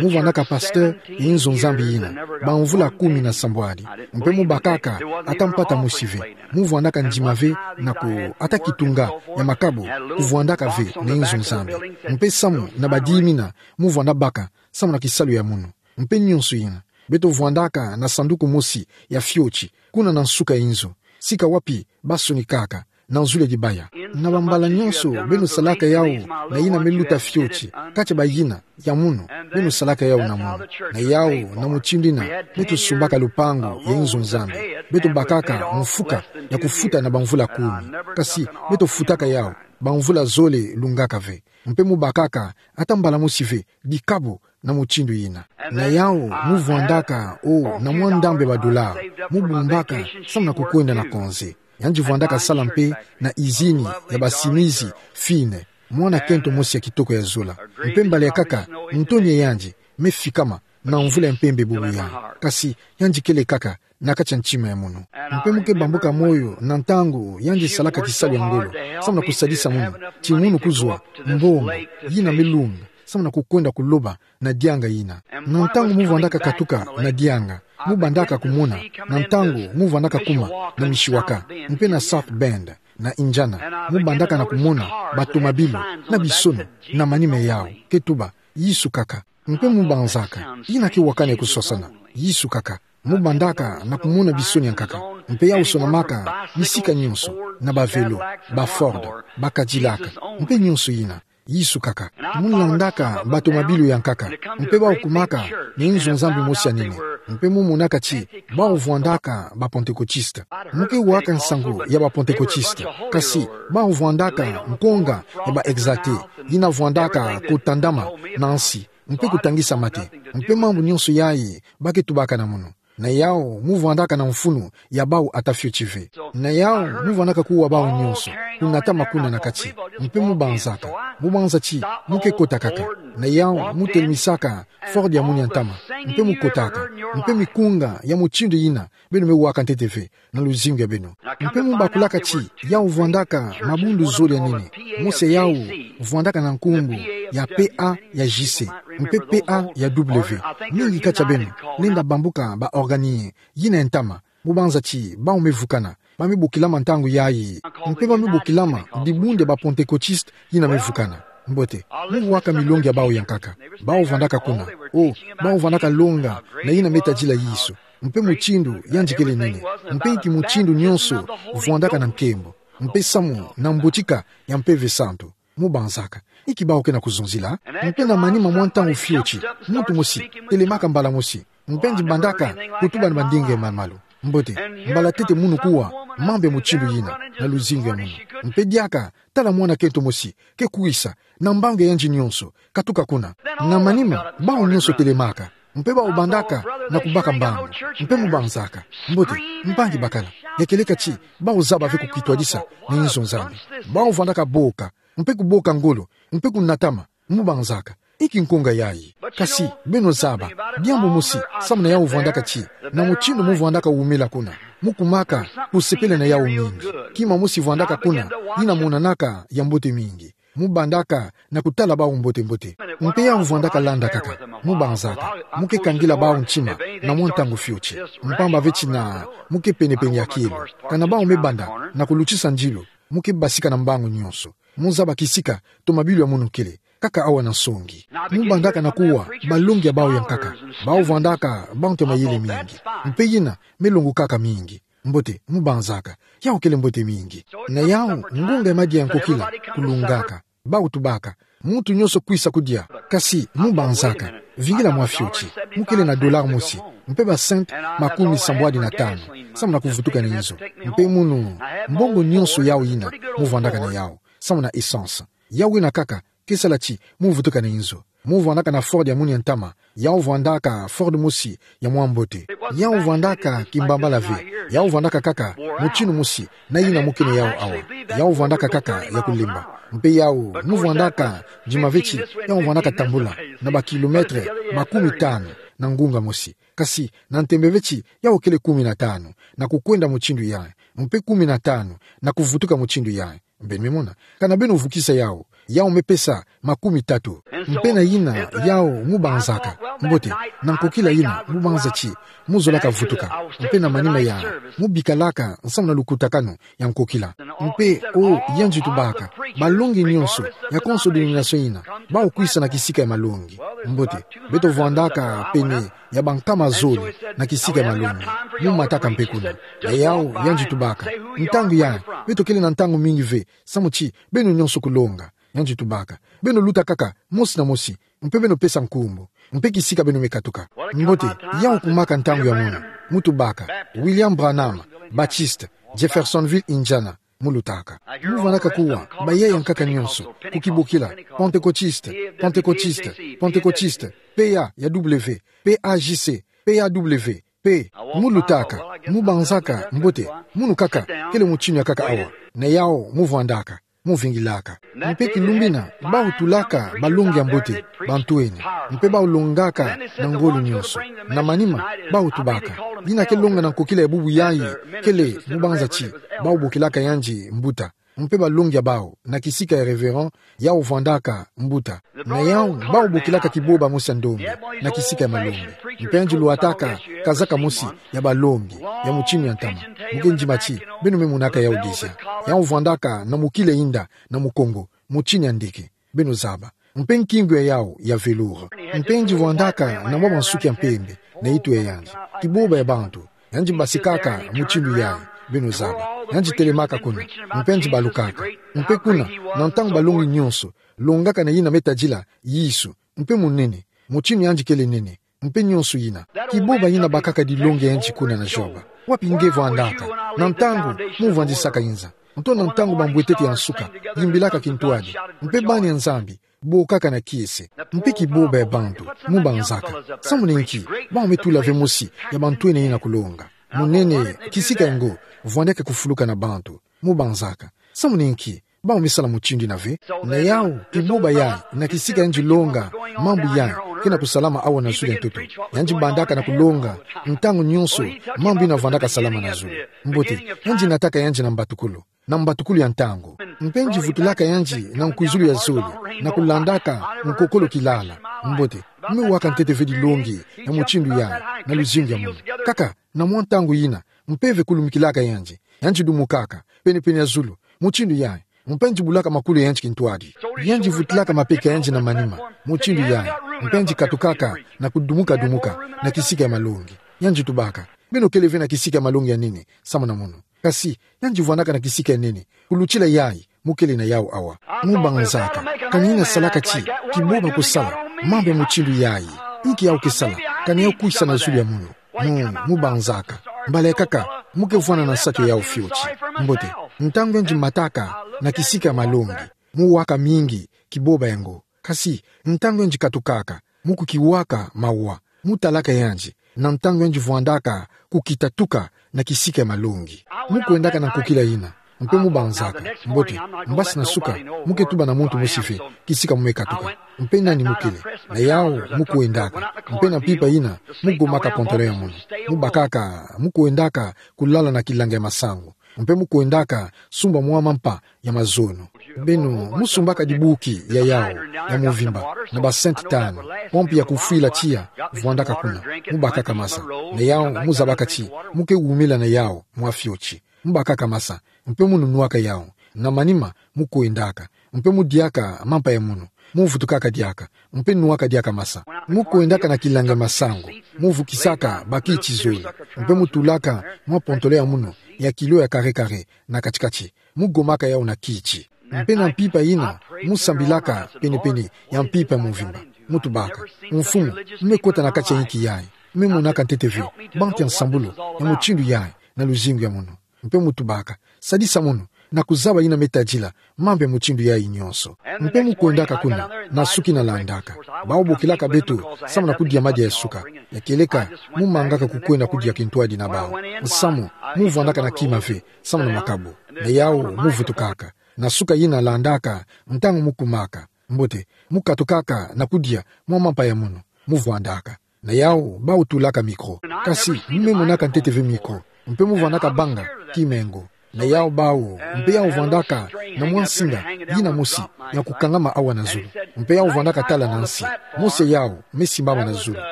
Mu vwandaka pasteur ya inzo Nzambi yina bamvula kumi na sambwadi. Mpe mu bakaka ata mpata mosi ve. Mu vwandaka ndima ve na ku ata kitunga ya makabu kuvwandaka ve na inzo Nzambi. Mpe samu na ba dix mille mu vwanda baka samu na kisalu ya munu. Mpe nyonso yina, beto vwandaka na sanduku mosi ya fioti, kuna na nsuka ya inzo, sika wapi ba sonikaka, na nzule dibaya. Na bambala nyonso beno salaka yawu na yina me luta fioti, kati ya bayina, ya munu, beno salaka yawu na munu. Na yawu, na mutindu yina, beto sumbaka lupangu ya inzo Nzambi. Beto bakaka mfuka ya kufuta na bamvula kumi. Kasi beto futaka yawu bamvula zole lungaka ve. Mpe mu bakaka ata mbala mosi ve dikabu na mutindu yina. Na yawu, mu vwandaka, o, na mwa ndambu ya ba dollars mu bumbaka samu na kukwenda na konze. Yandi vwandaka sala mpe na izini ya basimizi fine, mwana kento mosi ya kitoko ya zola. Mpe mbala ya nkaka, ntonia yandi me fikama na mvula ya mpembe bubu yandi. Kasi yandi kele kaka na kati ya ntima ya munu. Mpe mu ke bambuka moyo na ntangu yandi salaka kisalu ya ngolo, samu na kusadisa munu, ti munu kuzwa mbongo yina me lunga, samu na kukwenda kuloba na dianga yina. Na ntangu mu vwandaka katuka na dianga, mu bandaka kumona, na ntangu mu vwandaka kuma na Mishawaka, mpe na South Bend, na Indiana, mu bandaka na kumona batomabilu na bisono na manima yau, ke tuba, Yesu kaka. Mpe mu banzaka, yina ke wakana ya kuswasana, Yesu kaka. Mu bandaka na kumona bisono ya nkaka, mpe yau sonamaka bisika nyonso, na ba vélo, ba Ford, ba Cadillac, mpe nyonso yina, Yesu kaka. Mu landaka batomabilu ya nkaka, mpe bau kumaka na inzo-Nzambi mosi ya nene, mpe mu monaka ti bau vwandaka ba Pentecôtistes. Mu ke waka nsangu ya ba Pentecôtistes, kasi bau vwandaka nkonga ya ba Exaltés, yina vwandaka kutandama na nsi, mpe kutangisa mate, mpe mambu nyonso yayi ba ke tubaka na munu. Na yau mu vwandaka na mfunu ya bau ata fioti ve. Na yau mu vwandaka kuwa bau nyonso, kunatama kuna na kati, mpe mu banzaka, mu banza ti mu ke kota kaka. Na yau mu telimisaka Ford ya munu ya ntama, mpe mu kotaka, mpe mikunga ya mutindu yina beno me waka ntete ve na luzingu ya beno. Mpe mu bakulaka ti yau vwandaka mabundu zole ya nene, mosi ya yau vwandaka na nkumbu ya P A ya J C, mpe P A ya W. Mingi kati ya beno lenda bambuka ba organien yina ya ntama, mu banza ti bau me vukana, ba me bokilama ntangu yayi, mpe ba me bokilama dibundu ya ba Pentecôtistes yina me vukana. Mbote, mu waka milongi ya bau ya nkaka, bau vwandaka kuna. O, bau vwandaka longa na yina me tadila Yesu, mpe mutindu yandi kele nene, mpe inki mutindu nyonso vwandaka na nkembo, mpe samu na mbotika ya Mpeve Santu. Mu banzaka, inki bau ke na kuzonzila? Mpe na manima mwa ntangu fioti, muntu mosi telemaka mbala mosi, mpe yandi bandaka kutuba na bandinga ya malu. Mbote, mbala tete munu kuwa mambu ya mutindu yina na luzingu ya munu. Mpe diaka, tala mwana kento mosi ke kwisa na mbangu ya yandi nyonso, katuka kuna. Na manima, bau nyonso telemaka, mpe bau bandaka na kubaka mbangu, mpe mu banzaka. Mbote, mpangi bakala, ya kieleka ti bau zaba ve kukitwadisa na inzo Nzambi. Bau vwandaka boka, mpe kuboka ngolo, mpe kunatama, mu banzaka. Inki nkonga yayi? Kasi, beno zaba, diambu mosi, samu na yau vwandaka ti, na mutindu mu vwandaka wumela kuna, mu kumaka kusepela na yau mingi. Kima mosi vwandaka kuna, yina monanaka ya mbote mingi. Mu bandaka na kutala bau mbote-mbote. Mpe yau vwandaka landa kaka, mu banzaka, mu ke kangila bau ntima na mwa ntangu fioti. Mpamba ve ti na mu ke pene-pene ya kielo. Kana bau me banda na kulutisa ndilu, mu ke basika na mbangu nyonso. Mu zaba kisika tomabilu ya munu kele, kaka awa na nsongi. Mu bandaka na kuwa balongi ya bau ya nkaka, bau vwandaka bantu ya mayele mingi, mpe yina me longokaka mingi. Mbote, mu banzaka, yau kele mbote mingi. Na yau, ngunga ya madia ya nkokila kulungaka. Bau tubaka, muntu nyonso kwisa kudia. Kasi, mu banzaka, vingila mwa fioti, mu kele na dollar mosi, mpe ba cent makumi sambwadi na tanu, samu na kuvutuka na inzo. Mpe munu, mbongo nyonso yau yina, mu vwandaka na yau, samu na essence. Yau yina kaka ke sala ti mu vutuka na inzo. Mu vwandaka na Ford ya munu ya ntama, yau vwandaka Ford mosi ya mwa mbote. Yau vwandaka kimbambala ve, yau vwandaka kaka mutindu mosi na yina mu ke na yau awa. Yau vwandaka kaka ya kulemba. Mpe yau, mu vwandaka dima ve ti, yau vwandaka tambula na ba kilomètre makumi tanu na ngunga mosi. Kasi, na ntembe ve ti, yau kele kumi na tanu, na kukwenda mutindu yayi, mpe kumi na tanu, na kuvutuka mutindu yayi. Beno me mona, kana beno vukisa yau, yau me pesa makumi tatu. Mpe na yina yau mu banzaka. Mbote, na nkokila yina mu banza ti mu zolaka vutuka. Mpe na manima yayi, mu bikalaka nsamu na lukutakanu ya nkokila. Mpe, o, yandi tubaka, balongi nyonso ya konso dénomination yina, bau kwisa na kisika ya malongi. Mbote, beto vwandaka pene ya bankama zole na kisika ya malongi. Mu mataka mpe kuna. Na yau, yandi tubaka, ntangu yayi, beto kele na ntangu mingi ve, samu ti beno nyonso kulonga. Yandi tubaka, beno luta kaka mosi na mosi, mpe beno pesa nkumbu, mpe kisika beno me katuka. Mbote, yau kumaka ntangu ya munu, mu tubaka, William Branham, Baptiste, Jeffersonville, Indiana, mu lutaka. Mu vwandaka kuwa bayaya nkaka nyonso, ku kibokila, Pentecôtiste, Pentecôtiste, Pentecôtiste, P A ya W, P A J C, P A W, P, mu lutaka, Mubanzaka, mbote, munu kaka, kele mutinu ya kaka awa. Na yawu, muvwandaka, muvingilaka. Mpe kilumbu ina, bawu tulaka balongi ya mbote, bantwenia. Mpe bawu longaka na ngolo nyonso. Na manima, bawu tubaka. Yina ke longa na nkokila ya bubu yayi, kele, mubanza ti, bawu bokilaka yandi mbuta. Mpe balongi ya bawu, na kisika ya révérend, yawu vwandaka mbuta. Na yawu, bawu bokilaka kiboba mosi ya ndombe, na kisika ya malongi. Mpe yandi lwataka kazaka mosi ya balongi, ya mutinu ya ntama. Mu ke ndima ti, beno me monaka yawu déjà. Yawu vwandaka na mokila inda, na Mukongo, mutinu ya ndeke. Beno zaba. Mpe nkingu ya yawu ya velours. Mpe yandi vwandaka na mwa bansuki ya mpembe, na nitu ya yandi. Kiboba ya bantu, yandi basikaka mutindu yayi, beno zaba. Yandi telemaka kuna, mpe yandi balukaka. Mpe kuna, na ntangu balongi nyonso, longaka na yina me tadila Yesu, mpe munene, mutinu yandi kele nene, mpe nyonso yina. Kiboba yina bakaka dilongi ya yandi kuna na joba. Wapi nge vwandaka, na ntangu muvwandisaka inza, nto na ntangu bambwetete ya nsuka, yimbilaka kintwadi, mpe bani ya Nzambi, bokaka na kiese. Mpe kiboba ya bantu, mubanzaka. Samu na nki, bawu me tula ve mosi ya bantwenia yina kulonga. Munene, kisika yango, vwandaka kufuluka na bantu, mubanzaka. Samu na nki, bawu me sala mutindu yina ve. Na yawu, kiboba yayi, na kisika yandi longa, mambu yayi, ke na kusalama awa na zulu ya ntoto. Yandi bandaka na kulonga, ntangu nyonso, mambu yina vwandaka salama na zulu. Mbote, yandi nataka yandi na mbatukulu. Na mbatukulu ya ntangu. Mpe yandi vutulaka yandi na nkwizulu ya zole, na kulandaka nkokolo kilala. Mbote, me waka ntete ve dilongi ya mutindu yayi, na luzingu ya munu. Kaka, na mwa ntangu yina, mpeve kulumukilaka yandi. Yandi dumukaka, pene-pene ya zulu, mutindu yayi. Mpe yandi bulaka makulu ya yandi kintwadi. Yandi vutulaka mapeka ya yandi na manima, mutindu yayi. Mpe yandi katukaka, na kudumuka-dumuka, na kisika ya malongi. Yandi tubaka. Beno kele ve na kisika ya malongi ya nene, samu na munu. Kasi, yandi vwandaka na kisika ya nene, kulutila yayi, mu kele na yawu awa. Mubanzaka, kani yina salaka ti, kiboba kusala, mambu ya mutindu yayi. Inki yawu ke sala, kani yawu kwisa na zulu ya munu. Mu, mubanzaka. Mbala ya kaka, mu ke vwanda na nsatu ya yawu fioti. Mbote, ntangu yandi mataka, na kisika ya malongi. Mu waka mingi, kiboba yango. Kasi, ntangu yandi katukaka, mu kukiwaka mawa. Mu talaka yandi, na ntangu yandi vwandaka, kukita tuka, na kisika ya malongi. Mu kwendaka na nkokila yina, mpe mubanzaka, mbote, mbasi na suka, mu ke tuba na muntu mosi ve, kisika mu me katuka. Mpe nani mu kele, na yawu, mu kwendaka, mpe na mpimpa yina, mu gomaka pantalon ya munu. Mu bakaka, mu kwendaka, kulala na kilanga ya masangu. Mpe mu kwendaka, sumba mwa mampa, ya mazono. Beno, mu sumbaka dibuki ya yawu, ya mvimba, na ba cent tano, pompi ya kufwila tiya, vwandaka kuna, mu bakaka masa. Na yawu, mu zabaka ti, mu ke wumila na yawu, mwa fioti. Mu bakaka masa, mpe mu nunuaka yawu, na manima, mu kwendaka, mpe mu diaka, mampa ya munu, mu vutukaka diaka, mpe nuaka diaka masa. Mu kwendaka na kilanga ya masangu, mu vukisaka, ba kiti zole, mpe mu tulaka, mwa pantalon ya munu, ya kilo ya kare-kare, na kati-kati. Mu gomaka yawu na kiti. Mpe na mpimpa yina, mu sambilaka pene-pene ya mpimpa ya mvimba. Mu tubaka. Mfumu, mu me kota na kati ya inki yayi. Mu me monaka ntete ve, bantu ya nsambulu, ya mutindu yayi, na luzingu ya munu. Mpe mu tubaka. Sadisa munu, na kuzaba yina me tadila, mambu ya mutindu yayi nyonso. Mpe mu kwendaka kuna, na suki na landaka. Bawu bokilaka beto, samu na kudia madia ya suka. Ya kieleka, mu mangaka kukwenda kudia kintwadi na bawu. Nsamu, mu vwandaka na kima ve, samu na makabu. Na yawu, mu vutukaka. Na suka yina landaka, ntangu mu kumaka. Mbote, mu katukaka na kudia mwa mampa ya munu. Mu vwandaka. Na yawu, bawu tulaka micro. Kasi, mu me monaka ntete ve micro. Mpe mu vwandaka banga, kima yango. Na yawu bawu, mpe yawu vwandaka, na mwa nsinga, yina mosi, ya kukangama awa na zulu. Mpe yawu vwandaka tala na nsi. Mosi ya yawu, me simbama na zulu.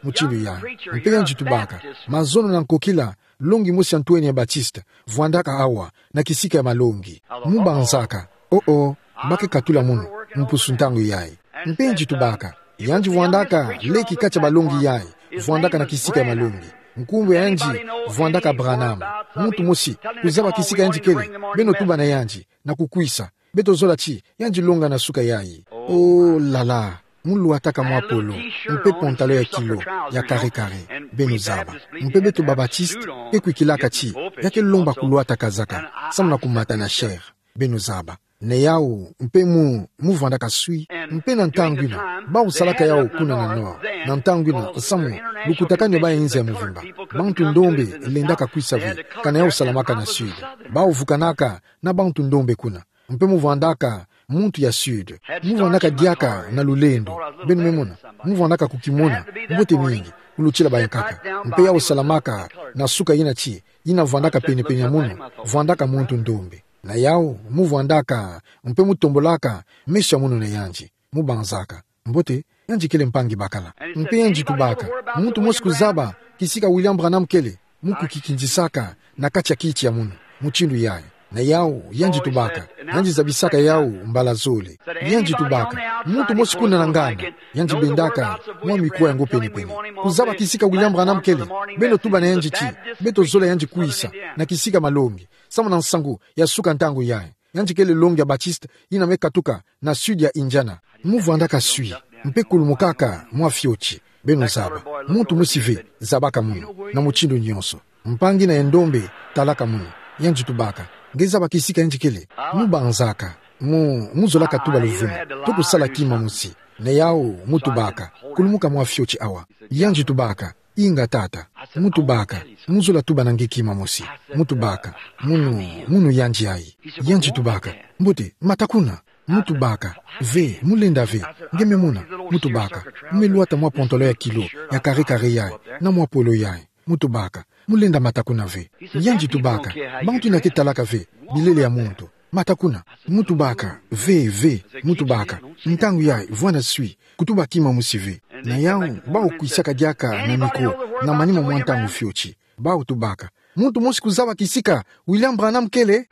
Mutindu yayi. Mpe yandi tubaka. Mazono na nkokila, longi mosi ya ntwenia Baptiste, vwandaka awa, na kisika ya malongi. Mu banzaka, oh oh, ba ke katula munu, mpusu ntangu yayi. Mpe yandi tubaka, yandi vwandaka, leki kati ya balongi yayi, vwandaka na kisika ya malongi. Nkumbu ya yandi, vwandaka Branham. Muntu mosi, kuzaba kisika yandi kele, beno tuba na yandi, na kukwisa. Beto zola ti, yandi longa na suka yayi. Oh là là, mu lwataka mwa polo, mpe pantalon ya kilo, ya kare-kare, beno zaba. Mpe beto ba Baptiste, ke kwikilaka ti, ya ke lomba kulwata kazaka, samu na kumata na chair, beno zaba. Na yawu, mpe mu, mu vwandaka swi. Mpe na ntangu ina, bawu salaka yawu kuna na Nord. Na ntangu ina, samu, lukutakanu ya baya inza ya mvimba. Bantu ndombe lendaka kwisa ve, kana yawu salamaka na Sud. Bawu vukanaka na bantu ndombe kuna. Mpe mu vwandaka muntu ya Sud. Mu vwandaka diaka na lulendo. Beno me mona. Mu vwandaka kukimona. Mbote mingi. Kulutila bayankaka. Mpe yawu salamaka na suka ina ti, ina vwandaka penepene ya munu. Vwandaka muntu ndombe. Na yawu, mu vwandaka, mpe mu tombolaka meso ya munu na yandi. Mu banzaka. Mbote, yandi kele mpangi bakala. Mpe yandi tubaka. Muntu mosi kuzaba kisika William Branham kele? Mu kukikindisaka na kati ya kiti ya munu, mutindu yayi. Na yawu, yandi tubaka. Yandi zabisaka yawu mbala zole. Yandi tubaka. Muntu mosi kuna na nganda? Yandi bendaka mwa mikwa yango penepene. Kuzaba kisika William Branham kele? Beno tuba na yandi ti, beto zola yandi kwisa na kisika malongi, samu na nsangu ya suka ntangu yayi. Yandi kele longi ya Baptiste, ina me katuka na Sud ya Indiana. Mu vwandaka swi, mpe kulumukaka mwa fioti. Beno zaba. Muntu mosi ve zabaka munu, na mutindu nyonso. Mpangi ina ya ndombe talaka munu. Yandi tubaka. Nge zaba kisika yandi kele? Mu banzaka. Mu, mu zolaka tuba luvunu. Toko sala kima mosi. Na yawu, mu tubaka. Kulumuka mwa fioti awa. Yandi tubaka. Inga tata. Mu tubaka. Mu zola tuba na nge kima mosi. Mu tubaka. Munu, munu yandi ayi. Yandi tubaka. Mbote, mata kuna. Mu tubaka. Ve, mu lenda ve. Nge me mona. Mu tubaka. Mu me lwata mwa pantalon ya kilo, ya kare kare yayi, na mwa polo yayi. Mu tubaka. Mu lenda mata kuna ve. Yandi tubaka. Bantu ina ke talaka ve bilele ya muntu. Mata kuna. Mu tubaka. Ve, ve. Mu tubaka. Ntangu yayi, vwanda swi. Kutuba kima mosi ve. Na yawu, bawu kwisaka diaka na micro, na manima mwa ntangu fioti. Bawu tubaka. Muntu mosi kuzaba kisika William Branham kele?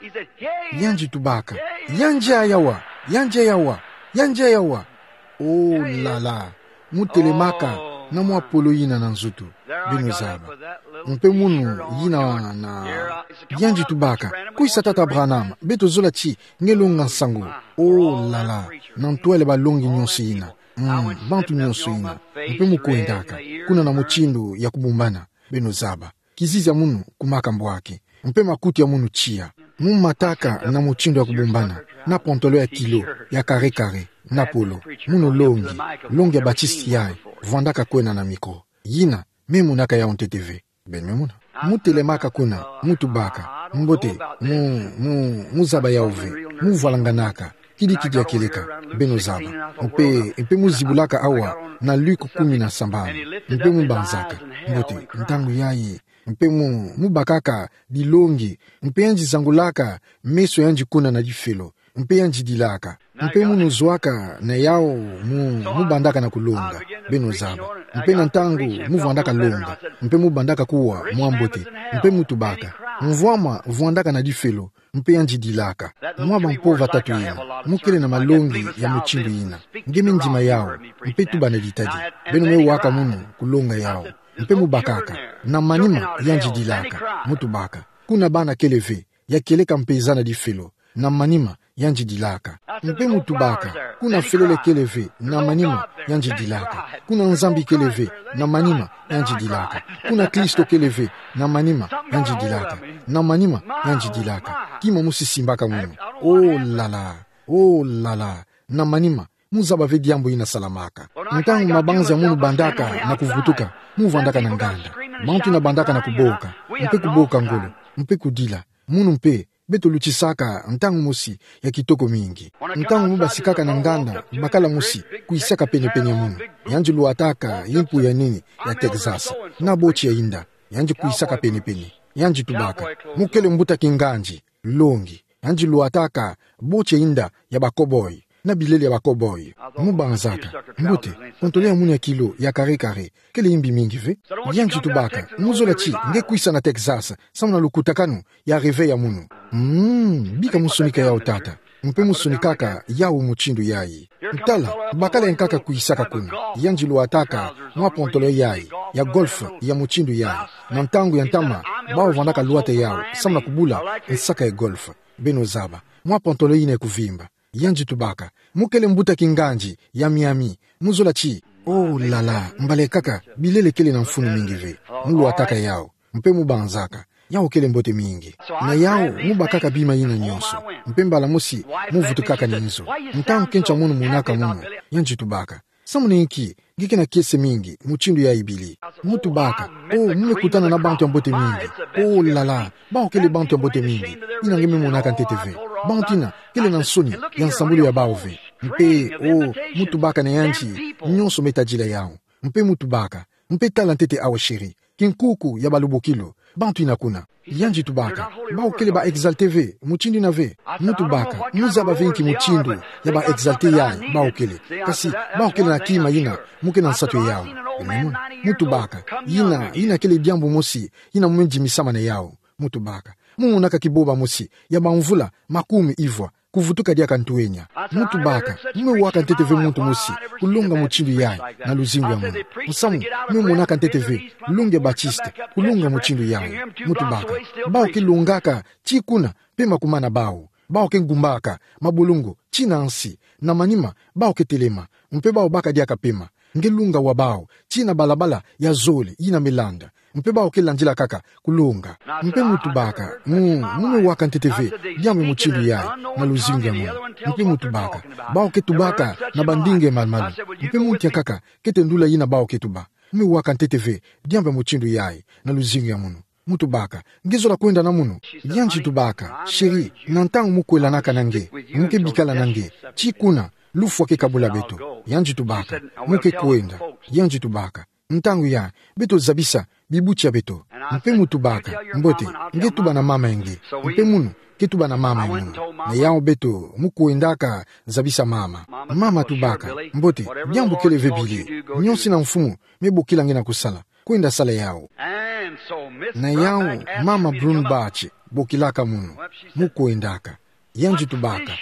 Yandi tubaka. Yandi ayi awa. Yandi ayi awa. Yandi ayi awa. Oh là là. Mu telemaka na mwa polo yina na nzutu. Beno zaba. Mpe munu yina na. Yandi tubaka. Kwisa tata Branham, beto zola ti nge longa nsangu. Oh là là. Na ntwala ya balongi nyonso yina. Mm, bantu nyonso yina. Mpe mu kwendaka. Kuna na mutindu ya kubumbana. Beno zaba. Kizizi ya munu kumaka mbwaki. Mpe makuti ya munu tiya. Mu mataka na mutindu ya kubumbana. Na pantalon ya kilo, ya kare kare, na polo. Munu longi. Longi ya Baptiste yayi. Vwandaka kwena na micro. Yina, me monaka yawu ntete ve. Beno me mona. Mu telemaka kuna, mu tubaka. Mbote, mu, mu, mu zaba yawu ve. Mu vwalanganaka. Kidikidi ya kieleka. Beno zaba. Mpe, mpe mu zibulaka awa na Luc kumi na sambanu. Mpe mu banzaka. Mbote, ntangu yayi. Mpe mu, mu bakaka bilongi. Mpe yandi zangulaka meso yandi kuna na difelo. Mpe yandi dilaka. Mpe munu zwaka na yawu mu, mu bandaka na kulonga. Beno zaba. Mpe na ntangu mu vwandaka longa. Mpe mu bandaka kuwa mwa mbote. Mpe mu tubaka. Mvwama vwandaka na difelo. Mpe yandi dilaka. Mwa bampova tatu yina. Mu kele na malongi ya mutindu yina. Nge me ndima yawu. Mpe tuba na ditadi. Beno me waka munu kulonga yawu. Mpe mu bakaka. Na manima yandi dilaka. Mu tubaka. Kuna bana kele ve. Ya kieleka mpe za na difelo. Na manima, yandi dilaka. Mpe mu tubaka, kuna felele kele ve, na manima, yandi dilaka. Kuna Nzambi kele ve, na manima, yandi dilaka. Kuna Kristo kele ve, na manima, yandi dilaka. Na manima, yandi dilaka. Kima mosi simbaka munu. Oh là là, oh là là, na manima, mu zaba ve diambu yina salamaka. Ntangu mabanza munu bandaka na kuvutuka, mu vwandaka na nganda. Bantu ina bandaka na kuboka, mpe kuboka ngolo, mpe kudila. Munu mpe, beto lutisaka ntangu mosi ya kitoko mingi. Ntangu mu basikaka na nganda, bakala mosi kwisaka penepene ya munu. Yandi lwataka yimpu ya nini ya Texas, na boti ya inda. Yandi kwisaka penepene. Yandi tubaka. Mu kele mbuta kingandi, longi. Yandi lwataka boti ya inda ya ba cowboy, na bilele ya ba cowboy. Mu banzaka. Mbote, pantalon ya munu ya kilo, ya kare kare. Kele yimbi mingi ve. Yandi tubaka. Mu zola ti nge kwisa na Texas, samu na lukutakanu ya rêve ya munu. Mm, bika mu sonika yawu tata. Mpe mu sonikaka yawu mutindu yayi. Tala, bakala yankaka kwisaka kuna. Yandi lwataka mwa pantalon yayi, ya golf, ya mutindu yayi. Na ntangu ya ntama, bawu vwandaka lwata yawu, samu na kubula nsaka ya golf. Beno zaba. Mwa pantalon yina ya kuvimba. Yandi tubaka. Mu kele mbuta kingandi, ya Miami. Mu zola ti. Oh là là, mbala kaka, bilele kele na mfunu mingi ve. Mu lwataka yawu. Mpe mu banzaka. Yau kele mbote mingi. Na yau, mu bakaka bima yina nyonso. Mpe mbala mosi, mu vutukaka na nzo. Ntangu kento ya mono monaka mono, yandi tubaka: Samu na inki nge ke na kiese mingi mutindu yayi bili? Mu tubaka: Oh, mu me kutana na bantu ya mbote mingi. Oh là là, bawu kele bantu ya mbote mingi. Yina nge me monaka ntete ve. Bantu yina kele na nsoni ya nsambulu ya bawu ve. Mpe, oh, mu tubaka na yandi, nyonso me tadila yawu. Mpe mu tubaka: Mpe tala ntete awa, chéri, kinkuku ya balubokilu, bantu yina kuna. Yandi tubaka: Bawu kele ba exalté ve, mutindu yina ve. Mu tubaka: Mu zaba ve inki mutindu ya ba exalté yayi bawu kele. Kasi bawu kele na kima yina, mu ke na nsatu ya yawu. Mu mona? Mu tubaka: Yina, yina kele diambu mosi yina mu me ndimisama na yawu. Mu tubaka: Mu monaka kiboba mosi ya bamvula makumi ivwa kuvutuka diaka ntwenya. Mu tubaka: Mu me waka ntete ve muntu mosi kulonga mutindu yayi na luzingu ya mono. Musamu, mu me monaka ntete ve Longue Baptiste kulonga mutindu yayi. Mu tubaka: Bawu ke longaka tii kuna, pema ku mana bawu. Bawu ke ngumbaka mabolongo tii na nsi. Na manima, bawu ke telema, mpe bawu baka diaka pema. Nge longa wa bawu tii na balabala ya zole yina me landa. Mpe bawu ke landila kaka kulonga. Mpe mu tubaka: Mu, mu me waka ntete ve diambu mutindu yayi na luzingu ya mono. Mpe mu tubaka: Bawu ke tubaka na bandinga malu-malu. Mpe mu ntia kaka kete ndula yina bawu ke tuba: Mu me waka ntete ve diambu mutindu yayi na luzingu ya mono. Mu tubaka: Nge zola kwenda na mono? Yandi tubaka: Chéri, na ntangu mu kwelanaka na nge, mu ke bikala na nge tii kuna, lufwa ke kabula beto. Yandi tubaka: Mu ke kwenda. Yandi tubaka: Ntangu yayi, beto zabisa bibuti ya beto. Mpe mu tubaka: Mbote, nge tuba na mama ya nge. Mpe mono ke tuba na mama ya mono. Na yawu beto mu kwendaka zabisa mama. Mama tubaka: Mbote, diambu kele ve, Billy. Nyonso yina Mfumu me bokila nge na kusala, kwenda sala yawu. Na yawu, mama Brumbaugh bokilaka mono, mu kwendaka. Yandi tubaka: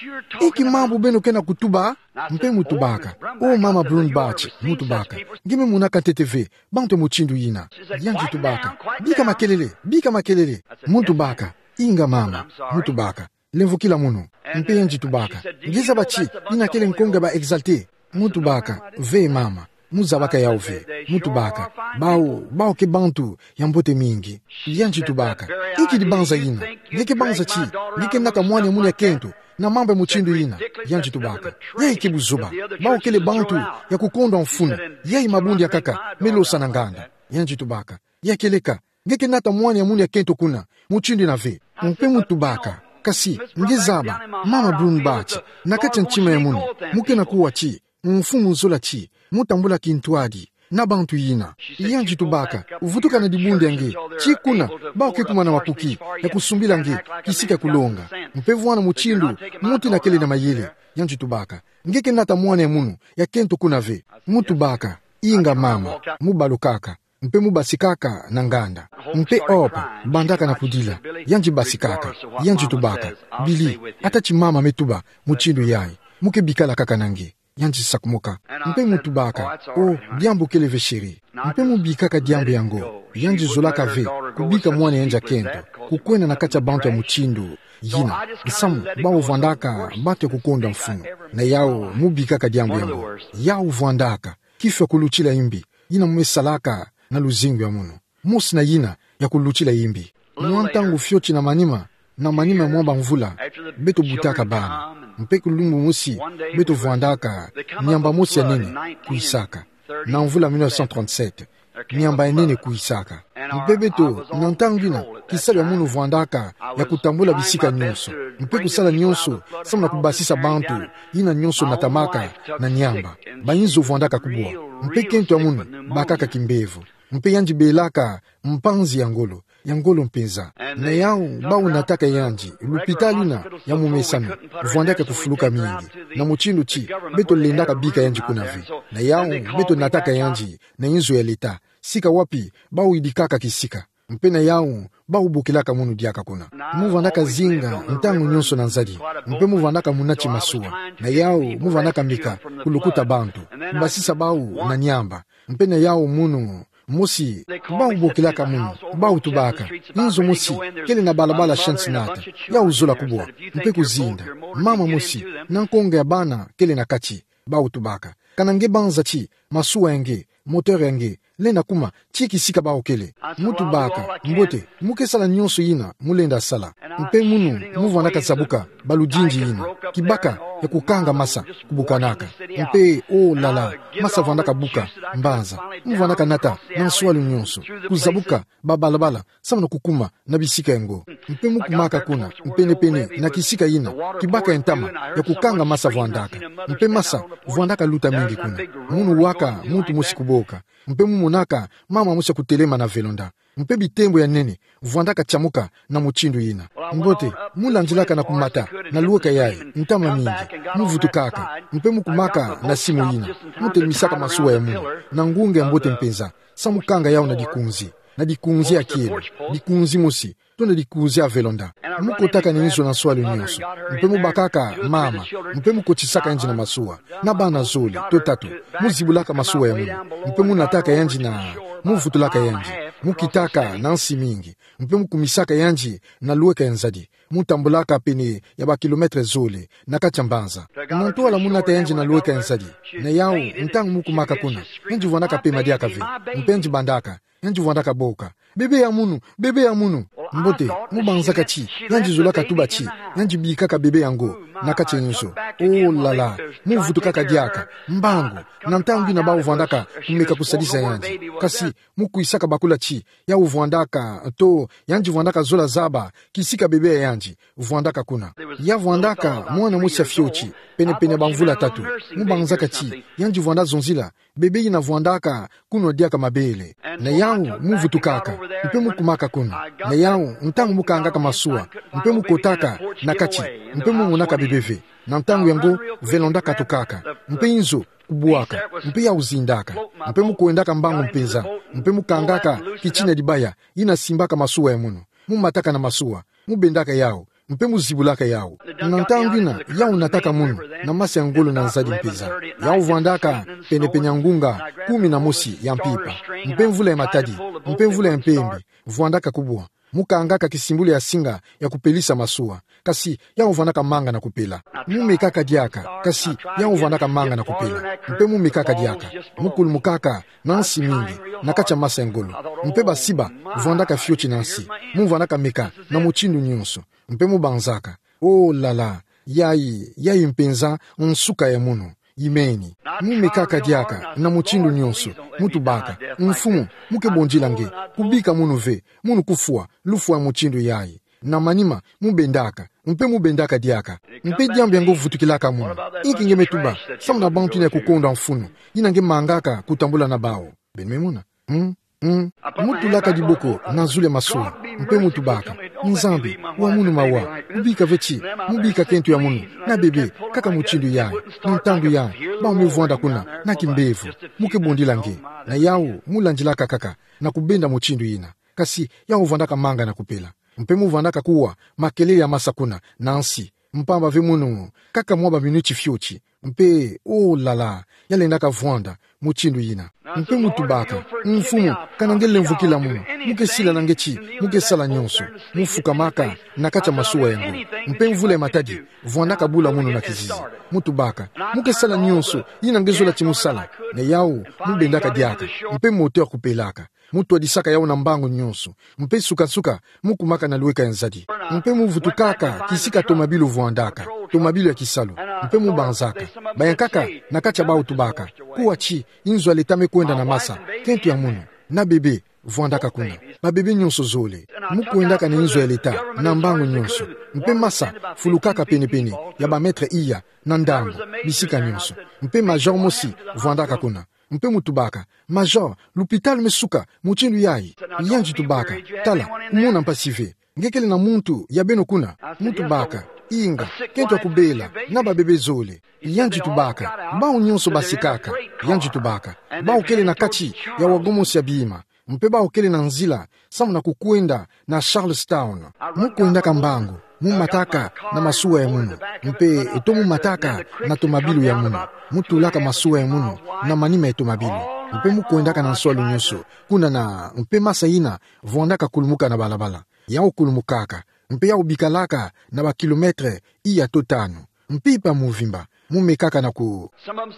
Inki mambu beno ke na kutuba? Mpe mu tubaka: Oh, mama Brumbaugh, mu tubaka, nge me monaka ntete ve bantu mutindu yina. Yandi tubaka: Bika makelele, bika makelele. Mu tubaka: Inga mama. Mu tubaka: Lemvokila mono. Mpe yandi tubaka: Nge zaba ti yina kele nkonga ya ba exalté? Mu tubaka: Ve mama, mu zabaka yawu ve. Mu tubaka: Bawu, bawu ke bantu ya mbote mingi. Yandi tubaka: Inki dibanza yina? Nge ke banza ti nge ke nata mwana ya mono ya kento na mambu ya mutindu yina? Yandi tubaka: Yayi ke buzoba. Bawu kele bantu ya kukondwa mfunu. Yayi mabundu ya nkaka me losa na nganda. Yandi tubaka: Ya kieleka, nge ke nata mwana ya mono ya kento kuna mutindu yina ve. Mpe mu tubaka: Kasi nge zaba, mama Brumbaugh, na kati ya ntima ya mono mu ke na kuwa ti Mfumu zola ti mu tambula kintwadi na bantu yina. Yandi tubaka: Vutuka na dibundu ya nge tii kuna, bawu ke kumana makuki ya kusumbila nge kisika ya kulonga. Mpe vwanda mutindu muntu yina kele na mayele. Yandi tubaka: Nge ke nata mwana ya mono ya kento kuna ve? Mu tubaka: Inga mama. Mu balukaka, mpe mu basikaka na nganda. Mpe Hope bandaka na kudila. Yandi basikaka. Yandi tubaka: Billy, ata ti mama me tuba mutindu yayi, mu ke bikala kaka na nge. Yandi sakumuka. Mpe mu tubaka: Oh, diambu kele ve, chéri. Mpe mu bikaka diambu yango. Yandi zolaka ve kubika mwana yandi ya kento kukwenda na kati ya bantu ya mutindu yina, nsamu bawu vwandaka bantu ya kukondwa mfunu. Na yawu, mu bikaka diambu yango. Yawu vwandaka kifwa kulutila imbi yina mu me salaka na luzingu ya mono. Mosi na yina ya kulutila imbi. Mwa ntangu fioti na manima, na manima ya mwa bamvula, beto butaka bana. Mpe kilumbu mosi, beto vwandaka niamba mosi ya nene kwisaka. Na mvula mille neuf cent trente-sept, niamba ya nene kwisaka. Mpe beto, na ntangu yina, kisalu ya mono vwandaka ya kutambula bisika nyonso, mpe kusala nyonso samu na kubasisa bantu yina nyonso natamaka na niamba. Bayinzo vwandaka kubwa. Mpe kento ya mono bakaka kimbevo. Mpe yandi belaka mpanzi ya ngolo, ya ngolo mpenza. Na yawu, bawu nataka yandi, lupitalu yina ya mumesano vwandaka kufuluka mingi, na mutindu ti beto lendaka bika yandi kuna ve. Na yawu, beto nataka yandi na inzo ya leta, sika wapi bawu yidikaka kisika. Mpe na yawu, bawu bokilaka mono diaka kuna. Mu vwandaka zinga ntangu nyonso na nzadi, mpe mu vwandaka muna ti masuwa. Na yawu, mu vwandaka mbika kulukuta bantu, kubasisa bawu na niamba. Mpe na yawu mono mosi, bawu bokilaka mono, bawu tubaka: Inzo mosi kele na balabala Cincinnati, yawu zola kubwa, mpe kuzinda. Mama mosi na nkonga ya bana kele na kati. Bawu tubaka: Kana nge banza ti masuwa ya nge, moteur ya nge, Lenda kuma, tii kisika baokele. Mu tubaka, mbote, mu ke sala nyonso yina mu lenda sala. Mpe munu, mu vwandaka zabuka, baludindi yina. Kibaka, ya kukanga masa, kubukanaka. Mpe, oh là là, masa vwandaka buka, mbanza. Mu vwandaka nata, na nswalu nyonso. Kuzabuka, ba balabala, samu na kukuma, na bisika yango. Mpe mu kumaka kuna, pene-pene, na kisika yina, kibaka ya ntama, ya kukanga masa vwandaka. Mpe masa, vwandaka luta mingi kuna. Munu waka, muntu mosi kuboka. Mpe mu monaka, mama mosi ya kutelema na velonda. Mpe bitembo ya nene, vwandaka tiamuka, na mutindu yina. Mbote, mu landilaka na kumata, na luweka yayi, ntama mingi. Mu vutukaka, mpe mu kumaka, na simu yina. Mu telemisaka masuwa ya munu, na ngunga ya mbote mpenza. Samu kanga yawu na dikunzi. Na dikunzi ya kielo. Dikunzi mosi. To na dikunzi ya velonda. Mu kotaka na inzo na nswalu nyonso. Mpe mu bakaka mama. Mpe mu kotisaka yandi na masuwa. Na bana zole, to tatu. Mu zibulaka masuwa ya munu. Mpe mu nataka yandi na. Mu vutulaka yandi. Mu kitaka na nsi mingi. Mpe mu kumisaka yandi na luweka ya nzadi. Mu tambulaka pene ya ba kilomètre zole. Na kati ya mbanza. Na ntwala mu nata yandi na luweka ya nzadi. Na yawu, ntangu mu kumaka kuna. Yandi vwandaka pema diaka ve. Mpe yandi bandaka. Yandi vwandaka boka. Bebe ya munu, bebe ya munu. Mbote, mu banzaka ti, yandi zolaka tuba ti, yandi bikaka bebe yango, na kati ya inzo. Oh là là, mu vutukaka diaka, mbangu, na ntangu yina bawu vwandaka, kumeka kusadisa yandi. Kasi, mu kwisaka bakula ti, yawu vwandaka, to, yandi vwandaka zola zaba, kisika bebe ya yandi, vwandaka kuna. Ya vwandaka, mwana mosi ya fioti, pene-pene ya bamvula tatu, mu banzaka ti, yandi vwanda zonzila, bebe yina vwandaka, kunwa diaka mabele. Na yawu, mu vutukaka, mpe mu kumaka kuna. Na yawu, ntangu mu kangaka masuwa, mpe mu kotaka, na kati, mpe mu monaka bebe ve. Na ntangu yango, velonda katukaka, mpe inzo, kubwaka, mpe yawu zindaka, mpe mu kwendaka mbangu mpenza, mpe mu kangaka, kitina dibaya, yina simbaka masuwa ya munu. Mu mataka na masuwa, mu bendaka yawu, mpe mu zibulaka yawu. Na ntangu yina, yawu nataka munu, na masa ya ngolo na nzadi mpenza. Yawu vwandaka, pene-pene ya ngunga, kumi na mosi ya mpimpa. Mpe mvula ya matadi, mpe mvula ya mpembe, vwandaka kubwa. Mu kangaka kisimbulu ya singa ya kupelisa masuwa. Kasi, yawu vwandaka manga na kupela. Mu mekaka diaka, kasi, yawu vwandaka manga na kupela. Mpe mu mekaka diaka. Mu kulumukaka, na nsi mingi, na kati ya masa ya ngolo. Mpe basiba, vwandaka fioti na nsi. Mu vwandaka meka, na mutindu nyonso. Mpe mu banzaka. Oh là là, yayi, yayi mpenza, nsuka ya munu. Imeni. Mu mekaka diaka, na mutindu nyonso. Mu tubaka. Mfumu, mu ke bondila nge. Kubika munu ve, munu kufwa, lufwa ya mutindu yayi. Na manima, mu bendaka. Mpe mu bendaka diaka. Mpe diambu yango vutukilaka munu. Inki nge me tuba, samu na bantu yina ya kukonda mfunu. Yina nge mangaka, kutambula na bawu. Beno me mona. Hmm? Hmm? Mu tulaka diboko na zulu ya masuwa, mpe mu tubaka. Nzambi, wa munu mawa, kubika ve ti, mu bika kento ya munu, na bebe, kaka mutindu yayi, na ntangu yayi, bawu me vwanda kuna, na kimbevo, mu ke bondila nge, na yawu, mu landilaka kaka, na kubenda mutindu yina. Kasi, yawu vwandaka manga na kupela. Mpe mu vwandaka kuwa, makelele ya masa kuna, na nsi, mpamba ve munu, kaka mwa ba minuti fioti, mpe, oh là là, ya lendaka vwanda, mutindu yina. Mpe mu tubaka, mfumu, kana nge lemvokila munu, mu ke sila na nge ti, mu ke sala nyonso, mu fukamaka, na kati ya masuwa yango. Mpe mvula ya matadi, vwandaka bula munu na kizizi. Mu tubaka, mu ke sala nyonso, yina nge zola ti mu sala, na yawu, mu bendaka diaka, mpe moteur kupelaka. Mu twadisaka yawu na mbangu nyonso. Mpe nsuka-nsuka, mu kumaka na lweka ya nzadi. Mpe mu vutukaka, kisika tomabilu vwandaka. Tomabilu ya kisalu. Mpe mu banzaka. Bayankaka, na kati ya bawu tubaka. Kuwa ti, inzo ya leta me kwenda na masa. Kento ya munu. Na bebe, vwandaka kuna. Babebe nyonso zole. Mu kwendaka na inzo ya leta, na mbangu nyonso. Mpe masa, fulukaka pene-pene, ya ba mètre iya, na ndambu, bisika nyonso. Mpe major mosi, vwandaka kuna. Mpe mu tubaka, Major, lupitalu me suka, mutindu yayi. Yandi tubaka, tala, kumona mpasi ve. Nge kele na muntu, ya beno kuna, mu tubaka, inga, kento ya kubela, na babebe zole. Yandi tubaka, bawu nyonso basikaka. Yandi tubaka, bawu kele na kati, ya wagon mosi ya bima. Mpe bawu kele na nzila, samu na kukwenda, na Charlestown. Mu kwendaka mbangu, mu mataka na masuwa ya munu, mpe to mu mataka na tomabilu ya munu, mu tulaka masuwa ya munu na manima ya tomabilu, mpe mu kwendaka na nswalu nyonso, kuna na, mpe masa yina vwandaka kulumuka na balabala, yawu kulumukaka, mpe yawu bikalaka na ba kilomètre iya to tanu. Mpimpa muvimba, Mu mekaka na ku.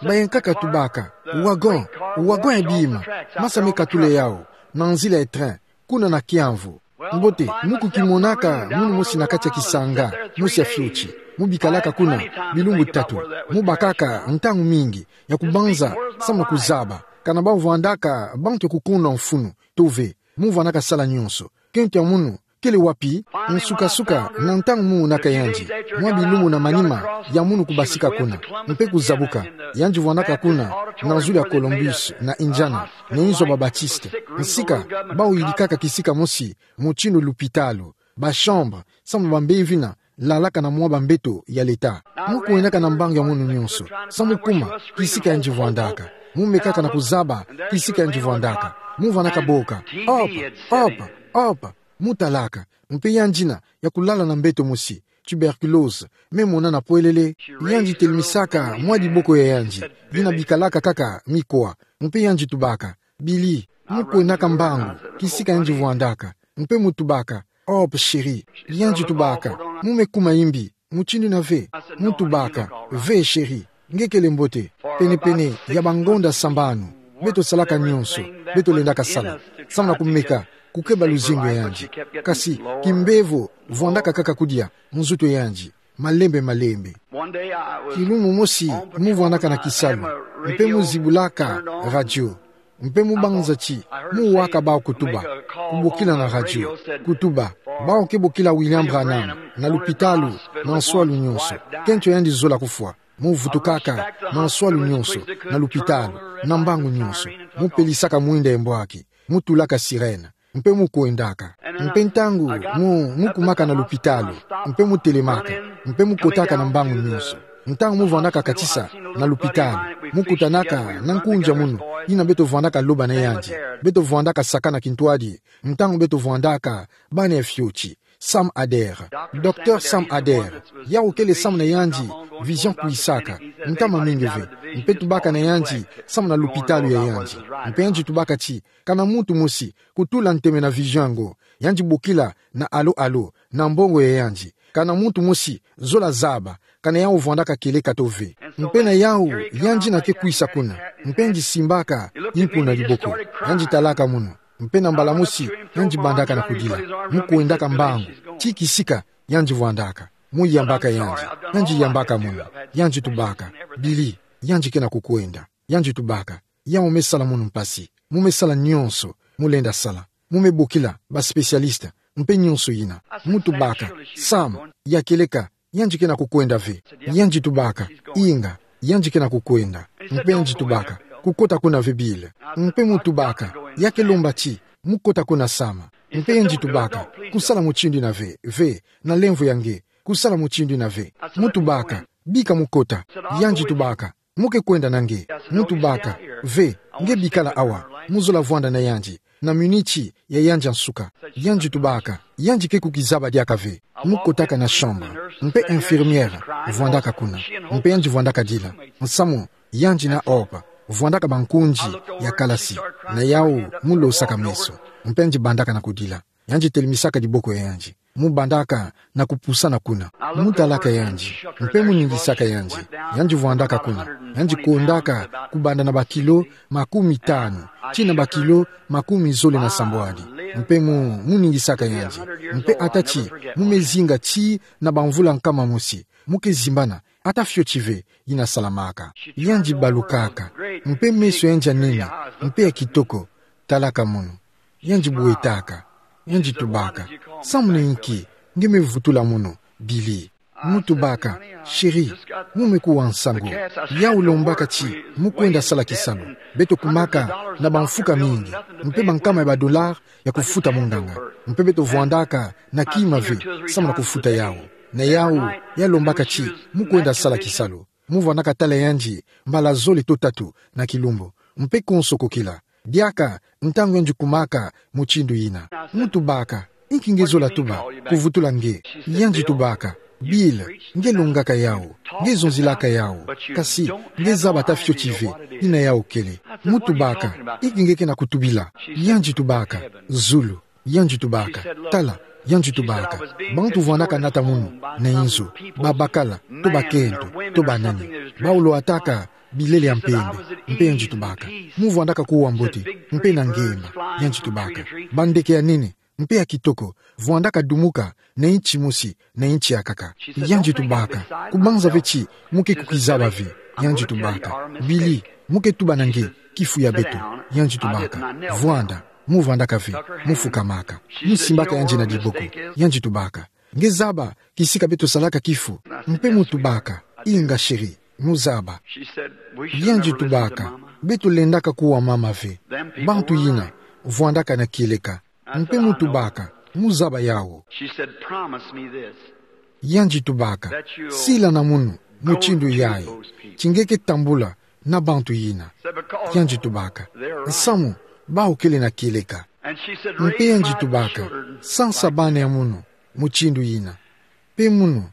Bayankaka tubaka: Wagon, wagon ya bima, masa me katula yau, na nzila ya train, kuna na kiamvu. Mbote, mu kukimonaka munu mosi na kati ya kisanga mosi ya fioti. Mu bikalaka kuna bilumbu tatu. Mu bakaka ntangu mingi ya kubanza samu na kuzaba kana bau vwandaka bantu ya kukuna mfunu to ve. Mu vwandaka sala nyonso. Kento ya munu kele wapi? Nsuka-suka, na ntangu mu monaka yandi, mwa bilumbu na manima ya munu kubasika kuna mpe kuzabuka, yandi vwandaka kuna na zulu ya Columbus na Indiana, na inzo ya ba Baptiste. Nsika bau yidikaka kisika mosi mutindu lupitalu, ba chambre, samu na bambevina lalaka na mwa bambeto ya leta. Mu kwendaka na mbangu ya munu nyonso samu kuma kisika yandi vwandaka. Mu mekaka na kuzaba kisika yandi vwandaka. Mu vwandaka boka: Hop, hop, hop. Mu talaka. Mpe yandi na ya kulala na mbeto mosi, tuberculose, me mona na pwelele. Yandi telemisaka mwa diboko ya yandi, dina bikalaka kaka mikwa. Mpe yandi tubaka: Billy. Mu kwendaka mbangu kisika yandi vwandaka. Mpe mu tubaka: Hop, chérie. Yandi tubaka: Mu me kuma imbi mutindu yina ve? Mu tubaka: Ve, chérie, nge kele mbote. Pene-pene ya bangonda sambanu, beto salaka nyonso beto lendaka sala samu na kumeka kukeba luzingu ya yandi. Kasi kimbevo vwandaka kaka kudia nzutu ya yandi, malembe-malembe. Kilumbu mosi mu vwandaka na kisalu, mpe mu zibulaka radio. Mpe mu banza ti mu waka bau kutuba, kubokila na radio, kutuba: Bau ke bokila William Branham na lupitalu na nswalu nyonso. Kento ya yandi zola kufwa. Mu vutukaka na nswalu nyonso, na lupitalu, na mbangu nyonso. Mu pelisaka mwinda ya mbwaki. Mu tulaka sirène. Mpe mu kwendaka. Mpe ntangu mu, mu kumaka na lupitalu, mpe mu telemaka, mpe mu kotaka na mbangu nyonso. Ntangu mu vwandaka katisa na lupitalu, mu kutanaka na nkunzi ya munu yina beto vwandaka loba na yandi. Beto vwandaka sakana kintwadi ntangu beto vwandaka bana ya fioti. Sam Adair. Docteur Sam Adair. Yau kele samu na yandi vision kwisaka ntama mingi ve. Mpe tubaka na yandi samu na lupitalu ya yandi. Mpe yandi tubaka ti kana muntu mosi kutula nteme na vision yango, yandi bokila na allô, allô, na mbongo ya yandi. Kana muntu mosi zola zaba kana yau vwandaka kieleka to ve. Mpe na yau yandi na ke kwisa kuna, mpe yandi simbaka mpu na diboko. Yandi talaka munu. Mpe na mbala mosi yandi bandaka na kudila. Mu kwendaka mbangu ti kisika yandi vwandaka. Mu yambaka yandi. Yandi yambaka munu. Yandi tubaka: Billy, yandi ke na kukwenda. Yandi tubaka: Yau me sala munu mpasi. Mu me sala nyonso mu lenda sala. Mu me bokila ba spécialiste, mpe nyonso yina. Mu tubaka: Sam, ya kieleka yandi ke na kukwenda ve? Yandi tubaka: Inga, yandi ke na kukwenda. Mpe yandi tubaka: Kukota kuna ve, Billy. Mpe mu tubaka: Ya ke lomba ti mu kota kuna, Sam. Mpe yandi tubaka: Kusala mutindu yina ve, ve, na lemvo ya nge. Kusala mutindu yina ve. Mu tubaka: Bika mu kota. Yandi tubaka: Mu ke kwenda na nge? Mu tubaka: Ve, nge bikala awa. Mu zola vwanda na yandi na miniti ya yandi ya nsuka. Yandi tubaka: Yandi ke kukizaba diaka ve. Mu kotaka na chambre. Mpe infirmière vwandaka kuna. Mpe yandi vwandaka dila. Nsamu yandi na Hope vwandaka bankunzi ya kalasi. Na yau mu losaka meso. Mpe yandi bandaka na kudila. Yandi telemesaka diboko ya yandi. Mu bandaka na kupusana kuna. Mu talaka yandi, mpe mu ningisaka yandi. Yandi vwandaka kuna. Yandi kondaka kubanda na bakilo makumi tanu tii na bakilo makumi zole na sambwadi. Mpe mu, mu ningisaka yandi. Mpe ata ti mu me zinga tii na bamvula nkama mosi, mu ke zimbana ata fioti ve yina salamaka. Yandi balukaka, mpe meso ya yandi ya nene mpe ya kitoko. Talaka munu. Yandi bwetaka. Yandi tubaka: Samuna inki nge me vutula munu, Billy? Mu tubaka: Chérie, mu me kuwa nsangu. Yau lombaka ti mu kwenda sala kisalu. Beto kumaka na bamfuka mingi mpe bankama ya badollars ya kufuta munganga. Mpe beto vwandaka na kima ve samu na kufuta yau. Na yau, ya lombaka ti mu kwenda sala kisalu. Mu vwandaka tala yandi mbala zole to tatu na kilumbu. Mpe konso kokila. Diaka ntangu yandi kumaka mutindu yina. Mu tubaka: Inki nge zola tuba kuvutula nge? Yandi tubaka: Bill, nge longaka yau, nge zonzilaka yau, kasi nge zaba ata fioti ve yina yau kele. Mu tubaka: Inki nge ke na kutubila? Yandi tubaka: Zulu. Yandi tubaka: Tala, yandi tubaka, bantu vwandaka nata munu na inzo, babakala, to bakento, to banani. Bawu lwataka bilele ya mpembe. Mpe yandi tubaka: Mu vwandaka kuwa mbote, mpe na ngemba. Yandi tubaka: Bandeke ya nene, mpe ya kitoko, vwandaka dumuka na inti mosi na inti ya nkaka. Yandi tubaka: Kubanza ve ti mu ke kukizaba ve. Yandi tubaka: Bili, mu ke tuba na nge kifu ya beto. Yandi tubaka: Vwanda. Mu vwandaka ve, mu fukamaka. Mu simbaka yandi na diboko. Yandi tubaka: Nge zaba kisika beto salaka kifu? Mpe mu tubaka: Inga, chérie, mu zaba. Yandi tubaka: Beto lendaka kuwa mama ve. Bantu yina vwandaka na kieleka. Mpe mu tubaka: Mu zaba yawu? Yandi tubaka: Sila na munu mutindu yayi, ti nge ke tambula na bantu yina. Yandi tubaka: Nsamu, bawu kele na kieleka. Mpe yandi tubaka: Sansa bana ya munu mutindu yina. Mpe munu,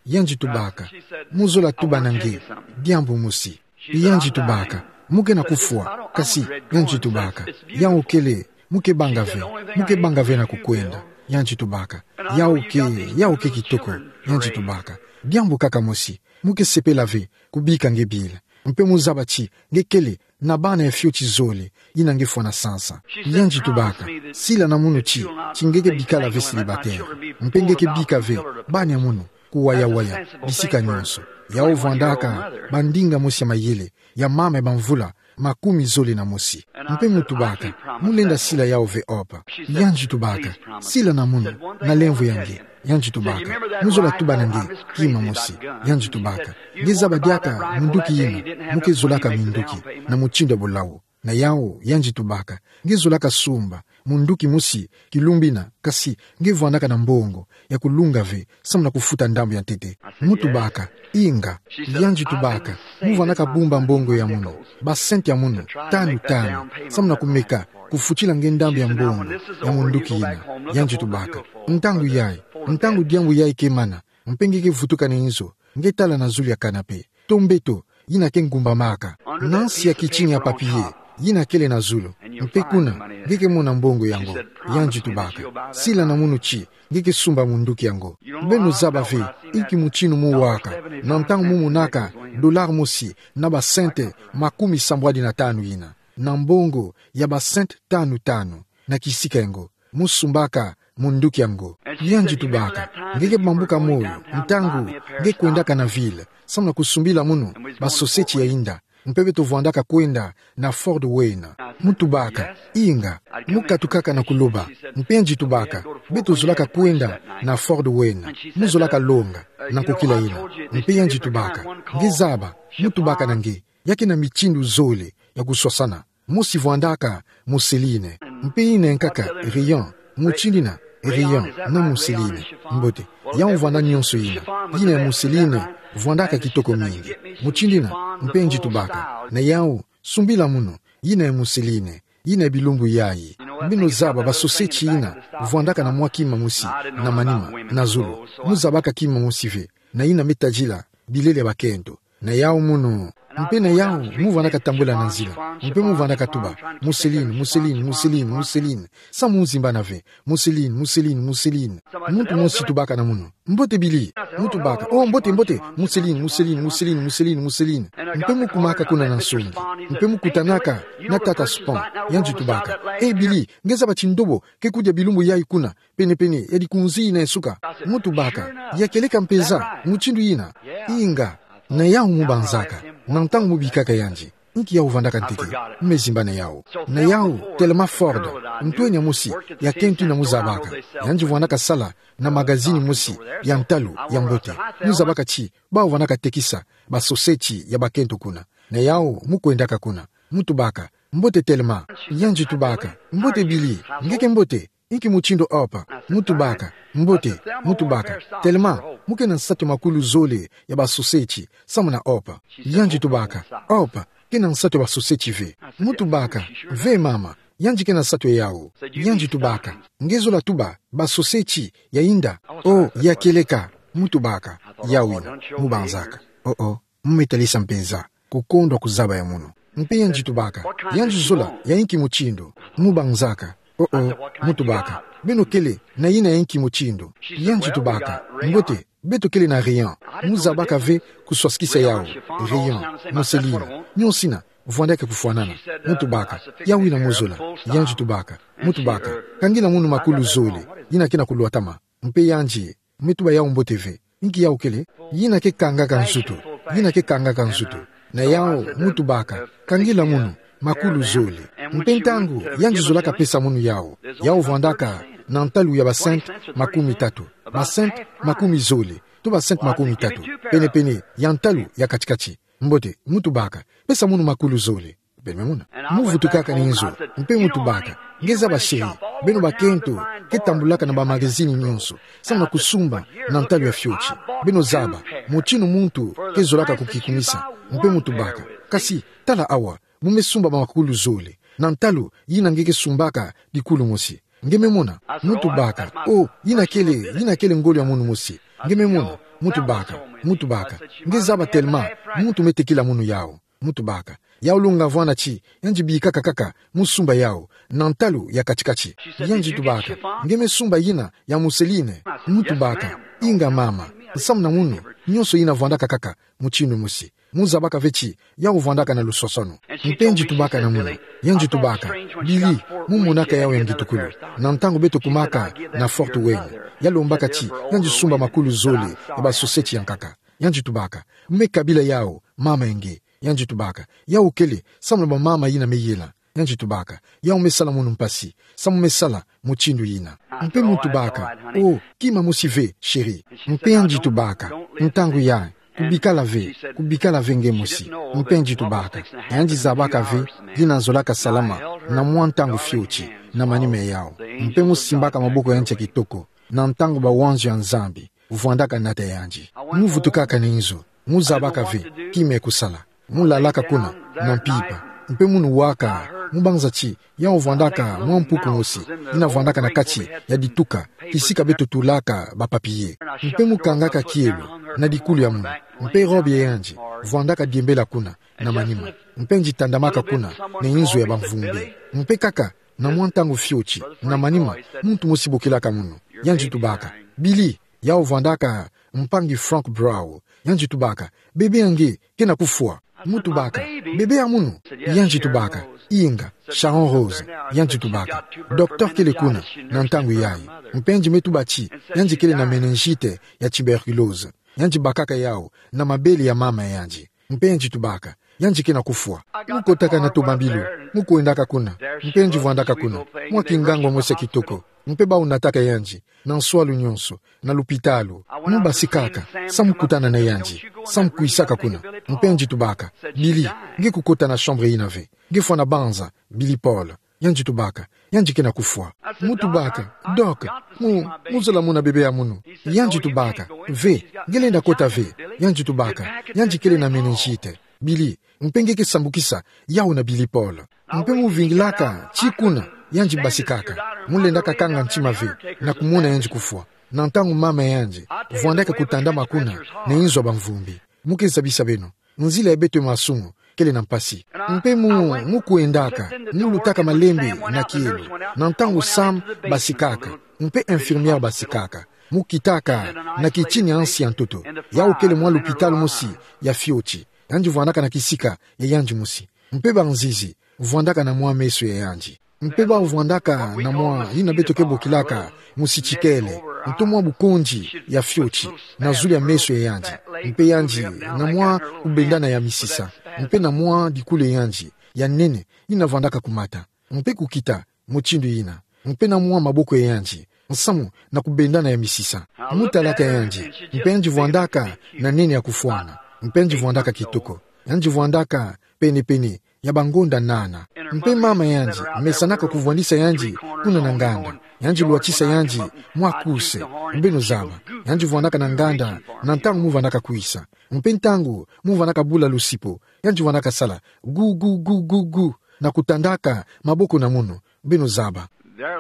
yandi tubaka, mu zola tuba na nge diambu mosi. Yandi tubaka: Mu ke na kufwa? Kasi, yandi tubaka, yawu kele, mu ke banga ve, mu ke banga ve na kukwenda. Yandi tubaka: Yawu ke, yawu ke kitoko. Yandi tubaka: Diambu kaka mosi, mu ke sepela ve kubika nge bila. Mpe mu zaba ti nge kele na bana ya fioti zole, yina nge fwana sansa. Yandi tubaka: Sila na munu ti, ti nge ke bikala ve célibataire. Mpe nge ke bika ve bana ya munu kuwayawaya bisika nionso. Yawu vwandaka bandinga mosi ya mayele, ya mama ya bamvula makumi zole na mosi. Mpe mu tubaka: Mu lenda sila yawu ve, Hope? Yandi tubaka: Sila na munu, na lemvo ya nge. Yandi tubaka: Mu zola tuba na nge kima mosi. Yandi tubaka: Nge zaba diaka munduki yina, mu ke zolaka minduki na mutindu ya bulawu. Na yawu, yandi tubaka: Nge zolaka sumba munduki mosi kilumbu yina, kasi nge vwandaka na mbongo ya kulunga ve, samu na kufuta ndambu ya ntete. Mu tubaka: Inga. Yandi tubaka: Mu vwandaka bumba mbongo ya munu, basente ya munu tanu tanu, samu na kumeka kufutila nge ndambu ya mbongo ya munduki yina. Yandi tubaka: Ntangu yayi, ntangu diambu yayi ke mana, mpe nge ke vutuka na inzo, nge tala na zulu ya kanape, to mbeto yina ke ngumbamaka, na nsi ya kitini ya papier yina kele na zulu. Mpe kuna nge ke mona mbongo yango. Yandi tubaka: Sila na munu ti nge ke sumba munduki yango. Beno zaba ve inki mutinu mu waka na ntangu mu monaka dollar mosi na basente makumi sambwadi na tanu yina, na mbongo ya basente tanu tanu. Na kisika yango, mu sumbaka munduki yango. Yandi tubaka: Nge ke bambuka moyo ntangu nge kwendaka na ville, samu na kusumbila munu basoseti ya inda. Mpe beto vwandaka kwenda na Ford Wayne. Mu tubaka: Inga. Mu katukaka na kuloba. Mpe yandi tubaka: Beto zolaka kwenda na Ford Wayne. Mu zolaka longa na nkokila yina. Mpe yandi tubaka: Nge zaba, mu tubaka na nge, ya ke na mitindu zole ya kuswasana. Mosi vwandaka mousseline. Mpe yina ya nkaka, rayon. Mutindu yina, rayon na mousseline. Mbote. Yawu vwanda nionso yina. Yina ya mousseline vwandaka kitoko mingi. Mutindu yina. Mpe yandi tubaka: Na yawu, sumbila munu yina ya mousseline, yina ya bilumbu yayi. Beno zaba basoseti yina vwandaka na mwa kima mosi na manima, na zulu. Mu zabaka kima mosi ve, na yina me tadila bilele ya bakento. Na yawu munu. Mpe na yawu, mu vwandaka tambula na nzila. Mpe mu vwandaka tuba: Mousseline, mousseline, mousseline, mousseline. Samu mu zimbana ve: Mousseline, mousseline, mousseline. Muntu mosi tubaka na munu: Mbote Billy. Mu tubaka: Oh, mbote, mbote. Mousseline, mousseline, mousseline, mousseline, mousseline. Mpe mu kumaka kuna na nsongi. Mpe mu kutanaka na tata Spon. Yandi tubaka: Eh, Billy, nge zaba ti ndobo ke kudia bilumbu yayi kuna, pene-pene ya dikunzi yina ya suka? Mu tubaka: Ya kieleka mpeza, mutindu yina. Inga. Na yawu mu banzaka, na ntangu mu bikaka yandi, inki yawu vwandaka ntete, me zimbana yawu. Na yawu, Thelma Ford, ntwenya mosi ya kento yina mu zabaka. Yandi vwandaka sala na magazini mosi ya ntalu ya mbote. Mu zabaka ti bawu vwandaka tekisa basoseti ya bakento kuna. Na yawu, mu kwendaka kuna. Mu tubaka: Mbote Thelma. Yandi tubaka: Mbote Billy, nge ke mbote? Inki mutindu Hope? Mu tubaka: Mbote. Mu tubaka: Thelma, mu ke na nsatu ya makulu zole ya basoseti, samu na Hope. Yandi tubaka: Hope ke na nsatu ya basoseti ve. Mu tubaka: Ve mama, yandi ke na nsatu yawu. Yandi tubaka: Nge zola tuba basoseti ya inda? Oh, ya kieleka. Mu tubaka: Yawu yina. Mu banzaka: Oh, oh. Mu me talisa mpeza kukondwa kuzaba ya munu. Mpe yandi tubaka: Yandi zola ya inki mutindu? Mu banzaka: Oh, oh. Mu tubaka: Beno kele na yina ya inki mutindu? Yandi tubaka: Mbote, Beto kele na rayon. Mu zabaka ve kuswasikisa yawu. Rayon, mousseline, nyonso ina vwandaka kufwanana. Mu tubaka: Yawu ina mozola. Yandi tubaka: Mu tubaka: Kangila munu makulu zole. Ina ke na kulwatama. Mpe yandi me tuba yawu mbote ve: Inki yawu kele? Ina ke kangaka nzutu. Ina ke kangaka nzutu. Na yawu mu tubaka: Kangila munu makulu zole. Mpe ntangu yandi zolaka pesa munu yawu, yawu vwandaka na ntalu ya ba cent makumi tatu, ba cent makumi zole, to ba cent makumi tatu, pene-pene ya ntalu ya kati-kati. Mbote, mu tubaka: Pesa munu makulu zole. Beno me mona. Mu vutukaka na inzo, mpe mu tubaka: Nge zaba, chéri, beno bakento ke tambulaka na ba magazine nyonso, samu na kusumba na ntalu ya fioti. Beno zaba motinu muntu ke zolaka kukikumisa. Mpe mu tubaka: Kasi tala awa, mu me sumba ba makulu zole na ntalu yina nge ke sumbaka dikulu mosi. Nge me mona. Mu tubaka: Oh, yina kele, yina kele ngolo ya munu mosi. Nge me mona. Mu tubaka, mu tubaka: Nge zaba, Thelma, muntu me tekila munu yawu. Mu tubaka: Yawu longa vwanda ti yandi bikaka kaka mu sumba yawu na ntalu ya kati-kati. Yandi tubaka: Nge me sumba yina ya mousseline. Mu tubaka: Inga mama, samu na munu, nyonso ina vwandaka kaka motinu mosi. Mu zabaka ve ti yawu vwandaka na luswaswanu. Mpe yandi tubaka na munu. Yandi tubaka: Billy, mu monaka yawu ya ngitukulu na ntangu beto kumaka na Fort Wayne. Ya lombaka ti yandi sumba makulu zole ya ba sucette ya nkaka. Yandi tubaka: Mu me kabila yawu, mama ya nge. Yandi tubaka: Yawu kele samu na ba mama yina me yela. Yandi tubaka: Yawu me sala munu mpasi, samu me sala motinu yina. Mpe mu tubaka: Oh, kima mosi ve, chéri. Mpe yandi tubaka: Ntangu ya, kubikala ve, kubikala ve nge mosi. Mpe yandi tubaka: Yandi zabaka ve yina nzolaka salama na mwa ntangu fioti na manima ya yawu. Mpe mu simbaka maboko ya yandi ya kitoko na ntangu ba wanzu ya Nzambi vwandaka nata yandi. Mu vutukaka na inzo, mu zabaka ve kima kusala. Mu lalaka kuna na mpimpa. Mpe munu waka, mu banza ti yawu vwandaka mwa mpuku mosi yina vwandaka na kati ya dituka, kisika beto tulaka ba papier. Mpe mu kangaka kielo na dikulu ya munu. Mpe robe ya yandi vwandaka diembela kuna na manima. Mpe yandi tandamaka kuna na inzo ya bamvumbi. Mpe kaka na mwa ntangu fioti na manima, muntu mosi bokilaka munu. Yandi tubaka: Billy, yawu vwandaka mpangi Frank Brown. Yandi tubaka: Bebe ya nge ke na kufwa. Mu tubaka: Bebe ya munu? Yandi tubaka: Inga, Sharon Rose. Yandi tubaka: Docteur kele kuna na ntangu yayi. Mpe yandi me tuba ti yandi kele na méningite ya tuberculose. Yandi bakaka yawu na mabele ya mama ya yandi. Mpe yandi tubaka: Yandi ke na kufwa. Mu kotaka na tomabilu, mu kwendaka kuna. Mpe yandi vwandaka kuna mwa kingangu mosi ya kitoko. Mpe bawu nataka yandi na nswalu nyonso na lupitalu. Mu basikaka samu kutana na yandi, samu kwisaka kuna. Mpe yandi tubaka: Billy, nge kukota na chambre yina ve? Nge fwana banza, Billy Paul? Yandi tubaka: Yandi ke na kufwa. Mu tubaka: Doc, mu, mu zola mona bebe ya munu? Yandi tubaka: Ve, nge lenda kota ve. Yandi tubaka: Yandi kele na méningite, Billy. Mpe nge ke sambukisa yawu na Billy Paul. Mpe mu vingilaka ti kuna yandi basikaka. Mu lendaka kanga ntima ve na kumona yandi kufwa, na ntangu mama ya yandi vwandaka kutandama kuna na inzo ya bamvumbi. Mu ke zabisa beno nzila ya beto masumu kele na mpasi. Mpe mu, mu kwendaka, mu lutaka malembe na kielo, na ntangu Sam basikaka, mpe infirmière basikaka. Mu kitaka na kitini ansi ya ntoto. Yawu kele mwa lupitalu mosi ya fioti. Yandi vwandaka na kisika ya yandi mosi. Mpe banzizi vwandaka na mwa meso ya yandi. Mpe bawu vwandaka na mwa yina beto ke bokilaka musitikele, nto mwa bukonzi ya fioti, na zulu ya meso ya yandi. Mpe yandi na mwa kubendana ya misisa, mpe na mwa dikulu ya yandi ya nene yina vwandaka kumata, mpe kukita mutindu yina, mpe na mwa maboko ya yandi, nsamu na kubendana ya misisa. Mu talaka yandi, mpe yandi vwandaka na nene ya kufwana, mpe yandi vwandaka kitoko, yandi vwandaka pene-pene ya bangonda nana. Mpe mama yandi mesanaka kuvwandisa yandi kuna na nganda. Yandi lwatisa yandi mwa kuse, beno zaba. Yandi vwandaka na nganda na ntangu mu vwandaka kwisa. Mpe ntangu mu vwandaka bula lusipo, yandi vwandaka sala gu, gu, gu, gu, gu, na kutandaka maboko na munu, beno zaba.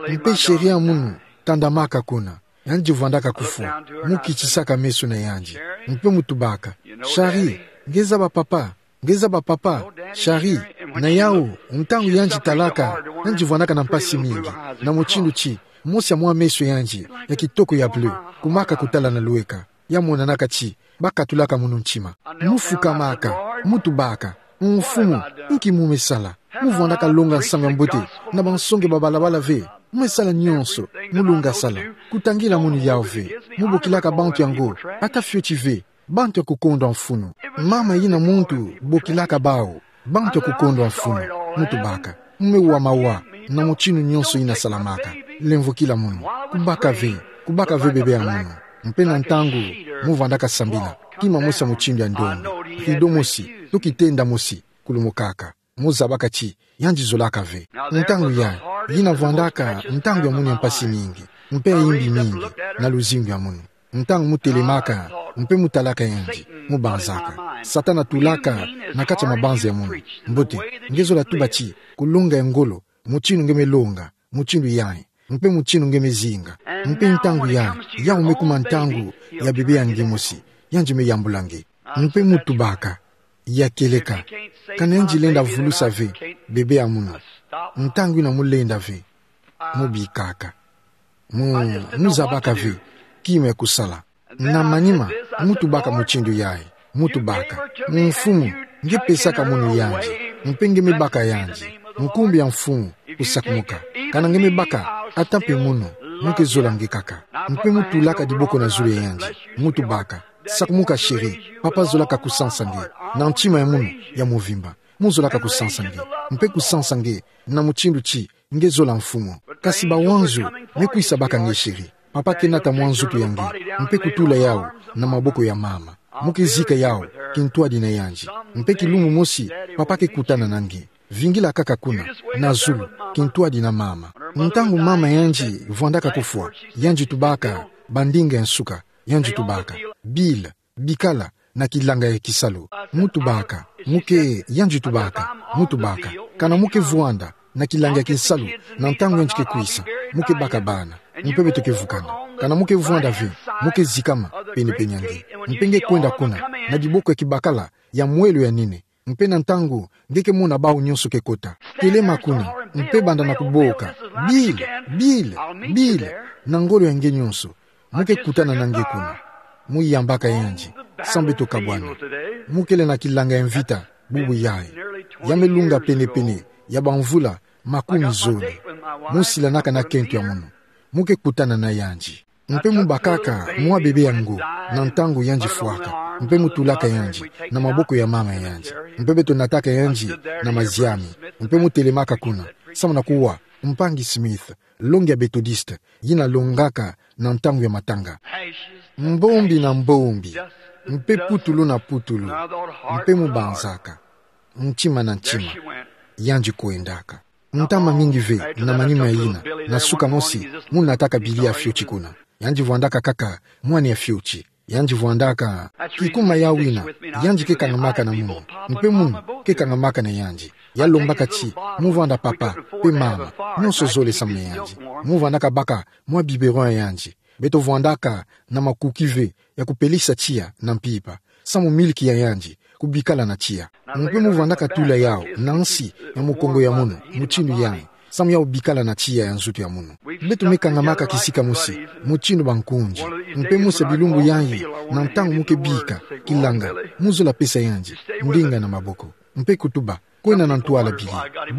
Mpe chéri ya munu tandamaka kuna. Yandi vwandaka kufwa. Mu kitisaka meso na yandi, mpe mu tubaka: Shari, nge zaba papa? Nge zaba papa, Shari? Na yawu, ntangu yandi talaka, yandi vwandaka na mpasi mingi, na mutindu ti mosi ya mwa meso yandi ya kitoko ya bleu kumaka kutala na lweka. ya monanaka ti bakatulaka mono ntima. Mu fukamaka, mu tubaka: Mfumu, nki mu me sala? Mu vwandaka longa nsangu ya mbote na bansonge ba balabala ve. Mu me sala nyonso mu lunga sala. Kutangila mono yawu ve. Mu bokilaka bantu yango, ata fioti ve, bantu ya kukondwa mfunu. Mama yina muntu bokilaka bawu bantu ya kukondwa mfunu. Mu tubaka: Mu me wa mawa na mutinu nyonso yina salamaka. Lemvokila mono. Kubaka ve, kubaka ve bebe ya mono. Mpe na ntangu mu vwandaka sambila, kima mosi ya mutindu ya ndombe, rido mosi, to kitenda mosi, kulumukaka. Mu zabaka ti yandi zolaka ve. Ntangu yayi, yina vwandaka ntangu ya mono ya mpasi mingi, mpe ya imbi mingi na luzingu ya mono. Ntangu mu telemaka, mpe mu talaka yandi, mu banzaka. Satana tulaka na kati ya mabanza ya mono. Mbote, nge zola tuba ti kulonga ya ngolo, mutinu nge me longa, mutinu yayi, mpe mutinu nge me zinga. Mpe ntangu yayi, yawu me kuma ntangu ya bebe ya nge mosi, yandi me yambula nge. Mpe mu tubaka: Ya kieleka, kana yandi lenda vulusa ve bebe ya mono, ntangu yina mu lenda ve, mu bikaka. Mu, mu zabaka ve kima ya kusala. Na manima, mu tubaka mutindu yayi, mu tubaka: Mfumu, nge pesaka mono yandi, mpe nge me baka yandi. Nkumbu ya Mfumu, kusakumuka. Kana nge me baka, ata mpe mono, mu ke zola nge kaka. Mpe mu tulaka diboko na zulu ya yandi, mu tubaka: Sakumuka chéri, papa zolaka kusansa nge na ntima ya mono ya muvimba. Mu zolaka kusansa nge, mpe kusansa nge na mutindu ti nge zola Mfumu. Kasi bawanzu me kwisa baka nge chéri. Papa ke nata mwa nzutu ya nge, mpe kutula yawu na maboko ya mama. Mu ke zika yawu kintwadi na yandi. Mpe kilumbu mosi, papa ke kutana na nge. Vingila kaka kuna, na zulu, kintwadi na mama. Ntangu mama yandi vwandaka kufwa, yandi tubaka bandinga ya nsuka, yandi tubaka: Bill, bikala na kilanga ya kisalu. Mu tubaka: Mu ke, yandi tubaka, mu tubaka: Kana mu ke vwanda na kilanga ya kisalu na ntangu yandi ke kwisa, mu ke baka bana, mpe beto ke vukana. Kana mu ke vwanda ve, mu ke zikama penepene ya nge, mpe nge kwenda kuna na diboko ya kibakala ya mwelo ya nene. Mpe na ntangu nge ke mona bawu nyonso ke kota, telema kuna, mpe banda na kuboka: Bill, Bill, Bill, na ngolo ya nge nyonso. Mu ke kutana na nge kuna. Mu yambaka yandi, samu beto kabwana. Mu kele na kilanga ya mvita bubu yayi. Ya me lunga penepene ya bamvula makumi zole. Mu silanaka na kento ya mono. Mu ke kutana na yandi. Mpe mu bakaka mwa bebe yango, na ntangu yandi fwaka, mpe mu tulaka yandi na maboko ya mama yandi. Mpe beto nataka yandi na maziami, mpe mu telemaka kuna, samu na kuwa mpangi Smith, longi ya Methodiste, yina longaka na ntangu ya matanga. Mbombi na mbombi, mpe putulu na putulu, mpe mu banzaka, ntima na ntima, yandi kwendaka. Ntama mingi ve na manima yina, na suka mosi, mu nataka Billy ya fioti kuna. Yandi vwandaka kaka mwana ya fioti. Yandi vwandaka, kikuma yawu yina, yandi ke kangamaka na mono, mpe mono ke kangamaka na yandi. Ya lombaka ti mu vwanda papa mpe mama, nyonso zole samu na yandi. Mu vwandaka baka mwa biberon ya yandi. Beto vwandaka na makuki ve ya kupelisa tiya na mpimpa, samu miliki ya yandi kubikala na tiya. Mpe mu vwandaka tula yawu na nsi ya mukongo ya mono, mutindu yayi, samu yawu bikala na tiya ya nzutu ya mono. Beto me kangamaka kisika mosi, mutindu bankunzi. Mpe mosi ya bilumbu yayi, na ntangu mu ke bika kilanga, mu zola pesa yandi ndinga na maboko, mpe kutuba, kwenda na ntwala Billy,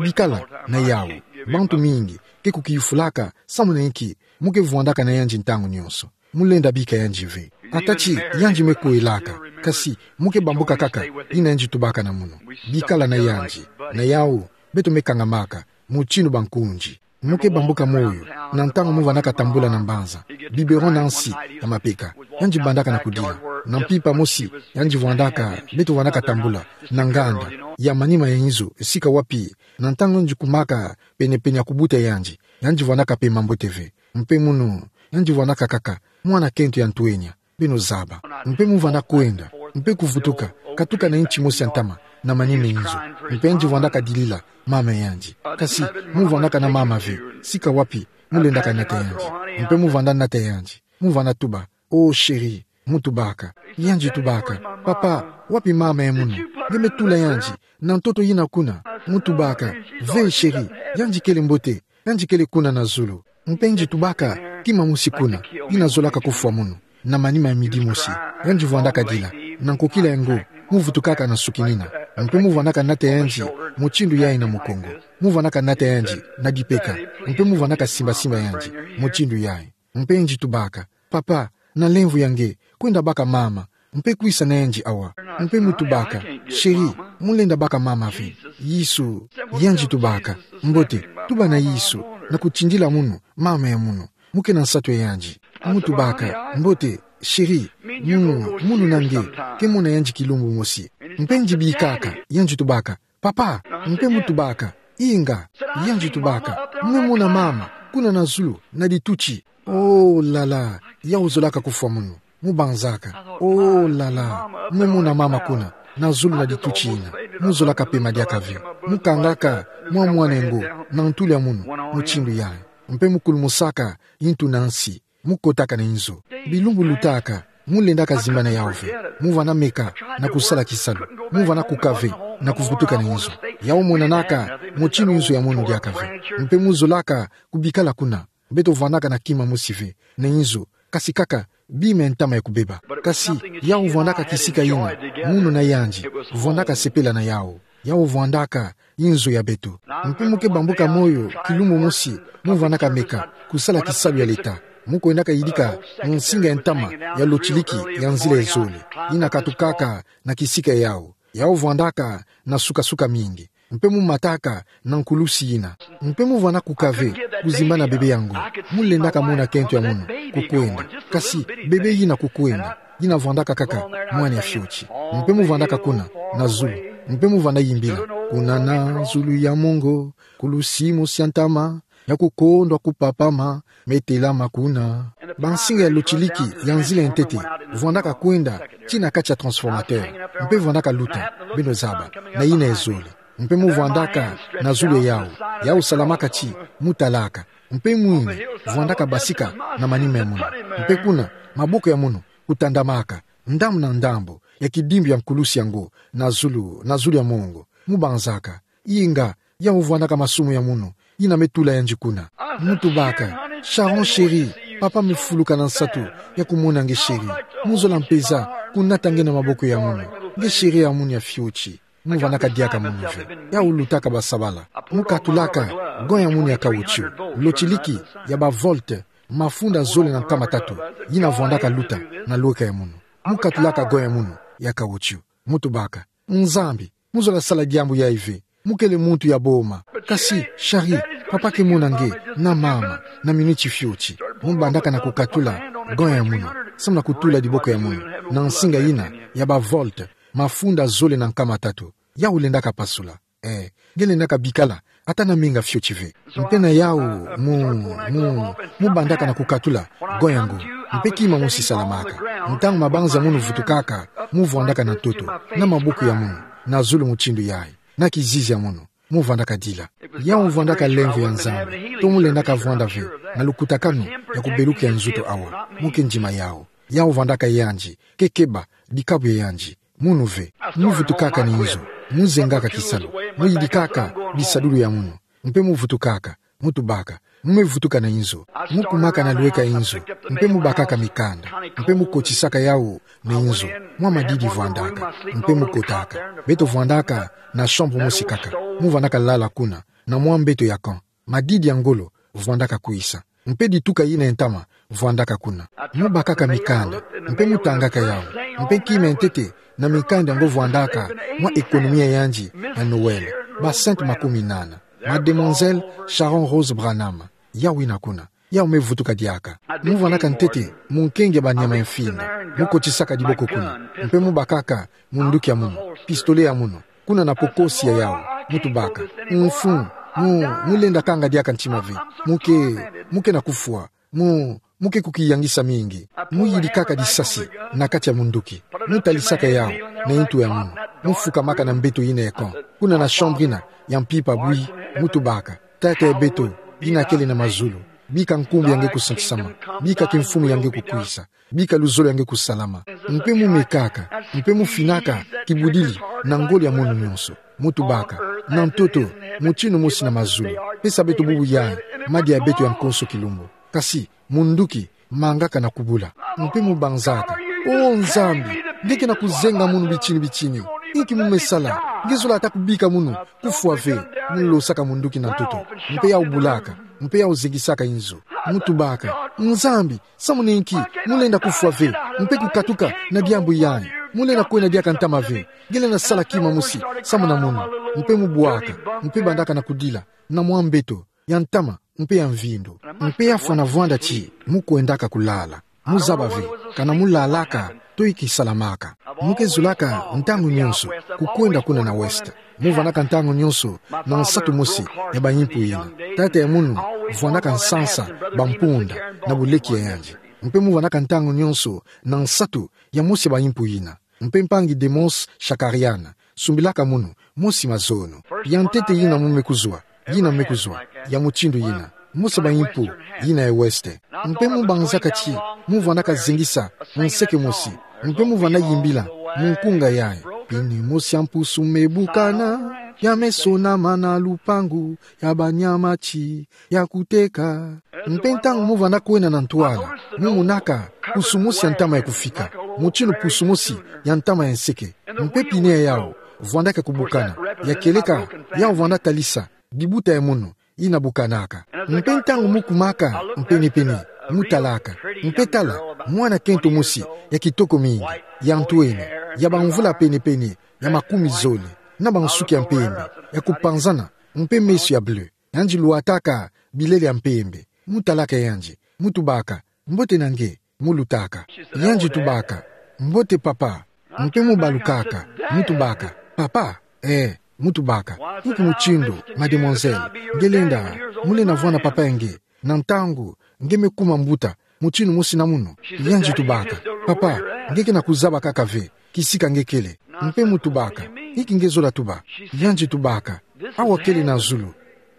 bikala na yawu. Bantu mingi ke kukiyufulaka samu na inki mu ke vwandaka na yandi ntangu nyonso. Mu lenda bika yandi ve. Ata ti yandi me kwelaka, kasi mu ke bambuka kaka yina yandi tubaka na mono: bikala na yandi. Na yawu beto me kangamaka, mutindu bankunzi. Mu ke bambuka moyo na ntangu mu vwandaka tambula na mbanza, biberon na nsi ya mapeka, yandi bandaka na kudila. Na mpimpa mosi yandi vwandaka, beto vwandaka tambula na nganda ya manima ya inzo, sika wapi, na ntangu yandi kumaka penepene ya kubuta yandi, yandi vwandaka pema mbote ve. Mpe mono, yandi vwandaka kaka mwana kento ya ntwenya, beno zaba. Mpe mu vwanda kwenda, mpe kuvutuka, katuka na inti mosi ya ntama na manima ya inzo. Mpe yandi vwandaka dilila mama yandi. Kasi mu vwandaka na mama ve, sika wapi mu lendaka nata yandi. Mpe mu vwanda nata yandi, mu vwanda tuba: Oh chéri, mu tubaka. Yandi tubaka: Papa, wapi mama ya mono? Nge me tula yandi na ntoto yina kuna. Mu tubaka: Ve chéri, yandi kele mbote, yandi kele kuna na zulu. Mpe yandi tubaka kima mosi kuna, yina zolaka kufwa mono. na manima ya midi mosi. Yandi vwandaka dila, na nkokila yango, mu vutukaka na nsuki nina. Mpe mu vwandaka nata yandi, mutindu yayi na mukongo. Mu vwandaka nata yandi, na dipeka. Mpe mu vwandaka simba-simba yandi, mutindu yayi. Mpe yandi tubaka: Papa, na lemvo ya nge, kwenda baka mama, mpe kwisa na yandi awa. Mpe mu tubaka: Chérie, mu lenda baka mama ve. Yesu. Yandi tubaka: Mbote, tuba na Yesu, na kutindila munu mama ya munu. Mu ke na nsatu ya yandi. Mu tubaka: Mbote, chérie, munu, munu na nge, ke mona yandi kilumbu mosi. Mpe yandi bikaka, yandi tubaka: Papa. Mpe mu tubaka: Inga. Yandi tubaka: Mu me mona mama, kuna na zulu, na dituti. Oh là là, yawu zolaka kufwa munu. Mu banzaka: Oh là là, mu me mona mama kuna, na zulu na dituti yina. Mu zolaka pema diaka ve. Mu kangaka mwa mwana yango na ntuli ya munu, mutindu yayi. Mpe mu kulumusaka yintu na nsi. Mu kotaka na inzo. Bilumbu lutaka, mu lendaka zimbana yawu ve. Mu vwanda meka na kusala kisalu. Mu vwanda kuka ve na kuvutuka na inzo. Yawu monanaka mutindu inzo ya munu diaka ve. Mpe mu zolaka kubikala kuna. Beto vwandaka na kima mosi ve na inzo, kasi kaka bima ya ntama ya kubeba. Kasi yawu vwandaka kisika yina munu na yandi vwandaka sepela na yawu. Yawu vwandaka inzo ya beto. Mpe mu ke bambuka moyo kilumbu mosi, mu vwandaka meka kusala kisalu ya leta. Mu kwendaka yidika nsinga ya ntama ya lotiliki ya nzila ya zole, yina katukaka na kisika yawu. Yawu vwandaka na suka-suka mingi. Mpe mu mataka na nkulusi yina. Mpe mu vwanda kuka ve kuzimbana bebe yango. Mu lendaka mona kento ya munu kukwenda. Kasi bebe yina kukwenda, yina vwandaka kaka mwana ya fioti. Mpe mu vwandaka kuna na zulu. Mpe mu vwanda yimbila: Kuna na zulu ya mongo, nkulusi mosi ya ntama, ya kukondwa kupapama, me telama kuna. Bansinga ya lotiliki ya nzila ya ntete vwandaka kwenda tii na kati ya transformateur, mpe vwandaka luta, beno zaba, na yina ya zole. Mpe mu vwandaka na zulu ya yawu, yawu salamaka tii, mu talaka. Mpe mwini vwandaka basika na manima ya munu. Mpe kuna, maboko ya munu kutandamaka, ndambu na ndambu ya kidimbu ya nkulusi yango, na zulu, na zulu ya mongo. Mu banzaka: Inga, yawu vwandaka masumu ya munu, yina me tula yandi kuna. Mu tubaka: Sharon chérie, papa me fuluka na nsatu ya kumona nge chérie. Mu zola mpeza kunata nge na maboko ya munu, nge chérie ya munu ya fioti. Mu vwandaka diaka munu ve. Yawu lutaka basabala. Mu katulaka gant ya munu ya caoutchouc, lotiliki ya ba volt mafunda zole na nkama tatu, yina vwandaka luta na lweka ya munu. Mu katulaka gant ya munu ya caoutchouc. Mu tubaka: Nzambi, mu zola sala diambu yayi ve. Mu kele muntu ya boma. Kasi, chérie, papa ke mona nge na mama na minuti fioti. Mu bandaka na kukatula gant ya munu, samu na kutula diboko ya munu na nsinga yina ya ba volt mafunda zole na nkama tatu. Yawu lendaka pasula. Eh, nge lendaka bikala ata na minga fioti ve. Mpe na yawu mu, mu, mu bandaka na kukatula gant yango. Mpe kima mosi salamaka. Ntangu mabanza ya munu vutukaka, mu vwandaka na ntoto, na maboko ya munu, na zulu mutindu yayi, na kizizi ya munu. Mu vwandaka dila. Yawu vwandaka lemvo ya Nzambi, to mu lendaka vwanda ve na lukutakanu ya kubeluka ya nzutu awa. Mu ke ndima yawu. Yawu vwandaka yandi, ke keba dikabu ya yandi. Munu ve. Mu vutukaka na inzo. Mu zengaka kisalu. Mu yidikaka bisadulu ya munu. Mpe mu vutukaka. Mu tubaka: Mu me vutuka na inzo. Mu kumaka na lweka inzo. Mpe mu bakaka mikanda. Mpe mu kotisaka yawu na inzo. Mwa madidi vwandaka. Mpe mu kotaka. Beto vwandaka na chambre mosi kaka. Mu vwandaka lala kuna, na mwa mbeto ya camp. Madidi ya ngolo vwandaka kwisa. Mpe dituka yina ya ntama vwandaka kuna. Mu bakaka mikanda, mpe mu tangaka yawu. Mpe kima ya ntete na mikanda yango vwandaka mwa économie ya yandi ya Noël, ba cent makumi nana. Mademoiselle Sharon Rose Branham, yawu yina kuna. Yawu me vutuka diaka. Mu vwandaka ntete munkenge ya banyama ya mfinda. Mu kotisaka diboko kuna. Mpe mu bakaka munduki ya munu, pistolet ya munu, kuna na pokosi ya yawu. Mu tubaka: Mfumu, mu, mu lenda kanga diaka ntima ve. Mu ke, mu ke na kufwa. Mu, mu ke kukiyangisa mingi. Mu yidikaka disasi na kati ya munduki. Mu talisaka yawu na yintu ya munu. Mu fukamaka na mbeto yina ya camp, kuna na chambre yina ya mpimpa bwi. Mu tubaka: Tata ya beto, yina kele na mazulu, bika nkumbu ya nge kusantisama, bika kimfumu ya nge kukwisa, bika luzolo ya nge kusalama. Mpe mu mekaka, mpe mu finaka kibudili na ngolo ya munu nyonso. Mu tubaka: Na ntoto, mutindu mosi na mazulu, pesa beto bubu yayi madia ya beto ya nkonso kilumbu. Kasi munduki mangaka na kubula. Mpe mu banzaka: O Nzambi, nge ke na kuzenga munu bitini bitini. Inki mu me sala? Nge zola ata kubika munu, kufwa ve. Mu losaka munduki na ntoto. Mpe yau bulaka. Mpe yau zengisaka inzo. Mu tubaka: Nzambi, samu na inki mu lenda kufwa ve, mpe kukatuka na diambu yayi? Mu lenda kwenda diaka ntama ve. Nge lenda sala kima mosi samu na munu. Mpe mu bwaka, mpe bandaka na kudila na mwa mbeto ya ntama mpe ya mvindu. Mpe yafwana vwanda ti mu kwendaka kulala. Mu zaba ve kana mu lalaka to inki salamaka. Mu ke zolaka ntangu nyonso kukwenda kuna na West. Mu vandaka ntangu nyonso na nsatu mosi ya bayimpu yina. Tata ya munu vwandaka nsansa bampunda na buleki ya yandi. Mpe mu vandaka ntangu nyonso na nsatu ya mosi ya bayimpu yina. Mpe mpangi Demos Shakarian sumbilaka munu mosi mazono. Ya ntete yina mu me kuzwa, yina me kuzwa, ya mutindu yina, mosi ya bayimpu yina ya West. Mpe mu banzaka ti mu vandaka zengisa nseke mosi. Mpe mu vanda yimbila mu nkunga yayi: Pine mosi ya mpusu me bukana, ya me sonama na lupangu ya banyama ti ya kuteka. Mpe ntangu mu vanda kwenda na ntwala, mu monaka pusu mosi ya ntama ya kufika, mutindu pusu mosi ya ntama ya nseke. Mpe pine ya yau vwandaka kubukana. Ya kieleka yau vanda talisa dibuta ya munu yina bukanaka. Mpe ntangu mu kumaka mpene-pene, mu talaka, mpe tala, mwana kento mosi ya kitoko mingi, ya ntwenya, ya bamvula pene-pene ya makumi zole, na bansuki ya mpembe ya kupanzana, mpe meso ya bleu. Yandi lwataka bilele ya mpembe. Mu talaka yandi, mu tubaka: Mbote na nge? Mu lutaka. Yandi tubaka: Mbote, papa. Mpe mu balukaka, mu tubaka: Papa? Ee, mu tubaka. Inki mutindu, mademoiselle? Nge lenda, mu lenda vwanda papa ya nge na ntangu nge me kuma mbuta mutindu mosi na munu? Yandi tubaka: Papa, nge ke na kuzaba kaka ve kisika nge kele. Mpe mu tubaka: Inki nge zola tuba? Yandi tubaka: Awa kele na zulu.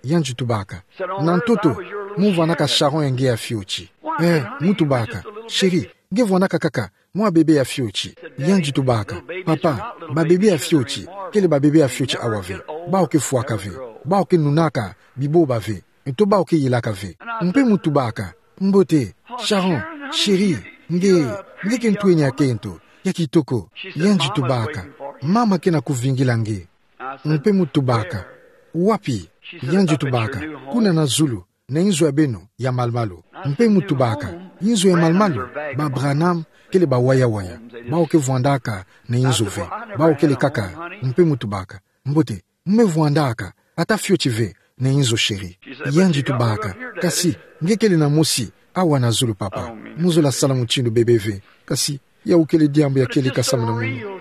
Yandi tubaka: Na ntoto mu vwandaka Sharon ya nge ya fioti. Ee, mu tubaka: Chérie, nge vwandaka kaka mwa bebe ya fioti. Yandi tubaka: Papa, babebe ya fioti kele babebe ya fioti awa ve. Bawu ke fwaka ve. Bawu ke nunaka biboba ve. Nto bawu ke yelaka ve. Mpe mu tubaka: Mbote, Sharon, chérie, nge, nge ke ntwenya ya kento, ya kitoko. Yandi tubaka: Mama ke na kuvingila nge. Mpe mu tubaka: Wapi? Yandi tubaka: Kuna na zulu, na inzo ya beno ya malu-malu. Mpe mu tubaka: Inzo ya malu-malu? Ba Branham kele bawaya-waya. Bawu ke vwandaka na inzo ve. Bawu kele kaka. Mpe mu tubaka: Mbote, mu me vwandaka ata fioti ve na inzo, chérie. Yandi tubaka: Kasi nge kele na mosi awa na zulu, papa. Mu zola sala mutindu bebe ve. Kasi yau kele diambu ya kieleka samu na munu.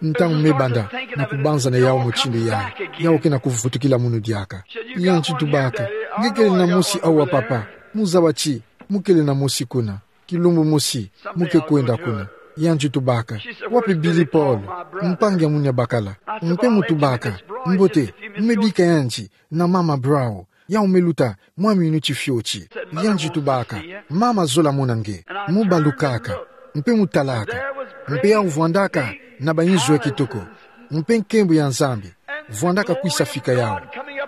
Ntangu me banda na kubanza na yau mutindu yayi, yau ke na kuvutukila munu diaka. Yandi tubaka: Nge kele na mosi awa, papa? Mu zaba ti mu kele na mosi kuna. Kilumbu mosi mu ke kwenda kuna. Yandi tubaka: Wapi Billy Paul, mpangi ya munu ya bakala? Mpe mu tubaka: Mbote, mu me bika yandi na mama Brown. Yau me luta mwa minuti fioti. Yandi tubaka: Mama zola mona nge. Mu balukaka, mpe mu talaka, mpe yau vwandaka na bainzo ya kitoko, mpe nkembo ya Nzambi vwandaka kwisa fika yau.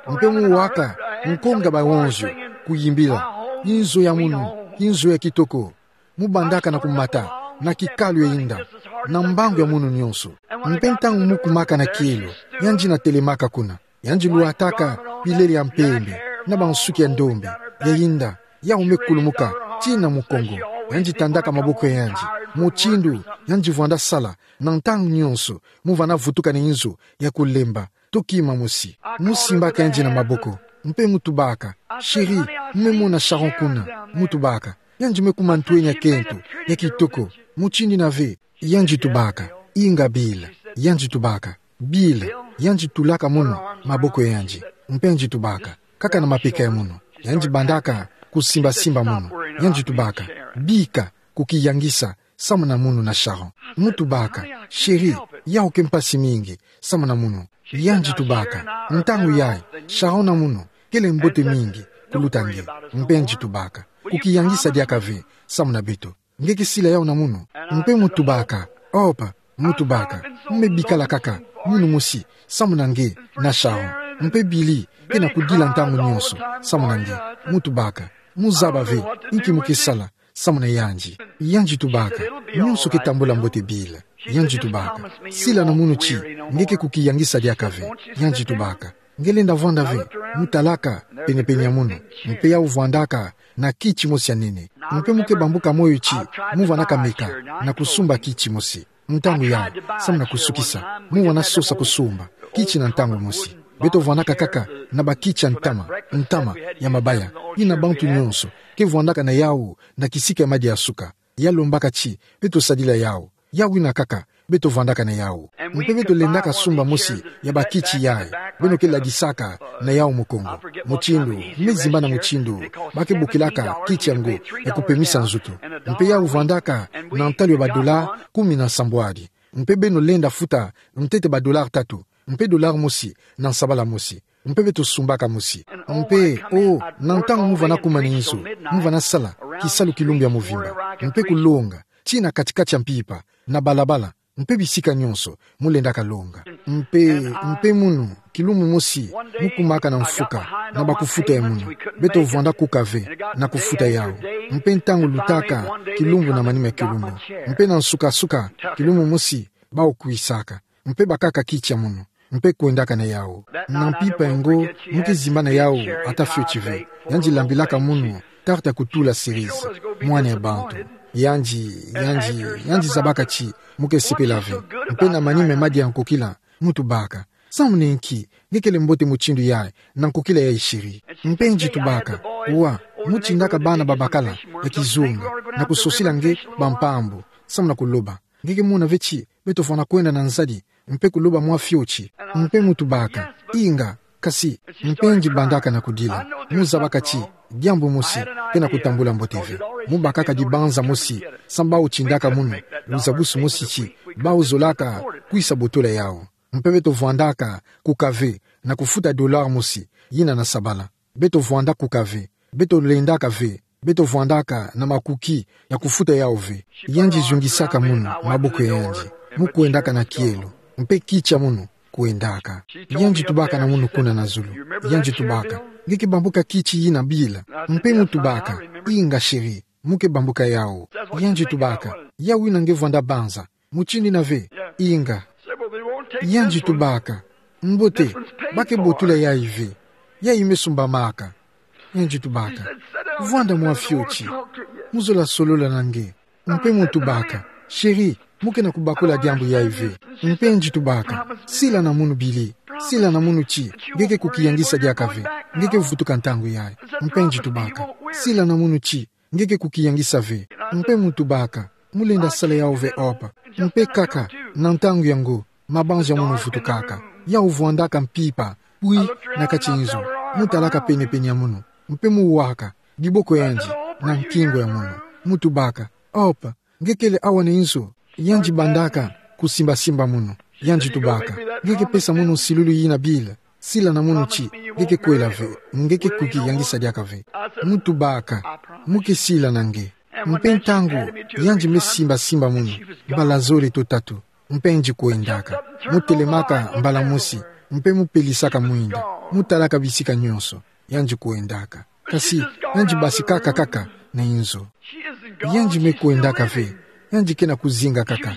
Mpe mu waka nkonga bawonzio kuyimbila: Inzo ya munu, inzo ya kitoko. Mu bandaka na kumata na kikalu ya inda, na mbangu ya munu nyonso. Mpe ntangu mu kumaka na kielo, yandi na telemaka kuna. Yandi lwataka bilele ya mpembe, na bansuki ya ndombe, ya inda, yau me kulumuka tii na mukongo. Yandi tandaka maboko ya yandi, mutindu yandi vwanda sala na ntangu nyonso mu vanda vutuka na inzo ya kulemba to kima mosi. Mu simbaka yandi na maboko, mpe mu tubaka: Chérie, mu me mona Sharon kuna? Mu tubaka: Yandi me kuma ntwenya kento, ya kitoko, mutindu ina ve. Yandi tubaka: Inga Bill. Yandi tubaka: Bill. Yandi tulaka munu maboko ya yandi, mpe yandi tubaka: Kaka na mapeka ya munu. Yandi bandaka kusimba-simba munu. Yandi tubaka: Bika kukiyangisa samu na munu na Sharon. Mu tubaka: Chérie, yau ke mpasi mingi samu na munu. Yandi tubaka: Ntangu yayi, Sharon na munu kele mbote mingi kuluta nge. Mpe yandi tubaka: Kukiyangisa diaka ve samu na beto. Nge ke sila yau na munu. Mpe mu tubaka: Opa, mu tubaka: Mu me bikala kaka munu mosi samu na nge na Sharon. Mpe Billy ke na kudila ntangu nyonso samu na nge. Mu tubaka: Mu zaba ve inki mu ke sala samu na yandi. Yandi tubaka, nyonso ke tambula mbote bila. Yandi tubaka, sila na munu ti, nge ke kukiyangisa diaka ve. Yandi tubaka, nge lenda vwanda ve, mu talaka, penepene ya munu. Mpe yau vwandaka na kiti mosi ya nene. Mpe mu ke bambuka moyo ti, mu vanaka meka, na kusumba kiti mosi. Ntangu yau, samu na kusukisa, mu vana sosa kusumba kiti na ntangu mosi. Beto vwandaka kaka na bakiti ya ntama, ntama ya mabaya, yina bantu nyonso ke vwandaka na yau na kisika ya madia suka. Ya lombaka ti beto sadila yau. Yau yina kaka beto vwandaka na yau. Mpe beto lendaka sumba mosi ya bakiti yayi beno ke ladisaka na yau mukongo. Mutindu, me zimba na mutindu ba ke bokilaka kiti yango, ya kupemisa nzutu. Mpe yau vwandaka na ntalu ya badola kumi na sambwadi. Mpe beno lenda futa ntete badola tatu, mpe dola mosi na nsabala mosi. Mpe beto sumbaka mosi. Mpe, o, na ntangu mu vana kuma na inzo, mu vana sala kisalu kilumbu ya mvimba, mpe kulonga tii na katikati ya mpimpa, na balabala, mpe bisika nyonso mu lendaka longa. Mpe, mpe munu, kilumbu mosi, mu kumaka na mfuka, na bakufuta ya munu. Beto vwanda kuka ve na kufuta yau. Mpe ntangu lutaka, kilumbu na manima ya kilumbu, mpe na nsuka-nsuka, kilumbu mosi, bau kwisaka, mpe bakaka kiti ya munu, mpe kwendaka na yau. Na mpimpa yango, mu ke zimba na yau ata fioti ve. Yandi lambilaka munu tarte ya kutula cerise, mwana ya bantu. Yandi, yandi, yandi zabaka ti mu ke sepela ve. Mpe na manima ya madia ya nkokila, mu tubaka: Samu na inki nge kele mbote mutindu yayi na nkokila yayi, chérie? Mpe yandi tubaka: Wa, mu tindaka bana babakala ya kizunga na kusosila nge bampambu, samu na kuloba. Nge ke mona ve ti beto vana kwenda na nzadi mpe kuloba mwa fioti? Mpe mu tubaka: Inga, kasi. Mpe yandi bandaka na kudila. Mu zabaka ti diambu mosi ke na kutambula mbote ve. Mu bakaka dibanza mosi, samu bau tindaka munu luzabusu mosi ti bau zolaka kwisa botola yau. Mpe beto vwandaka kuka ve na kufuta dollar mosi, yina na sabala. Beto vwanda kuka ve. Beto lendaka ve. Beto vwandaka na makuki ya kufuta yau ve. Yandi zungisaka munu maboko ya yandi, mu kwendaka na kielo, mpe kiti ya munu kwendaka. Yandi tubaka na munu kuna na zulu. Yandi tubaka: Nge ke bambuka kiti yina bila? Mpe mu tubaka: Inga, chérie, mu ke bambuka yau. Yandi tubaka: Yau yina nge vwanda banza, mutindu yina ve? Inga. Yandi tubaka: Mbote, ba ke botola yayi ve. Yayi me sumbamaka. Yandi tubaka: Vwanda mwa fioti, mu zola solola na nge. Mpe mu tubaka: Chérie, mu ke na kubakula diambu yayi ve. Mpe yandi tubaka: Sila na munu, Billy. Sila na munu ti nge ke kukiyangisa diaka ve. Nge ke vutuka ntangu yayi. Mpe yandi tubaka: Sila na munu ti nge ke kukiyangisa ve. Mpe mu tubaka: Mu lenda sala yau ve, Hope. Mpe kaka na ntangu yango, mabanza ya munu vutukaka. Yau vwandaka mpimpa, pwi, na kati inzo. Mu talaka penepene ya munu, mpe mu waka diboko ya yandi na nkingo ya munu. Mu tubaka: Hope, nge kele awa na inzo? Yandi bandaka kusimba-simba munu. Yandi tubaka: Nge ke pesa munu nsilulu yina bila? Sila na munu ti nge ke kwela ve, nge ke kukiyangisa diaka ve. Mu tubaka: Mu ke sila na nge. Mpe ntangu yandi me simba-simba munu, mbala zole to tatu, mpe yandi kwendaka. Mu telemaka mbala mosi, mpe mu pelisaka mwinda, mu talaka bisika nyonso, yandi kwendaka. Kasi yandi basikaka kaka na inzo. Yandi me kwendaka ve. Yandi ke na kuzinga kaka.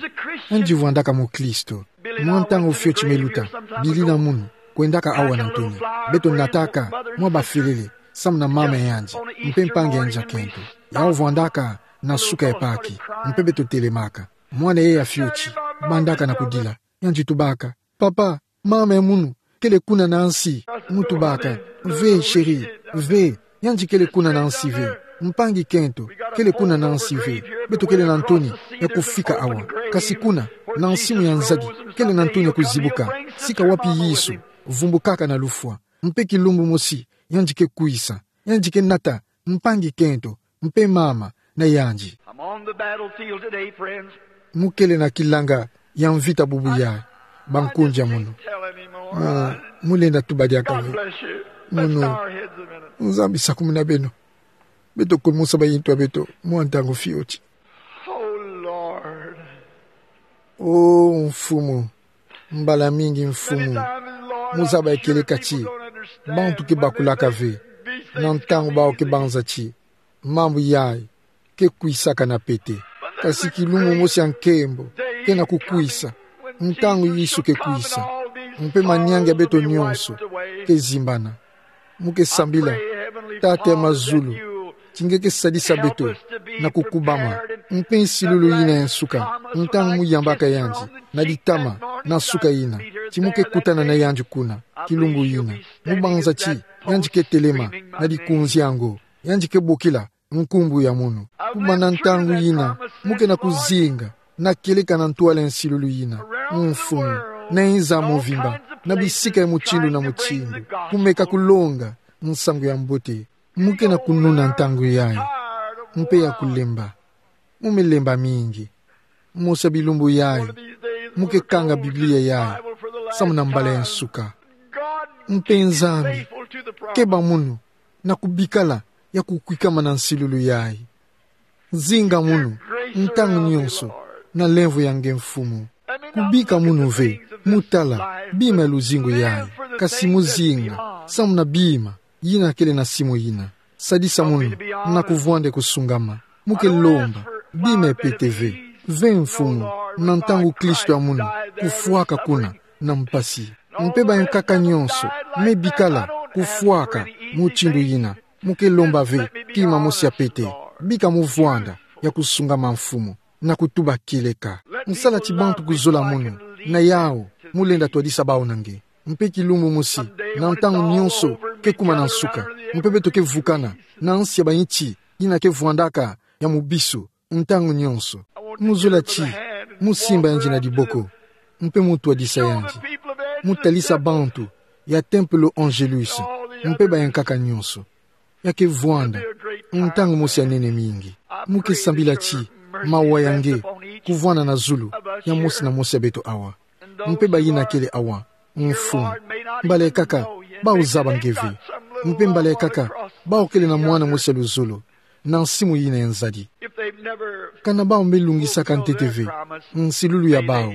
Yandi vwandaka mukristo. Mwa ntangu fioti me luta, Billy na munu kwendaka awa na ntoni. Beto nataka mwa bafelele, samu na mama ya yandi mpe mpangi ya yandi ya kento. Yau vwandaka na suka ya paki, mpe beto telemaka. Mwana yayi ya fioti bandaka na kudila. Yandi tubaka: Papa, mama ya munu kele kuna na nsi. Mu tubaka: Ve, chérie, ve. Yandi kele kuna na nsi ve. Mpangi kento kele kuna na nsi ve. Beto kele na ntoni ya kufika awa. Kasi kuna na nsimu ya nzadi, kele na ntoni ya kuzibuka, sika wapi Yesu vumbukaka na lufwa. Mpe kilumbu mosi yandi ke kwisa. Yandi ke nata mpangi kento mpe mama na yandi. I'm on the battlefield today, friends. Mu kele na kilanga ya mvita bubu yayi, bankundi ya munu. Tell anymore. Mu, mu lenda tuba diaka ve. Munu. Nzambi sakumuna beno. Beto kumusa bayintu ya beto mwa ntangu fioti. Oh, Lord. O Mfumu, mbala mingi, Mfumu, mu zaba ya kieleka ti bantu ke bakulaka ve, na ntangu bawu ke banza ti mambu yayi ke kwisaka na pete. Kasi kilumbu mosi ya nkembo ke na kukwisa, ntangu Yesu ke kwisa, mpe maniangi ya beto nyonso ke zimbana. Mu ke sambila, Tata ya mazulu, ti nge ke sadisa beto na kukubama, mpe nsilulu yina ya nsuka, ntangu mu yambaka yandi na litama na nsuka yina, ti mu ke kutana na yandi kuna, kilumbu yina. Mu banza ti yandi ke telema na likunzi yango, yandi ke bokila nkumbu ya munu. Kubanda ntangu yina, mu ke na kuzinga na kieleka na ntwala ya nsilulu yina, Mfumu, na nza mobimba, na bisika ya mutindu na mutindu, kumeka kulonga nsangu ya mbote. Mu ke na kununa ntangu yayi, mpe ya kulemba. Mu me lemba mingi. Mosi ya bilumbu yayi, mu ke kanga Biblia yayi samu na mbala ya nsuka. Mpe Nzambi, keba munu na kubikala ya kukwikama na nsilulu yayi. Zinga munu ntangu nyonso na lemvo ya nge, Mfumu. Kubika munu ve mu tala bima ya luzingu yayi, kasi mu zinga samu na bima yina kele na simu yina. Sadisa munu na kuvwanda ya kusungama. Mu ke lomba bima ya pete ve. Ve, Mfumu, na ntangu Kristo ya munu kufwaka kuna na mpasi. Mpe bayankaka nyonso me bikala kufwaka mutindu yina, mu ke lomba ve kima mosi ya pete. Bika mu vwanda ya kusungama, Mfumu, na kutuba kieleka. Nsala ti bantu kuzola munu, na yawu mu lenda twadisa bawu na nge. Mpe kilumbu mosi, na ntangu nyonso ke kuma na nsuka, mpe beto ke vukana na nsi ya bayinti yina ke vwandaka ya mubisu, ntangu nyonso, mu zola ti mu simba yandi na diboko, mpe mu twadisa yandi. Mu talisa bantu ya tempelo Angelus, mpe bayankaka nyonso. Ya ke vwanda ntangu mosi ya nene mingi. Mu ke sambila ti mawa ya nge kuvwanda na zulu ya mosi na mosi ya beto awa, mpe bayina kele awa, Mfumu. Mbala kaka bawu zaba nge ve. Mpe mbala kaka bawu kele na mwana mosi ya luzolo na nsimu yina ya nzadi. Kana bawu me lungisaka ntete ve nsilulu ya bawu,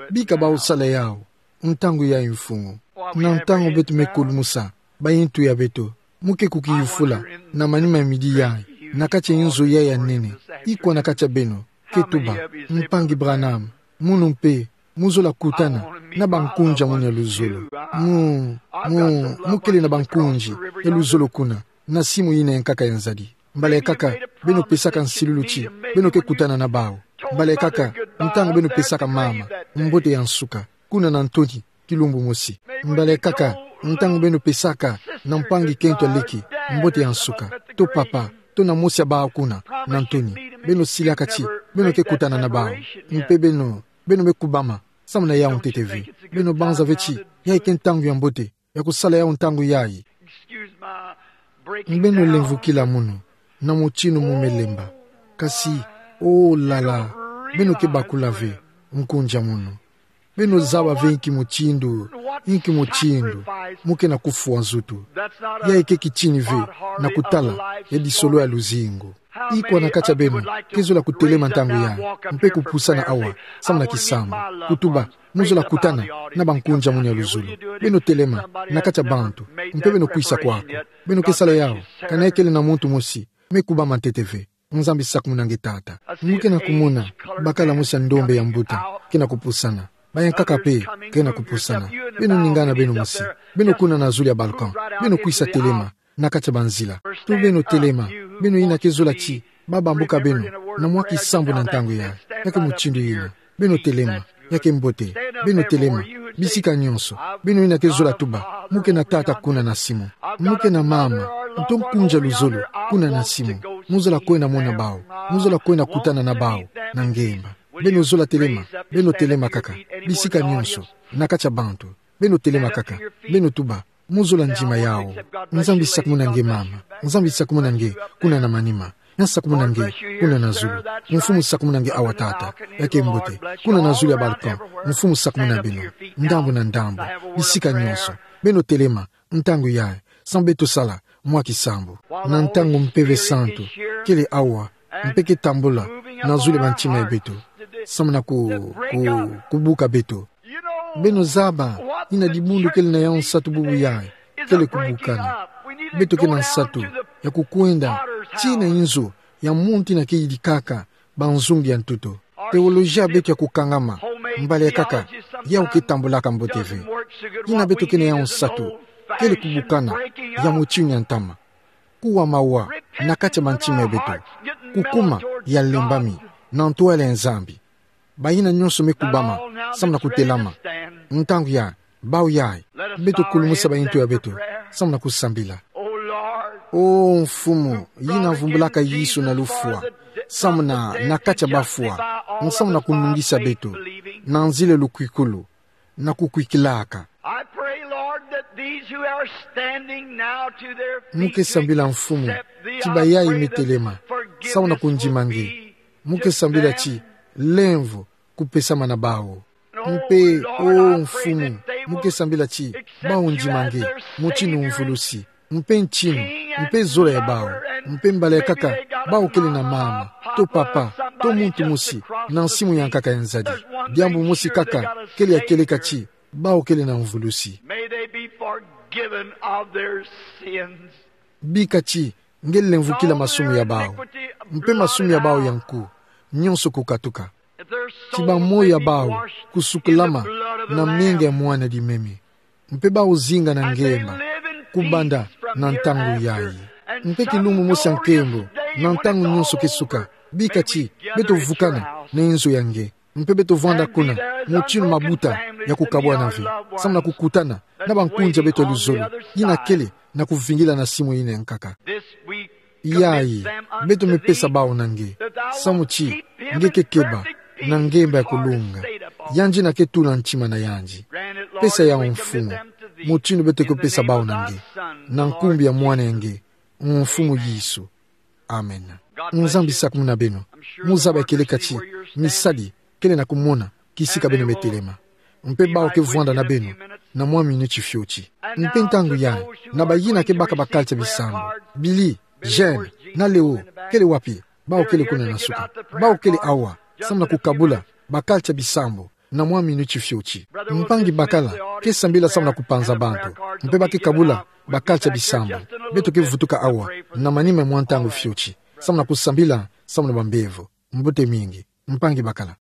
bika bawu sala yawu ntangu yayi, Mfumu. Na ntangu beto me kulumusa bayintu ya beto, mu ke kukiyufula na manima ya midi yayi, na kati ya nzo yayi ya nene, ikwa na kati ya beno ke tuba: Mpangi Branham, munu mpe mu zola kutana na bankunzi ya munu ya luzolo? Mu, mu, mu kele na bankunzi ya luzolo kuna na simu yina ya nkaka ya nzadi. Mbala kaka beno pesaka nsilulu ti beno ke kutana na bawu. Mbala kaka ntangu beno pesaka mama mbote ya nsuka kuna na ntoni kilumbu mosi. Mbala kaka ntangu beno pesaka na mpangi kento ya leke mbote ya nsuka, to papa, to na mosi ya bawu kuna na ntoni, beno silaka ti beno ke kutana na bawu. Mpe beno, beno me kubama samu na yawu ntete ve. Beno banza ve ti yayi ke ntangu ya mbote ya kusala yawu ntangu yayi. Beno lemvukila munu na mutindu mu me lemba. Kasi, oh là là, beno ke bakula ve nkunzi ya munu. Beno zaba ve inki mutindu, inki mutindu mu ke na kufwa nzutu. Yayi ke kitini ve na kutala ya disolo ya luzingu. Ikwa na kati ya beno ke zola kutelema ntangu yayi mpe kupusana awa samu na kisambu, kutuba: Mu zola kutana na bankunzi ya munu ya luzolo? Beno telema na kati ya bantu, mpe beno kwisa kwaku. Beno ke sala yawu kana kele na muntu mosi me kubama ntete ve. Nzambi, sakumuna nge, Tata. Mu ke na kumona bakala mosi ya ndombe ya mbuta ke na kupusana. Bayankaka mpe ke na kupusana. Beno ningana beno mosi. Beno kuna na zulu ya balcon. Beno kwisa telema na kati ya banzila. To beno telema, beno yina ke zola ti ba bambuka beno na mwa kisambu na ntangu yayi. Ya ke mutindu yina. Beno telema. Ya ke mbote. Beno telema. Bisika nyonso. Beno yina ke zola tuba: Mu ke na tata kuna na simu. Mu ke na mama, nto nkunzi ya luzolo kuna na simu. Mu zola kwenda mona bawu. Mu zola kwenda kutana na bawu na ngemba. Beno zola telema. Beno telema kaka. Bisika nyonso, na kati ya bantu, beno telema kaka. Beno tuba: Mu zola ndima yawu. Nzambi, sakumuna nge, mama. Nzambi, sakumuna nge kuna na manima. Nzambi, sakumuna nge kuna na zulu. Mfumu, sakumuna nge awa, Tata. Ya ke mbote. Kuna na zulu ya balcon, Mfumu, sakumuna beno ndambu na ndambu, bisika nyonso. Beno telema ntangu yayi samu beto sala mwa kisambu. Na ntangu Mpeve Santu kele awa mpe ke tambula na zulu ya bantima ya beto samu na ku, ku, kubuka beto. Beno zaba yina dibundu kele na yawu nsatu bubu yayi, kele kubukana. Beto ke na nsatu ya kukwenda tii na inzo ya monti na keyidikaka banzungu ya ntutu. Teolojia beto ya kukangama, mbali ya kaka, yawu ketambulaka mbote ve. Yina beto kena yawu nsatu, kele kubukana ya motinu ya ntama. Kuwa mawa na kati ya bantima ya beto. Kukuma ya lembami na ntwala ya Nzambi. Bayina nyonso me kubama, samu na kutelama. Ntangu ya, bawu yayi, beto kulumusa bayintu ya beto, samu na kusambila. O Mfumu, yina vumbulaka Yesu na lufwa, samu na, na kati ya bafwa, samu na kunungisa beto, na nzila lukwikulu, na kukwikilaka. I pray, Lord, that these who are standing now to their feet Mu kesambila, Mfumu, ti bayayi me telema, samu na kundima nge. Mu kesambila ti lemvo kupesama na bawu. Mpe, o Mfumu, mu kesambila ti bawu ndima nge, motinu mvulusi, mpe ntinu, mpe zola ya bawu, mpe mbali ya kaka, bawu kele na mama, to papa, to muntu mosi, na nsimu ya nkaka ya nzadi. Diambu mosi kaka, kele ya kieleka ti, bawu kele na mvulusi. May they be forgiven of their sins. Bika ti, nge lemvokila masumu ya bawu. Mpe masumu ya bawu ya nku, nyonso kukatuka. Ti bamoyo ya bawu kusukulama na menga ya mwana dimeme. Mpe bawu zinga na ngemba kubanda na ntangu yayi. Mpe kilumbu mosi ya nkembo, na ntangu nyonso kisuka, bika ti beto vukana na inzo ya nge. Mpe beto vwanda kuna, motinu mabuta ya kukabwana ve, samu na kukutana na bankunzi ya beto ya luzolo, yina kele na kuvingila na simu yina ya nkaka. Yayi, beto me pesa bawu na nge, samu ti nge ke keba na ngemba ya kulunga, yandi na ke tula ntima na yandi. Pesa yawu, Mfumu, motinu beto ke pesa bawu na nge, na nkumbu ya Mwana ya nge, Mfumu Yesu. Amen. Nzambi sakumuna beno. Mu zaba ya kieleka ti misadi kele na kumona kisika beno me telema. Mpe bawu ke vwanda na beno na mwa minuti fioti. Mpe ntangu yayi, na bayina ke baka ba carte ya bisambu, Billy, Jean, na Leo, kele wapi? Bawu kele kuna na suka. Bawu kele awa, samu na kukabula ba carte ya bisambu na mwa minuti fioti. Mpangi bakala ke sambila samu na kupanza bantu, mpe ba ke kabula ba carte ya bisambu. Beto ke vutuka awa na manima ya mwa ntangu fioti, samu na kusambila samu na bambevo. Mbote mingi, mpangi bakala.